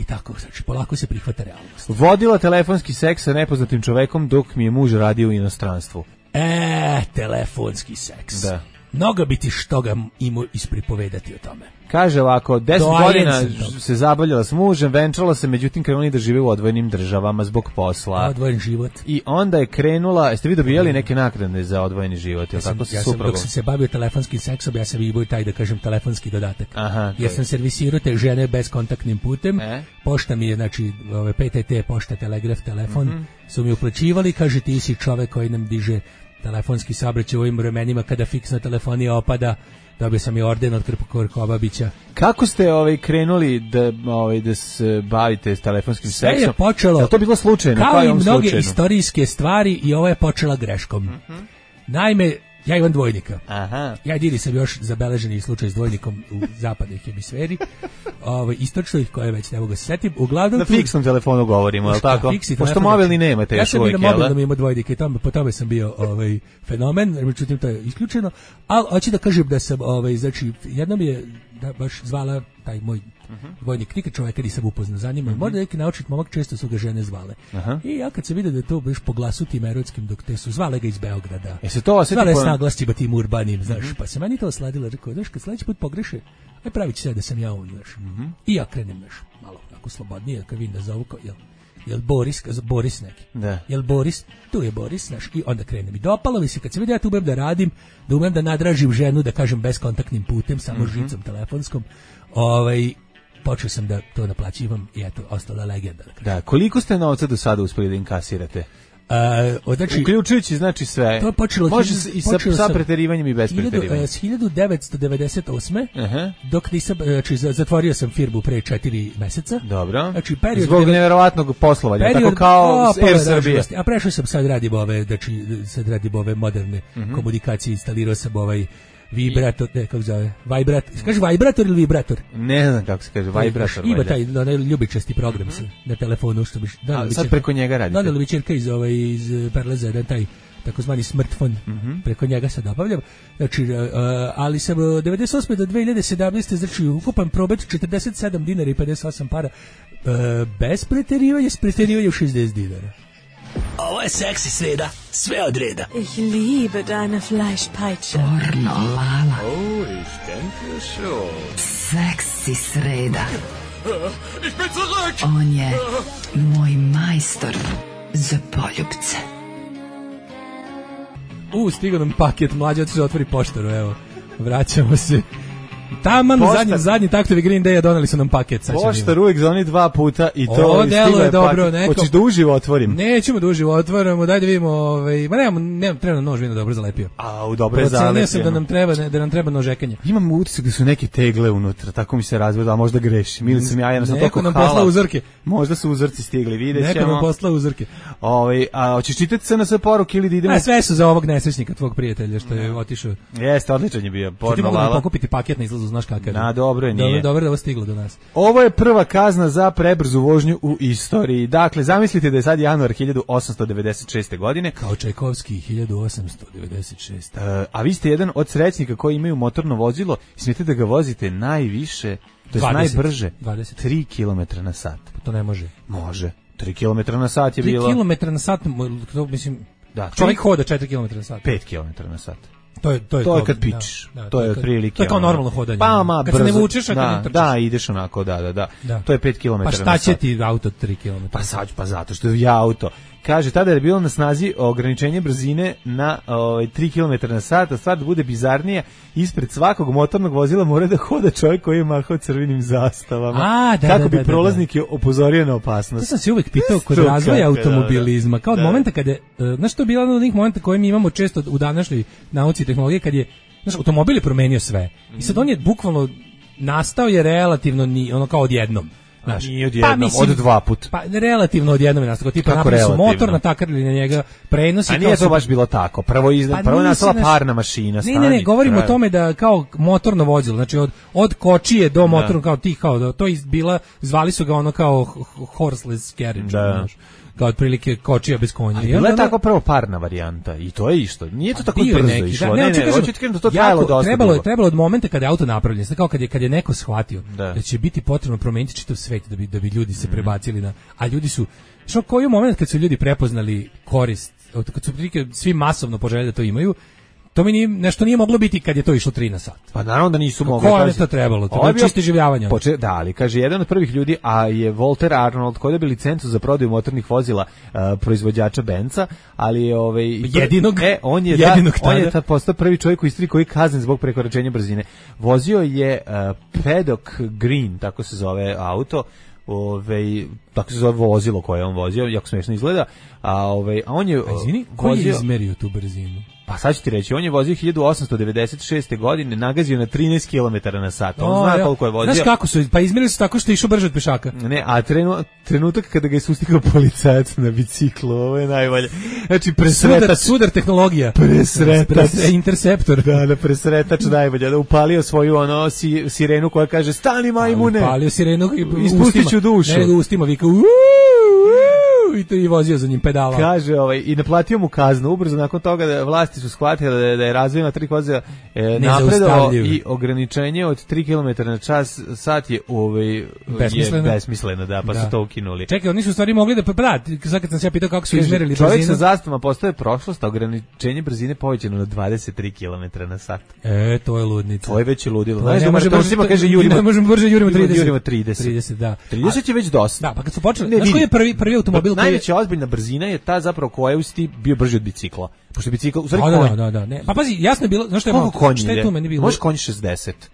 I tako, znači, polako se prihvata realnost. Vodila telefonski seks sa nepoznatim čovekom dok mi je muž radio u inostranstvu. E, telefonski seks. Da. Mnogo bi ti što ga imao ispripovedati o tome. Kaže ovako, deset godina se zabavljala s mužem, venčala se, međutim krenuli da žive u odvojenim državama zbog posla. Odvojen život. I onda je krenula, jeste vi dobijali neke naknade za odvojeni život? Ja sam, ja sam dok sam se bavio telefonskim seksom, ja sam imao taj, da kažem, telefonski dodatak. Aha, jer sam servisirao te žene bezkontaktnim putem, e? Pošta mi je, znači, ove, P T T, pošta, telegraf, telefon, mm-hmm. su mi uplaćivali, kaže, ti si čovek koji nam diže telefonski saobraćaj u ovim vremenima kada fiksna telefonija opada. Dobio sam i orden od Krkobabića. Kako ste ovaj krenuli da ovaj da se bavite s telefonskim sve seksom? Je počelo. Je to bilo slučajno? Kao i mnoge slučajno? Istorijske stvari i ovo je počela greškom. Mm-hmm. Naime, ja imam dvojnika. Aha. Ja diri sam još zabeleženi slučaj s dvojnikom u zapadnoj hemisferi. Ovaj istočnoj koje već ne mogu se setiti. Uglavnom na tu, fiksnom telefonu govorimo, je l' tako? Pošto mobilni nemate još uvijek, jel? Ja sam bio mobilnom ima dvojnike i tamo, po tome sam bio ovaj, fenomen, međutim to je isključeno. Ali hoću da kažem da sam, ovaj, znači, jednom je da, baš zvala taj moj uh-huh. dvojnik, nikad čovjeka nisam upoznao za njima, uh-huh. možda neki naučit momak, često su ga žene zvale. Uh-huh. I ja kad se vidio da je to baš po glasu tim erotskim, dok te su zvale ga iz Beograda. E se to osjeti zvale po... s naglascima tim urbanim, znaš, uh-huh. pa se meni to osladilo, rekao, znaš, kad sledeći put pogreše, aj pravit ću sve da sam ja on, znaš. Uh-huh. I ja krenem, znaš, malo tako slobodnije, kad vidim da zovu, kao, jel, jel Boris, Boris neki, da. Jel Boris, tu je Boris, znaš, i onda krenem. I dopalo mi se, kad se vidio ja tu umem da radim, da umem da nadražim ženu, da kažem, bezkontaktnim putem, samo uh-huh. žicom telefonskom, ovaj, počeo sam da to naplaćivam i eto, ostala legenda. Da, da, koliko ste novca do sada uspeli da inkasirate? Uh, znači, uključujući znači sve. To je počelo, može i sa, sa preterivanjem i bez preterivanja. S hiljadu devetsto devedeset osme Uh-huh. Dok nisam, znači zatvorio sam firmu pre četiri meseca. Dobro. Znači period zbog deve... neverovatnog poslovanja, period, tako kao o, Air Srbija. A prešao sam sad radim ove, znači sad radim ove moderne uh-huh. komunikacije, instalirao sam ovaj vibrator, ne, kako zove, vibrator, kaže vibrator ili vibrator? Ne znam kako se kaže, vibrator. Ima taj onaj ljubičasti program mm-hmm. na telefonu, što bi... A, sad preko njega radite? Donali bi čerka iz, ovaj, iz Perleza, jedan taj takozvani smartfon, mm-hmm. preko njega sad obavljam. Znači, uh, ali sam od devedeset osme do dve hiljade sedamnaeste znači ukupan promet četrdeset sedam dinara i pedeset osam para. Uh, bez preterivanja, s preterivanjem šezdeset dinara. Ovo je seksi sreda, sve od reda. Ich liebe deine Fleischpeitsche. Pornolala. Oh, ich denke schon. Seksi sreda. Ich bin zurück. On je moj majstor za poljupce. U, stigao nam paket, mlađe otišao otvori poštaru, evo. Vraćamo se. Taman u zadnji, zadnji taktovi Green Day-a doneli su nam paket. Poštar uvijek zvoni dva puta i to ovo delo je dobro. Neko... Hoćeš da uživo otvorim? Nećemo da uživo otvoramo, daj da vidimo. Ovaj, ma nemamo, nemamo treba nož, vino dobro zalepio. A, u dobro je zalepio. Procenio sam da nam treba, da nam treba nožekanje. Imam utisak da su neke tegle unutra, tako mi se razvode, a možda grešim. Ili sam ja jednostavno neko nam poslao uzorke. Možda su uzorci stigli, vidjet ćemo. Neko nam poslao uzorke. Ovaj, a hoćeš čitati se na sve poruke ili da idemo? A sve su za ovog nesrećnika tvog prijatelja što je otišao. Jeste, odličan je bio. Porno Lala. Pokupiti paket na izlazu, znaš kakav. Na, dobro je, nije. Dobro, dobro da ovo stiglo do nas. Ovo je prva kazna za prebrzu vožnju u istoriji. Dakle, zamislite da je sad januar hiljadu osamsto devedeset šeste godine. Kao Čajkovski hiljadu osamsto devedeset šeste. Uh, a vi ste jedan od srećnika koji imaju motorno vozilo i smijete da ga vozite najviše, to je najbrže, dvadeset tri kilometra na sat. To ne može. Može. tri kilometra na sat je bilo. tri kilometra na sat, to mislim, da, čovjek hoda četiri kilometra na sat. pet kilometara na sat. To je to je to je kad pičiš. Da, da, to je otprilike. To je kao normalno hodanje. Pa ma kad brzo, se ne vučeš, a kad da, ne trčiš. Da, ideš onako, da, da, da. da. To je pet kilometara na sat. Pa šta će ti auto tri kilometra? Pa sad, pa zato što je auto. Kaže, tada je bilo na snazi ograničenje brzine na ovaj, tri kilometra na sat, a stvar da bude bizarnija, ispred svakog motornog vozila mora da hoda čovjek koji je mahao crvenim zastavama. A, da, kako da, bi da, prolaznike opozorio na opasnost. To sam se uvek pitao kod razvoja automobilizma, kao od da. momenta kada, uh, znaš što je bilo od onih momenta koje mi imamo često u današnjoj nauci i tehnologiji, kad je, znaš, automobil je promenio sve. I sad on je bukvalno nastao je relativno ni, ono kao odjednom. Znaš, nije odjednom, pa, mislim, od dva put. Pa relativno odjednom je nastao. Tipa napravili su motor, natakarili na njega prenosi. A nije to baš bilo tako. Prvo, izna, pa prvo je nastala parna mašina. Ne, ne, ne, govorimo o tome da kao motorno vozilo, znači od, od kočije do motornog, kao tih, kao, to je bila, zvali su ga ono kao horseless carriage. Da. Znaš, kao otprilike kočija bez konja. Ali bila je tako prvo parna varijanta i to je isto. Nije to tako brzo neki, išlo. Da, ne, ne, ne, hoću ti da to trajalo dosta. Trebalo je, trebalo od momenta kada je auto napravljen, kao kad je kad je neko shvatio da, da će biti potrebno promeniti čitav svet da bi da bi ljudi se prebacili na, a ljudi su što koji moment kad su ljudi prepoznali korist, kad su prilike svi masovno poželjeli da to imaju. To mi nije, nešto nije moglo biti kad je to išlo tri na sat. Pa naravno da nisu mogli. Ko je to trebalo? To je čisto življavanje. Poče, da, ali kaže, jedan od prvih ljudi, a je Walter Arnold, koji je dobio licencu za prodaju motornih vozila uh, proizvođača Benza, ali je ovaj... Jedinog, e, on je, jedinog da, on je ta postao prvi čovjek u istoriji koji je kaznen zbog prekoračenja brzine. Vozio je uh, Paddock Green, tako se zove auto, Ove, tako se zove vozilo koje on vozio, jako smiješno izgleda, a, ove, a on je... A izvini, ko je izmerio tu brzinu? Pa sad ću ti reći, on je vozio hiljadu osamsto devedeset šeste godine, nagazio na trinaest kilometara na sat. On o, zna ja. koliko je vozio. Znaš kako su, pa izmerili su tako što je išao brže od pešaka. Ne, a trenu, trenutak kada ga je sustigao policajac na biciklu, ovo je najbolje. Znači, presretač. Sudar, sudar tehnologija. Presretač. Pres, interceptor. Da, da, presretač najbolje. Da upalio svoju ono si, sirenu koja kaže, stani majmune. Upalio sirenu i ispustit ću dušu. Ne, nego ustima vika, uuu, i to i vozio za njim pedala. Kaže, ovaj, i naplatio mu kaznu. Ubrzo nakon toga da vlasti su shvatile da je, da je razvojna tri vozila e, napredovao i ograničenje od tri kilometra na čas sat je, ovaj, besmisleno. je besmisleno, da, pa da. su to ukinuli. Čekaj, oni su u stvari mogli da, pa sad kad sam se ja pitao kako su izmerili brzinu. Čovjek sa zastavama postoje prošlost, a ograničenje brzine povećano na dvadeset tri kilometra na sat. E, to je ludnica. To je već ludilo. Znaš, ne može brže, kaže Jurima. Ne možemo brže Jurima trideset. Jurima trideset. trideset, da. trideset je već dosta. Da, pa kad su počeli, znaš koji je prvi, prvi automobil koji... Najveća ozbiljna brzina je ta zapravo koja je bio brži od bicikla. Pošto bicikl, u stvari da, konj. Da, da, da, ne. Pa pazi, jasno je bilo, znaš što je malo, šta je tu meni bilo? Može konj šezdeset.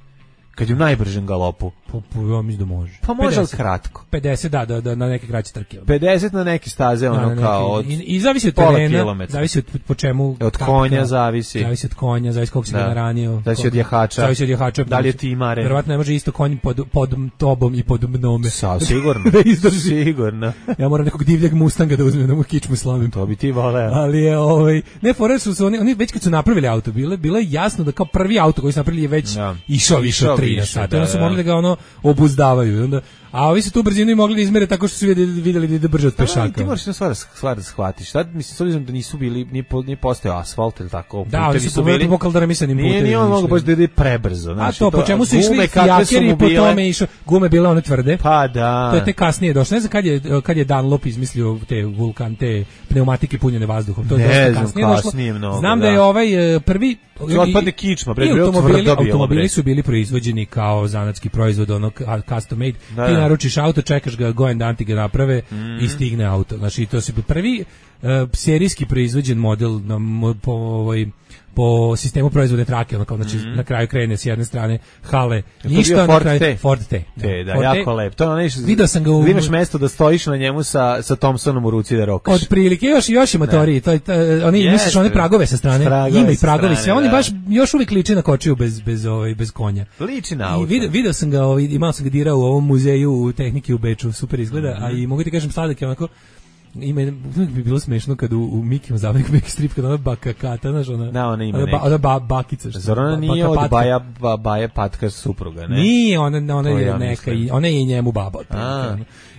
Kad je u najbržem galopu. Pa, pa ja mislim da može. Pa može, ali kratko. pedeset, da, da, da, na neke kraće trke. pedeset na neke staze, ono da, kao od I, i zavisi od terena, zavisi od po čemu... Od konja kako, zavisi. Zavisi od konja, zavisi koliko si ga naranio. Zavisi od jahača. Zavisi od jahača. Da li je timare. Verovatno ne može isto konj pod, pod tobom i pod mnome. Sa, sigurno. Da izdrži. Sigurno. Ja moram nekog divljeg Mustanga da uzmem, da mu kičmu slavim. To bi ti voleo. Ali je, ovaj, ne, fore su se oni, oni već kad su napravili auto, bile, bilo je jasno da kao prvi auto koji su napravili je već išao više od tri na sat. Morali da ga ono obuzdavaju. Onda, A ovi su tu brzinu i mogli da izmere tako što su vidjeli, vidjeli da ide brže od pešaka. Da, ti moraš na stvar, stvar da shvatiš. Sad, mislim, s obzirom da nisu bili, nije, po, nije postao asfalt ili tako. Da, oni su bili po kaldoramisanim putevima. Nije, nije on mogu baš da ide prebrzo. A to, po čemu su išli fijakeri i po tome išao, gume bile one tvrde. Pa da. To je te kasnije došlo. Ne znam kad je, kad je Dunlop izmislio te vulkan, te pneumatike punjene vazduhom. To je ne dosta kasnije, kasnije došlo. Znam Znam da je ovaj prvi otpadne kičma, bre, automobili, automobili su bili proizvođeni kao zanatski proizvod, onog custom made. Da, ti naručiš auto, čekaš ga, go and danti ga naprave mm. i stigne auto. Znači, to su prvi uh, serijski proizvođen model na, po, ovaj, po sistemu proizvodne trake, ono kao, znači, mm. na kraju krene s jedne strane hale, ništa, na kraju T. Ford T. T, da, Ford jako T. Lep. To ono neš, vidio sam ga u... imaš mesto da stojiš na njemu sa, sa Thompsonom u ruci da rokaš. Od prilike, još, još i motori, to, to, oni yes, misliš one pragove sa strane, pragove ima i pragovi, sve, oni baš još uvijek liči na kočiju bez, bez, ovaj, bez konja. Liči na auto. I vidio, vidio sam ga, ovaj, imao sam ga dirao u ovom muzeju u tehnike u Beču, super izgleda, mm-hmm. a i mogu ti kažem sladak je onako, ima bi bilo smešno kad u, u Mikijem zabavnik Miki strip kad ona bakakata, znaš, ona, da, ona ima ona, ona ba, bakica. Zar ona nije od Baja, ba, Baja Patka supruga, ne? Nije, ona, ona je ja neka, i, ona je i njemu baba.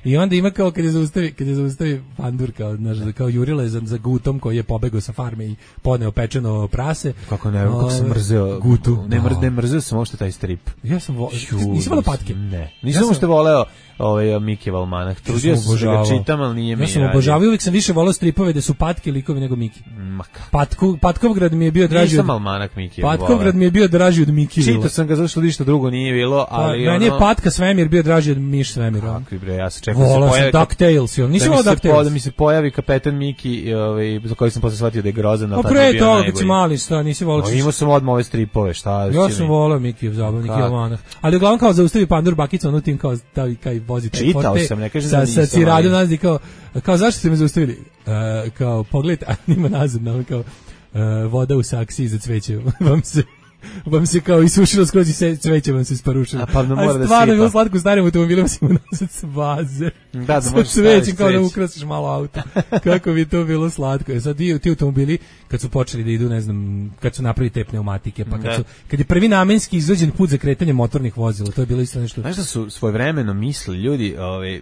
I onda ima kao kad je zaustavi, kad je zaustavi pandur, kao, znaš, kao Jurile za, za Gutom koji je pobegao sa farme i podneo pečeno prase. Kako ne, kako sam mrzeo Gutu. Ne, mrz, ne mrzeo sam uopšte taj strip. Ja sam voleo, nisam voleo patke. Ne, nisam ja uopšte voleo ovaj Mikijev almanak. Trudio sam se ga čitam, ali nije mi. Ja sam obožavao, uvijek sam više voleo stripove da su patke likovi nego Miki. Patku, Patkovgrad mi je bio draži. Nisam almanak Mikijev. Patkovgrad mi je bio draži od Mikijeva. Čitao sam ga zašto ništa drugo nije bilo, ali meni je Patka Svemir bio draži od Miš Svemira. Kakvi bre, ja se čekam da se pojavi. DuckTales, on nisam voleo DuckTales. Da mi se pojavi kapetan Miki, ovaj za koji sam posle shvatio da je grozan, al pre toga kad si mali, šta nisi voleo? Imao sam odmah ove stripove, šta? Ja sam voleo Mikijev zabavnik i almanak. Ali uglavnom kao zaustavi pandur bakica, ono tim kao stavi kaj vozi čitao sam, ne kažem da nisam. Sa Ciradu nazdi kao, kao zašto ste me zaustavili? Uh, kao pogled, a nima nazad, no, kao uh, voda u saksiji za cveće, vam se vam se kao isušilo skroz i se cveće vam se sparušilo. A pa ne mora da stvarno je bilo slatko u starim automobilima si mu nazad s baze. Da, da možeš cvećem kao da ukrasiš malo auto. Kako bi to bilo slatko. E sad ti, ti automobili kad su počeli da idu, ne znam, kad su napravili te pneumatike, pa kad su kad je prvi namenski izrađen put za kretanje motornih vozila, to je bilo isto nešto. Znaš da su svojevremeno mislili ljudi, ovaj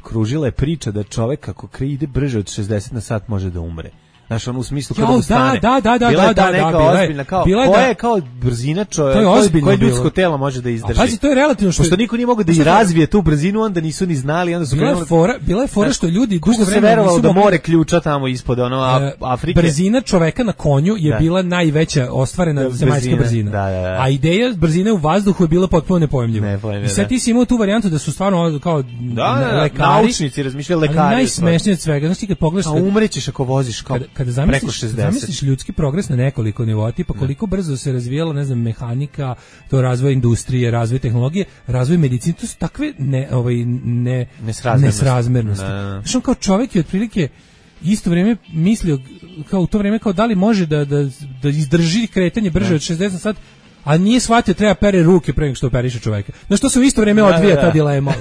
kružila je priča da čovjek kako ide brže od šezdeset na sat može da umre. Znaš, on u smislu kada mu stane. Da, da, da, bila da, je ta da, neka da, ozbiljna, kao, koja je kao brzina čovjeka, koje ljudsko telo može da izdrži. A pazi, to je relativno što... Pošto niko nije mogao da i razvije tu brzinu, onda nisu ni znali, onda su bila krenuli... Je fora, bila je fora što ljudi dugo vremena... se verovalo da more ključa tamo ispod ono Afrike. Brzina čoveka na konju je da. bila najveća ostvarena da, zemaljska brzina. Da, da, da. A ideja brzine u vazduhu je bila potpuno nepojmljiva. I sad ti si imao tu varijantu da su stvarno kao da, lekari, naučnici razmišljali lekari. Najsmešnije od svega, znaš ti kad pogledaš... A umrećeš ako voziš kao preko šezdeset. Zamisliš ljudski progres na nekoliko nivoa, tipa koliko brzo se razvijala, ne znam, mehanika, to razvoj industrije, razvoj tehnologije, razvoj medicine, to su takve ne, ovaj, ne, nesrazmernosti. Znaš, on kao čovjek je otprilike isto vrijeme mislio, kao u to vrijeme, kao da li može da, da, da izdrži kretanje brže ne. od šezdeset sat, a nije shvatio treba pere ruke pre nego što operiše čoveka. Znaš, to se u isto vrijeme odvija da, da. ta dilema.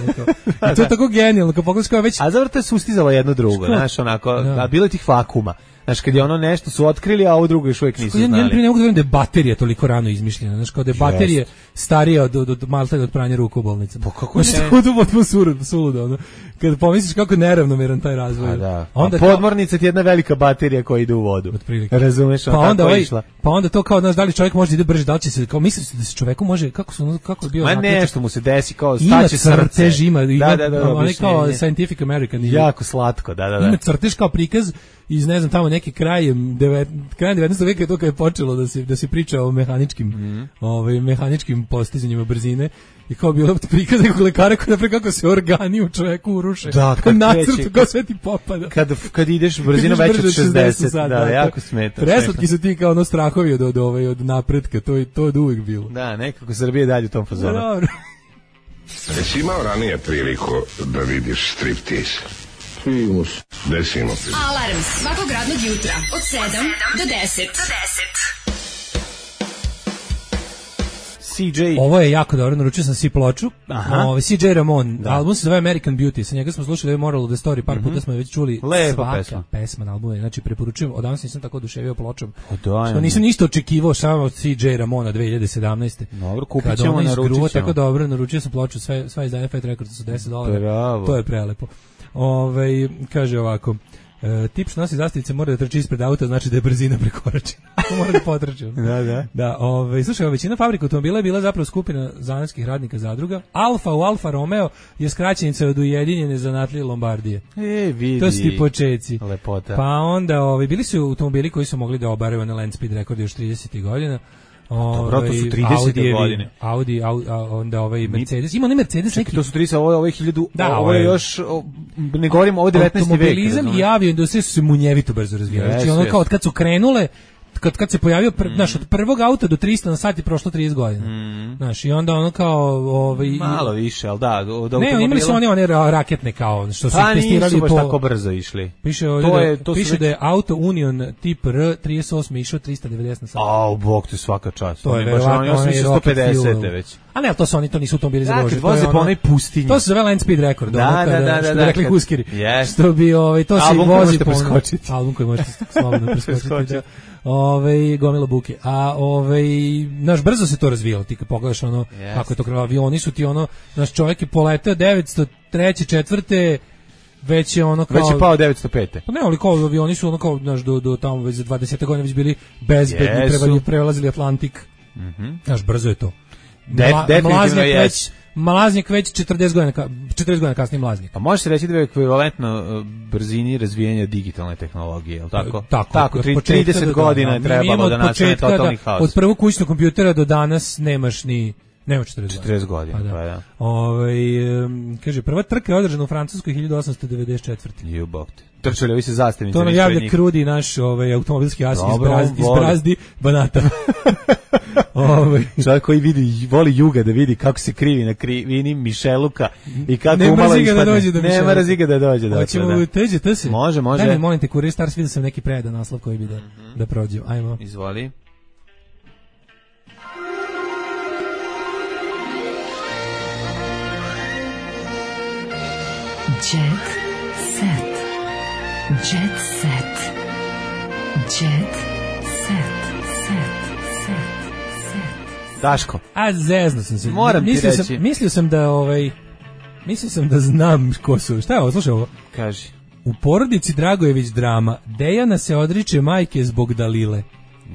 I to je tako genijalno, kao pogledaš kao već... A zavrlo to je sustizalo jedno drugo, znaš, onako, da. a bilo je tih vakuma. Znaš, kad je ono nešto su otkrili, a ovo drugo još uvijek nisu znali. Ja ne mogu da verujem da je baterija toliko rano izmišljena. Znaš, kao da je baterija starija od, od, od malta od pranja ruku u bolnicama. Pa kako znaš, ne? Znaš, potpuno suludo, suludo, ono. Kad pomisliš kako je neravnomeran taj razvoj. A da. Onda a podmornica ti je jedna velika baterija koja ide u vodu. Otprilike. Razumeš, pa onda tako ovaj, išla. Pa onda to kao, znaš, da li čovjek može da ide brže, da li će se, kao misliš da se čoveku može, kako su, kako je bio... Ma nešto mu se desi, kao staće srce. Ima crtež, ima, ima, da, da, da, onaj kao Scientific American. Jako slatko, da, da, da. Ima crtež kao prikaz iz ne znam tamo neki kraj devet, kraj devetnaestog veka je to kad je počelo da se da se priča o mehaničkim mm. ovaj mehaničkim postizanjima brzine i kao bilo prikaz nekog lekara koji napre kako se organi u čovjeku uruše. Da, kad nacrtu kako sve ti popada. Kad kad ideš brzina veća od šezdeset, da, da, jako smeta. Preslatki su ti kao ono strahovi od od ovaj od napretka, to je to od uvijek bilo. Da, nekako Srbija dalje u tom fazonu. Dobro. Jesi imao ranije priliku da vidiš striptease? Primus. Desimo. Alarm svakog radnog jutra od sedam do deset. C J. Ovo je jako dobro, naručio sam si ploču. Ovo, C J Ramon, da. album se zove American Beauty, sa njega smo slušali ovaj Moral of the Story, par mm-hmm. puta smo je već čuli. Lepa svaka pesma. pesma na albumu, znači preporučujem, odavno nisam tako oduševio pločom. Da, što nisam ništa očekivao samo od C J Ramona dve hiljade sedamnaeste. Dobro, kupit ćemo, naručit ćemo. Tako dobro, naručio sam ploču, sve, sva izdanja Fat Records su deset dolara. Bravo. To je prelepo. Ove, kaže ovako, e, tip što nosi zastavice mora da trči ispred auta, znači da je brzina prekoračena. Mora da potrči. Da, da. Da, ove, slušaj, većina fabrika automobila je bila zapravo skupina zanatskih radnika zadruga. Alfa u Alfa Romeo je skraćenica od Ujedinjene zanatlije Lombardije. E, vidi. To su ti počeci. Lepota. Pa onda, ove, bili su automobili koji su mogli da obaraju na land speed rekord još tridesetih godina. Dobro, to su tridesete godine. Audi, Audi, onda ovaj Mercedes. Ima ne Mercedes neki. To su trideset, ovo je ovo je hiljadu. Da, ovo je još o, ne govorim ovo devetnaesti vek. Automobilizam i avioindustrija su se munjevito brzo razvijali. Znači ono kao od kad su krenule, kad kad se pojavio pr, mm. znaš, od prvog auta do trista na sat je prošlo trideset godina. Mm. Znaš, i onda ono kao ovaj malo više, al da, od ne, imali su oni one raketne kao što su pa testirali po tako brzo išli. Piše ovdje to je, to piše već... da je Auto Union tip R trideset osam išao trista devedeset na sat. Au, bog te svaka čast. To je verovatno oni su sto pedeset već. A ne, to su oni to nisu automobili za vožnju. To je onaj pustinji. To se zove land speed record, da, ono kada, da, da, što da, bi rekli kad, Huskeri. Yes. Što bi ovaj to se vozi po album koji možete slobodno preskočiti. Ovaj gomila buke. A ovaj naš brzo se to razvijalo, ti kad pogledaš ono yes. kako je to krenulo, avioni su ti ono, naš čovjek je poleteo devetsto treće četvrte već je ono kao već je pao devetsto pete. Pa ne, ali kao avioni su ono kao naš do do tamo već za dvadeset godina već bili bezbedni, yes. prelazili Atlantik. Mhm. Mm naš brzo je to. Mla, definitivno je. Već, Mlaznjak već četrdeset godina, četrdeset godina kasnije Mlaznjak. A može se reći da je ekvivalentno brzini razvijanja digitalne tehnologije, je li tako? Tako, tako trideset godina je trebalo da nastane totalni haos. Od prvog kućnog kompjutera do danas nemaš ni nema četrdeset godina. Pa da. Pa da. Ovaj um, kaže prva trka je održana u Francuskoj hiljadu osamsto devedeset četvrte. Ju bog te. Trčali ovi se zastavnice. To nam javlja Krudi, naš ovaj automobilski as iz Brazdi, iz Brazdi Banata. Ovaj čovjek koji vidi voli juga da vidi kako se krivi na krivini Mišeluka i kako ne umalo ispadne. Da dođe do ne mrzi ga da dođe. Hoćemo da. teđe te se. Može, može. Daj mi molim te Kurir Stars, vidio sam neki predan naslov koji bi da mm-hmm. da prođe. Ajmo. Izvoli. Jet set. Jet set. Jet set. Set. Set. Set. Daško. A zezno sam se. Moram ti mislio reći. Sam, mislio sam da ovaj mislio sam da znam ko su. Šta je ovo? Slušaj ovo. Kaži. U porodici Dragojević drama. Dejana se odriče majke zbog Dalile.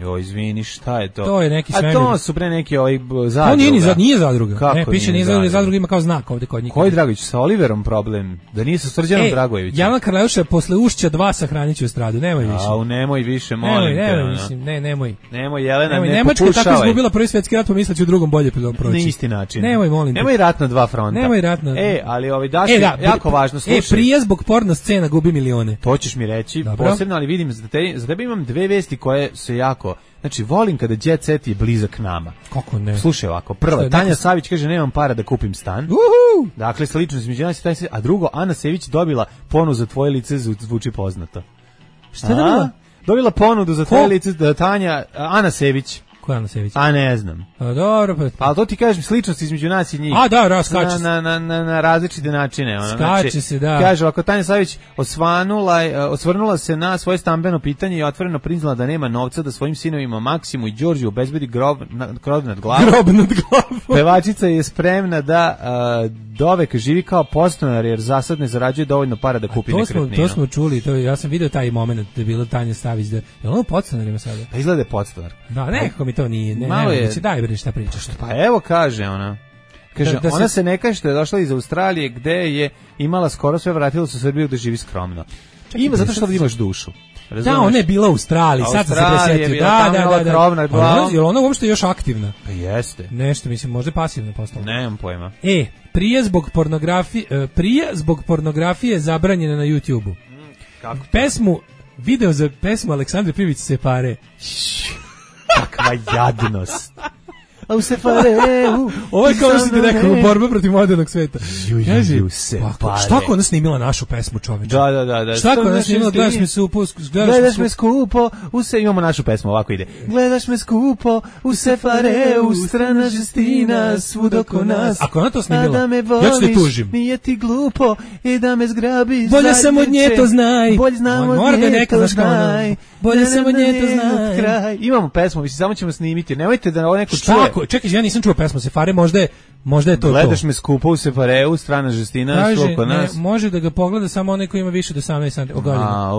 Jo, izvini, šta je to? To je neki svemir. A to su pre neki ovaj zadruga. To nije ni za, nije zadruga. Kako ne, piše nije zadruga, zadruga ima kao znak ovde kod njih. Koji Dragojević sa Oliverom problem? Da nije sa Srđanom e, Dragojevićem. Jana Karleuša posle Ušća dva sahraniće u stradu, nemoj više. Au, nemoj više, molim nemoj, te. Nemoj, mislim, ne, nemoj. Nemoj, Jelena, nemoj, ne Nemačka popušavaj. Nemačka tako izgubila prvi svetski rat, pomisleći u drugom bolje proći. Na isti način. Nemoj, molim te. Nemoj rat na dva fronta. Nemoj rat na... E, ali ovaj Daško, e, da, jako važno, slušaj. E, prije zbog porno scena gubi milione. To ćeš mi reći, dobro. Posebno, ali vidim, za, te, za tebe imam dve vesti koje se jako... Znači, volim kada Jet Set je blizak nama. Kako ne? Slušaj ovako, prva, Tanja neko... Savić kaže, nemam para da kupim stan. Uhu! Dakle, sličnost između nas i Tanja Savić. A drugo, Ana Sević dobila ponudu za tvoje lice, zvuči poznato. Šta je dobila? Dobila ponudu za tvoje lice, da Tanja, Ana Sević. Koja Ana Sević? A ne znam. A dobro, pa... Pa to ti kažem, sličnost između nas i njih. A da, da, skače na, na, na, na različite načine. Ono, skače znači, se, da. Kaže, ako Tanja Savić osvanula, osvrnula se na svoje stambeno pitanje i otvoreno priznala da nema novca da svojim sinovima Maksimu i Đorđu obezbedi grob, na, grob nad glavom. Grob nad glavom. Pevačica je spremna da uh, dovek živi kao podstanar jer zasad ne zarađuje dovoljno para da kupi nekretninu. To smo čuli, to, ja sam video taj moment da je bila Tanja Savić. Da, je ono podstanarima sada? Pa izgleda je podstanar. Da, nekako mi to nije. Ne, malo je. Daj bre, šta pričaš? Pa evo kaže ona. Kaže, da, da ona se... se ne kaže što je došla iz Australije gde je imala skoro sve, vratila se u Srbiju da živi skromno. Čekaj, ima zato što da imaš dušu. Razumeš? Da, ona je bila u Australiji, sad sam se presetio. Da, da, da, da. Krovna, ona, je ona uopšte još aktivna? Pa jeste. Nešto, mislim, možda pasivno postala. Nemam pojma. E, prije zbog pornografije, prije zbog pornografije zabranjena na YouTubeu. Mm, kako? Pesmu, video za pesmu Aleksandre Privić se pare. Kakva jadnost. a u sefareu. Ovo je kao što ti rekao, borba protiv modernog sveta. Kaži, pa, šta ako ona snimila našu pesmu, čoveče? Da, da, da. da. Šta ako ona snimila, gledaš me skupo, gledaš me skupo, u se, imamo našu pesmu, ovako ide. Gledaš me skupo, u sefareu, strana žestina, svud oko nas. Ako ona to snimila, da me voliš, ja ću te tužim. Nije ti glupo, i da me zgrabiš. Bolje sam od nje to znaj. Bolje znam od nje to znaj. Bolje sam od nje to znaj. Imamo pesmu, mislim, samo ćemo snimiti. Nemojte da ovo neko čuje. Šta? Čekaj, ja nisam čuo pesmu Sefare, možda je Možda je to Gledaš to. me skupo u sefareu, strana žestina, oko nas. Ne, može da ga pogleda samo onaj koji ima više od osamnaest godina.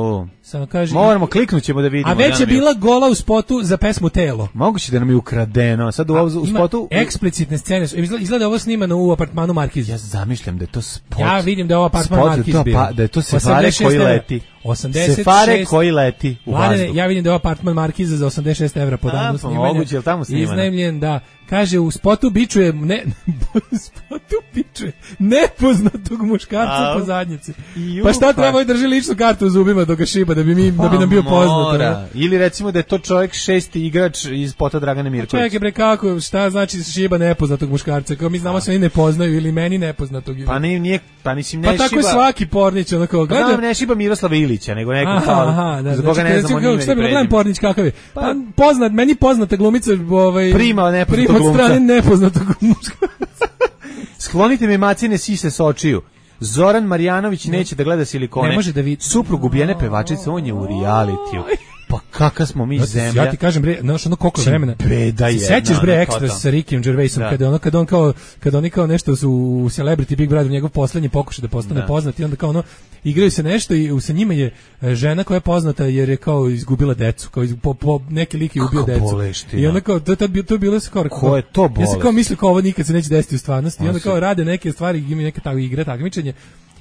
Samo kaže. Moramo kliknut ćemo da vidimo. A već je bila gola u spotu za pesmu Telo. Moguće da nam je ukradeno. Sad u, u spotu eksplicitne scene. Izgleda ovo snimano u apartmanu Markiz. Ja zamišljam da je to spot. Ja vidim da je ovo apartman Markiz bio. Pa, da je to Sefare koji leti. osamdeset šest Sefare koji leti u vazduh. Ja vidim da je apartman Markiza za osamdeset šest evra po danu snimanja. Moguće, jel tamo snimano? Iznajmljen, da. Kaže, u spotu bičuje, ne, u spotu bičuje nepoznatog muškarca po zadnjici. Pa šta treba i drži ličnu kartu u zubima dok ga šiba, da bi, mi, da bi nam bio poznat. Ili recimo da je to čovjek šesti igrač iz spota Dragane Mirković. Čekaj bre, kako, šta znači šiba nepoznatog muškarca? Kao mi znamo se oni ne poznaju ili meni nepoznatog. Pa ne, nije, pa nisim ne šiba. Pa tako je svaki Pornić, onako, gleda. Pa ne šiba Miroslava Ilića, nego neko kao, za koga ne znamo ni ime ni prezime. Gledam Pornić kakav je. Pa poznat, meni poznata glumica, ovaj prima nepoznatog glumca. Od strane nepoznatog muškarca. Sklonite mi macine sise s očiju. Zoran Marjanović neće da gleda silikone. Ne može da vidi. Suprug ubijene pevačice, on je u realitiju. Pa kaka smo mi zemlja. Ja ti kažem bre, znaš ono koliko vremena. Beda je. Sećaš bre Ekstra sa Rickyjem Gervaisom kada ono kad on kao kad oni kao nešto su u Celebrity Big Brother, njegov poslednji pokušaj da postane da. poznat i onda kao ono igraju se nešto i sa njima je žena koja je poznata jer je kao izgubila decu, kao iz, po, po neki lik je ubio decu. Boleština. I onda kao to tad to je bilo skoro. Ko je to bolest? Ja sam kao mislio kao ovo nikad se neće desiti u stvarnosti i onda kao rade neke stvari, imaju neke takve igre, takmičenje.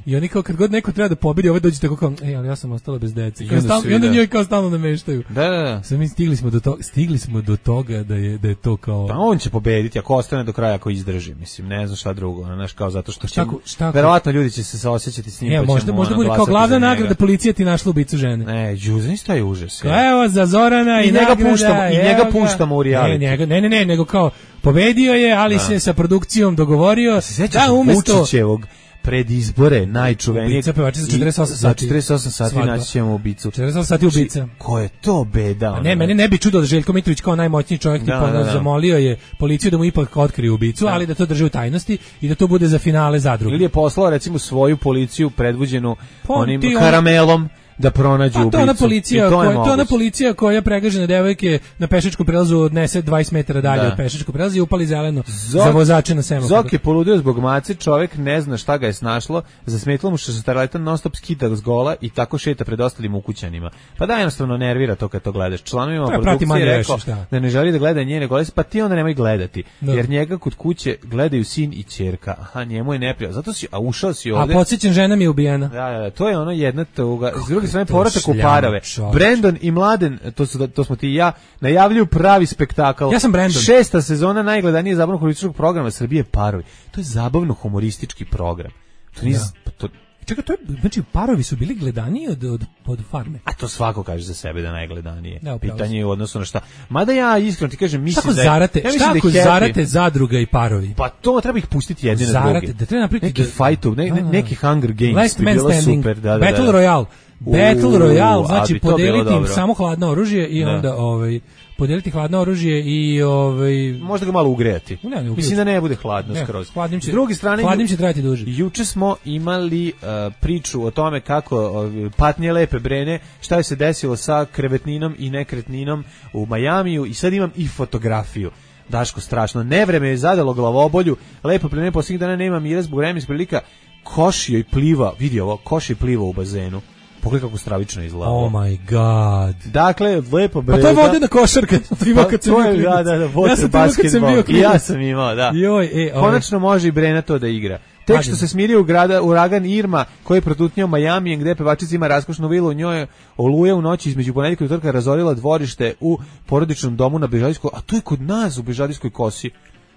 I oni kao kad god neko treba da pobedi, ovaj dođe tako kao, ej, ali ja sam ostala bez dece. I onda, stal, i onda njoj kao stalno nameštaju. Da, da, da. Sve mi stigli smo do toga, stigli smo do toga da je da je to kao. Pa on će pobediti ako ostane do kraja, ako izdrži, mislim, ne znam šta drugo, znaš, kao zato što šta, šta, verovatno ljudi će se saosećati s njim. E, pa možda možda bude kao glavna nagrada policija ti našla ubicu žene. Ne, Đuzin šta je užas. Evo za Zorana i, i njega puštamo, i njega puštamo u reality. Ne, njega, ne, ne, ne, nego kao pobedio je, ali da. se sa produkcijom dogovorio da umesto Vučićevog pred izbore najčuvenijeg ubica pevačica za četrdeset osam sati. Za četrdeset osam sati naći ćemo ubicu. četrdeset osam sati ubica. Ko je to beda? A ne, mene ne bi čudo da Željko Mitrović kao najmoćniji čovjek tipa da, da, da. zamolio je policiju da mu ipak otkrije ubicu, da. ali da to drži u tajnosti i da to bude za finale zadruge. Ili je poslao recimo svoju policiju predvođenu pa, onim karamelom da pronađu ubicu. Pa to ona policija, to, koja, to ona policija koja pregažene devojke na pešačkom prelazu odnese dvadeset metara dalje da. od pešačkog prelaza i upali zeleno Zok, za vozače na semaforu. Zok je poludio zbog mace, čovjek ne zna šta ga je snašlo, zasmetilo mu što se staraletan non stop skida s gola i tako šeta pred ostalim ukućanima. Pa da jednostavno nervira to kad to gledaš. Članovima produkcije rekao da ne želi da gleda njene gole, pa ti onda nemoj gledati. Da. Jer njega kod kuće gledaju sin i ćerka. Aha, njemu je neprijatno. Zato si, a ušao si ovde. A podsjećam, žena mi je ubijena. Da, da, to je ono jedna tuga. S druge strane povratak u parove. Brandon i Mladen, to su to smo ti i ja, najavljuju pravi spektakl. Ja sam Brandon. Šesta sezona najgledanije zabavno humorističkog programa Srbije Parovi. To je zabavno humoristički program. To nije ja. to Čekaj, to je, znači Parovi su bili gledaniji od, od, od Farme. A to svako kaže za sebe da najgledanije. Da, pitanje je u odnosu na šta. Mada ja iskreno ti kažem, mislim da je... Zarate, ja šta ako da zarate Zadruga i Parovi? Pa to treba ih pustiti jedni na zarate, drugi. Da treba napraviti... Neki da, fight, ne, ne, neki Hunger Games. Last Man Standing, super, da, da, Battle da. Royale. Battle Royale, znači podeliti im samo hladno oružje i da. onda... ovaj podeliti hladno oružje i ovaj možda ga malo ugrejati. Ne, ne, mislim da ne bude hladno ne, skroz. Hladnim će, s druge strane, hladnim će trajati duže. Juče smo imali uh, priču o tome kako uh, patnje lepe Brene, šta je se desilo sa krevetninom i nekretninom u Majamiju i sad imam i fotografiju. Daško, strašno. Nevreme je zadalo glavobolju. Lepo Brene posljednjih dana nema mira zbog vremenskih prilika. Košio i pliva, vidi ovo, košio i pliva u bazenu. Pogledaj kako stravično izgleda. Oh my god. Dakle, lepo Breda. Pa to je vodena košarka. To ima kad sam bio. Da, da, da, ja sam basketbol. I ja sam imao, da. Joj, e, konačno može i Brena to da igra. Tek što se smirio u grada uragan Irma koji je protutnjao Majamijem gde pevačica ima raskošnu vilu, u njoj oluja u noći između ponedjeljka i utorka razorila dvorište u porodičnom domu na Bežadijskoj, a to je kod nas u Bežadijskoj kosi.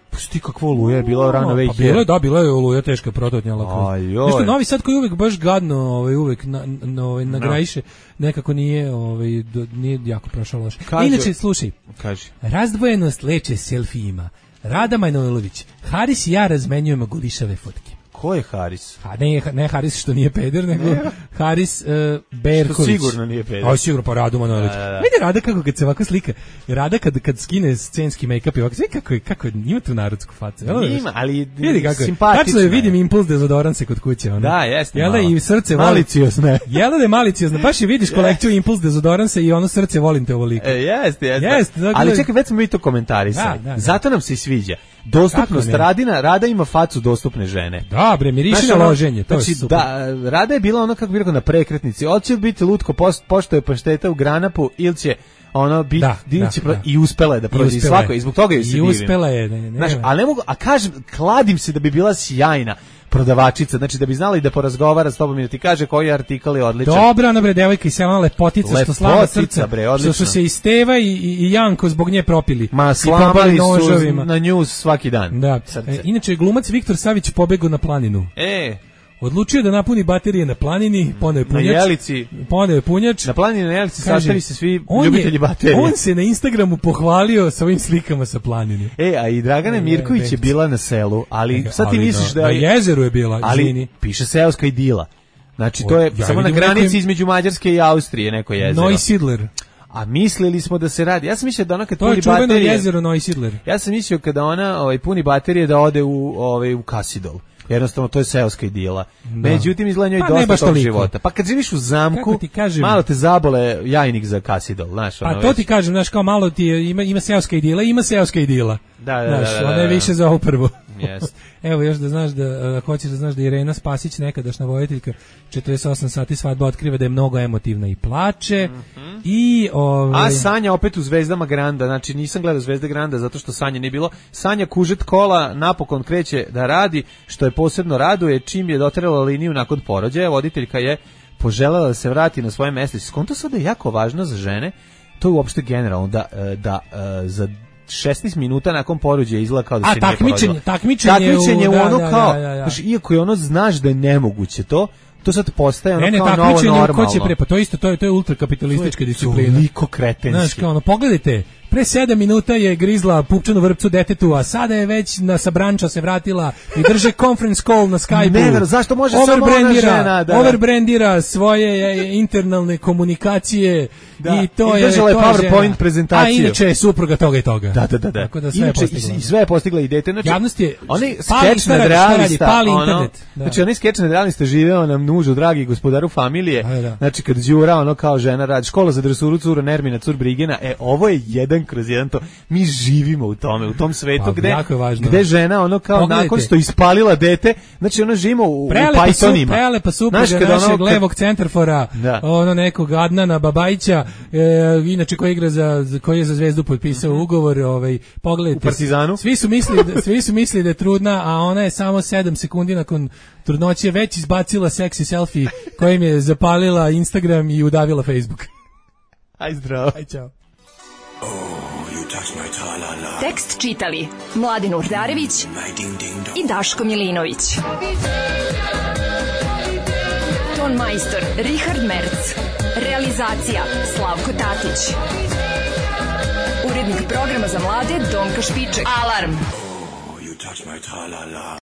Pusti kakvo oluja je bila rano već. Pa bilo je, da, bila je oluja teška prototnjala. Nešto Novi Sad koji uvek baš gadno, ovaj uvek na, na, ovaj nagrajiše, nekako nije, ovaj do, nije jako prošao loše. Inače slušaj. Kaži. Razdvojenost leče selfijima. Rada Manojlović. Haris i ja razmenjujemo gulišave fotke. Ko je Haris? Ha, ne, ne Haris što nije peder, nego ne. Haris uh, Berković. Što sigurno nije peder. A sigurno pa Radu Manojlović. Da, da, da. Vidi Rada kako kad se ovako slika. Rada kad kad skine scenski make-up i ovako, sve kako je, kako je, ima tu narodsku facu. Ima, ali vidi kako je. Simpatično. Tačno je, vidim impuls dezodorans kod kuće. Ono. Da, jeste. Jel da i srce maliciozno. Jel da je maliciozno. Baš je vidiš kolekciju impuls dezodoransa i ono srce volim te ovoliko. E, jeste, jeste. Jest, dakle, ali čekaj, već smo mi to komentarisali. Da, da, da. Zato nam se i sviđa. Dostupnost Radina, Rada ima facu dostupne žene. Da, bre, miriši na loženje, to znači, je super. Da, Rada je bila ono, kako bi rekao, na prekretnici. Hoće biti lutko post, pošto je pašteta u granapu ili će ono biti da, da, će, da. I uspela je da prođe svako i zbog toga je se divim. I uspela je, ne, ne. Znaš, ali ne mogu, a kažem, kladim se da bi bila sjajna prodavačica, znači da bi znala i da porazgovara s tobom i da ti kaže koji artikal je odličan. Dobra, ona bre, devojka i selana lepotica, lepotica što slava srca, bre, što su se i Steva i, i, i Janko zbog nje propili. Ma slamali su na nju svaki dan. Da. E, inače, glumac Viktor Savić pobegao na planinu. E, odlučio da napuni baterije na planini, poneo je punjač. Na Jelici. Poneo je punjač. Na planini na Jelici sastavi se svi ljubitelji baterije. On se na Instagramu pohvalio sa ovim slikama sa planine. E, a i Dragana Mirković je bila na selu, ali e, sad ti ali misliš da, da je... Na jezeru je bila, izvini. Ali piše seoska idila. Znači, to je ja samo na granici nekom... između Mađarske i Austrije neko jezero. Neusiedler. A mislili smo da se radi. Ja sam mislio da ona kad to puni baterije... To je čuveno jezero Neusiedler. Ja sam mislio kada ona ovaj, puni baterije da ode u, ovaj, u Kasidol. Jednostavno, to je seoska idila. Da. Međutim, izgleda njoj pa dosta tog života. Pa kad živiš u zamku, malo te zabole jajnik za Kasidol. Znaš, pa ono to već... ti kažem, znaš, kao malo ti je, ima, ima seoska idila, ima seoska idila. Da, da, znaš, da, da, da. ona je više za ovo prvo. Yes. Evo još da znaš da, uh, hoćeš da znaš da Irena Spasić, nekadašnja voditeljka, četrdeset osam sati svadba, otkriva da je mnogo emotivna i plače. Mm-hmm. I, ovaj... A Sanja opet u Zvezdama Granda, znači nisam gledao Zvezde Granda zato što Sanje nije bilo. Sanja Kužet Kola napokon kreće da radi, što je posebno raduje čim je doterala liniju nakon porođaja. Voditeljka je poželjela da se vrati na svoje mesto. Skonto sad je jako važno za žene, to je uopšte generalno, da, da, da za šesnaest minuta nakon porođaja izgleda kao da se nije porodila. Takmičenje, takmičenje u, u ono da, kao, da, da, da. Znaš, iako je ono znaš da je nemoguće to, to sad postaje ono ne, ne, kao novo normalno. Ko će pre, pa to isto, to je, to je ultrakapitalistička disciplina. Toliko kretenski. Znaš, kao ono, pogledajte, pre sedam minuta je grizla pupčanu vrpcu detetu, a sada je već na sabranča se vratila i drže conference call na Skype-u. Ne, ver, zašto može samo ona žena? Da. Overbrandira svoje internalne komunikacije da. I to I je... držala je PowerPoint prezentaciju. A inače je supruga toga i toga. Da, da, da. da. Tako da sve inače, je postigla. I sve je postigla i dete. Znači, javnost je... Oni skeč nad realista. Pali ono, internet. Da. Znači, oni skeč nad realista živeo nam nužu, dragi gospodaru familije. Da, da. Znači, kad Đura, ono kao žena radi, škola za dresuru, cura Nermina, cur Brigena, e, ovo je jedan kroz jedan to. Mi živimo u tome, u tom svetu pa, gde, gde žena ono kao pogledajte. Nakon što ispalila dete, znači ona živimo u, u Pythonima. Prelepa supruga našeg ono, levog centarfora, da. Ono nekog Adnana Babajića, e, inače koji igra za, koji je za Zvezdu potpisao mm-hmm. ugovor, ovaj, pogledajte. U Partizanu. Svi su mislili da, svi su mislili da je trudna, a ona je samo sedam sekundi nakon trudnoće već izbacila seksi selfie kojim je zapalila Instagram i udavila Facebook. Aj zdravo. Aj čao. Tekst čitali Mladin Urdarević i Daško Milinović. Ton majstor Richard Merc. Realizacija Slavko Tatić. Urednik programa za mlade Donka Špiček. Alarm!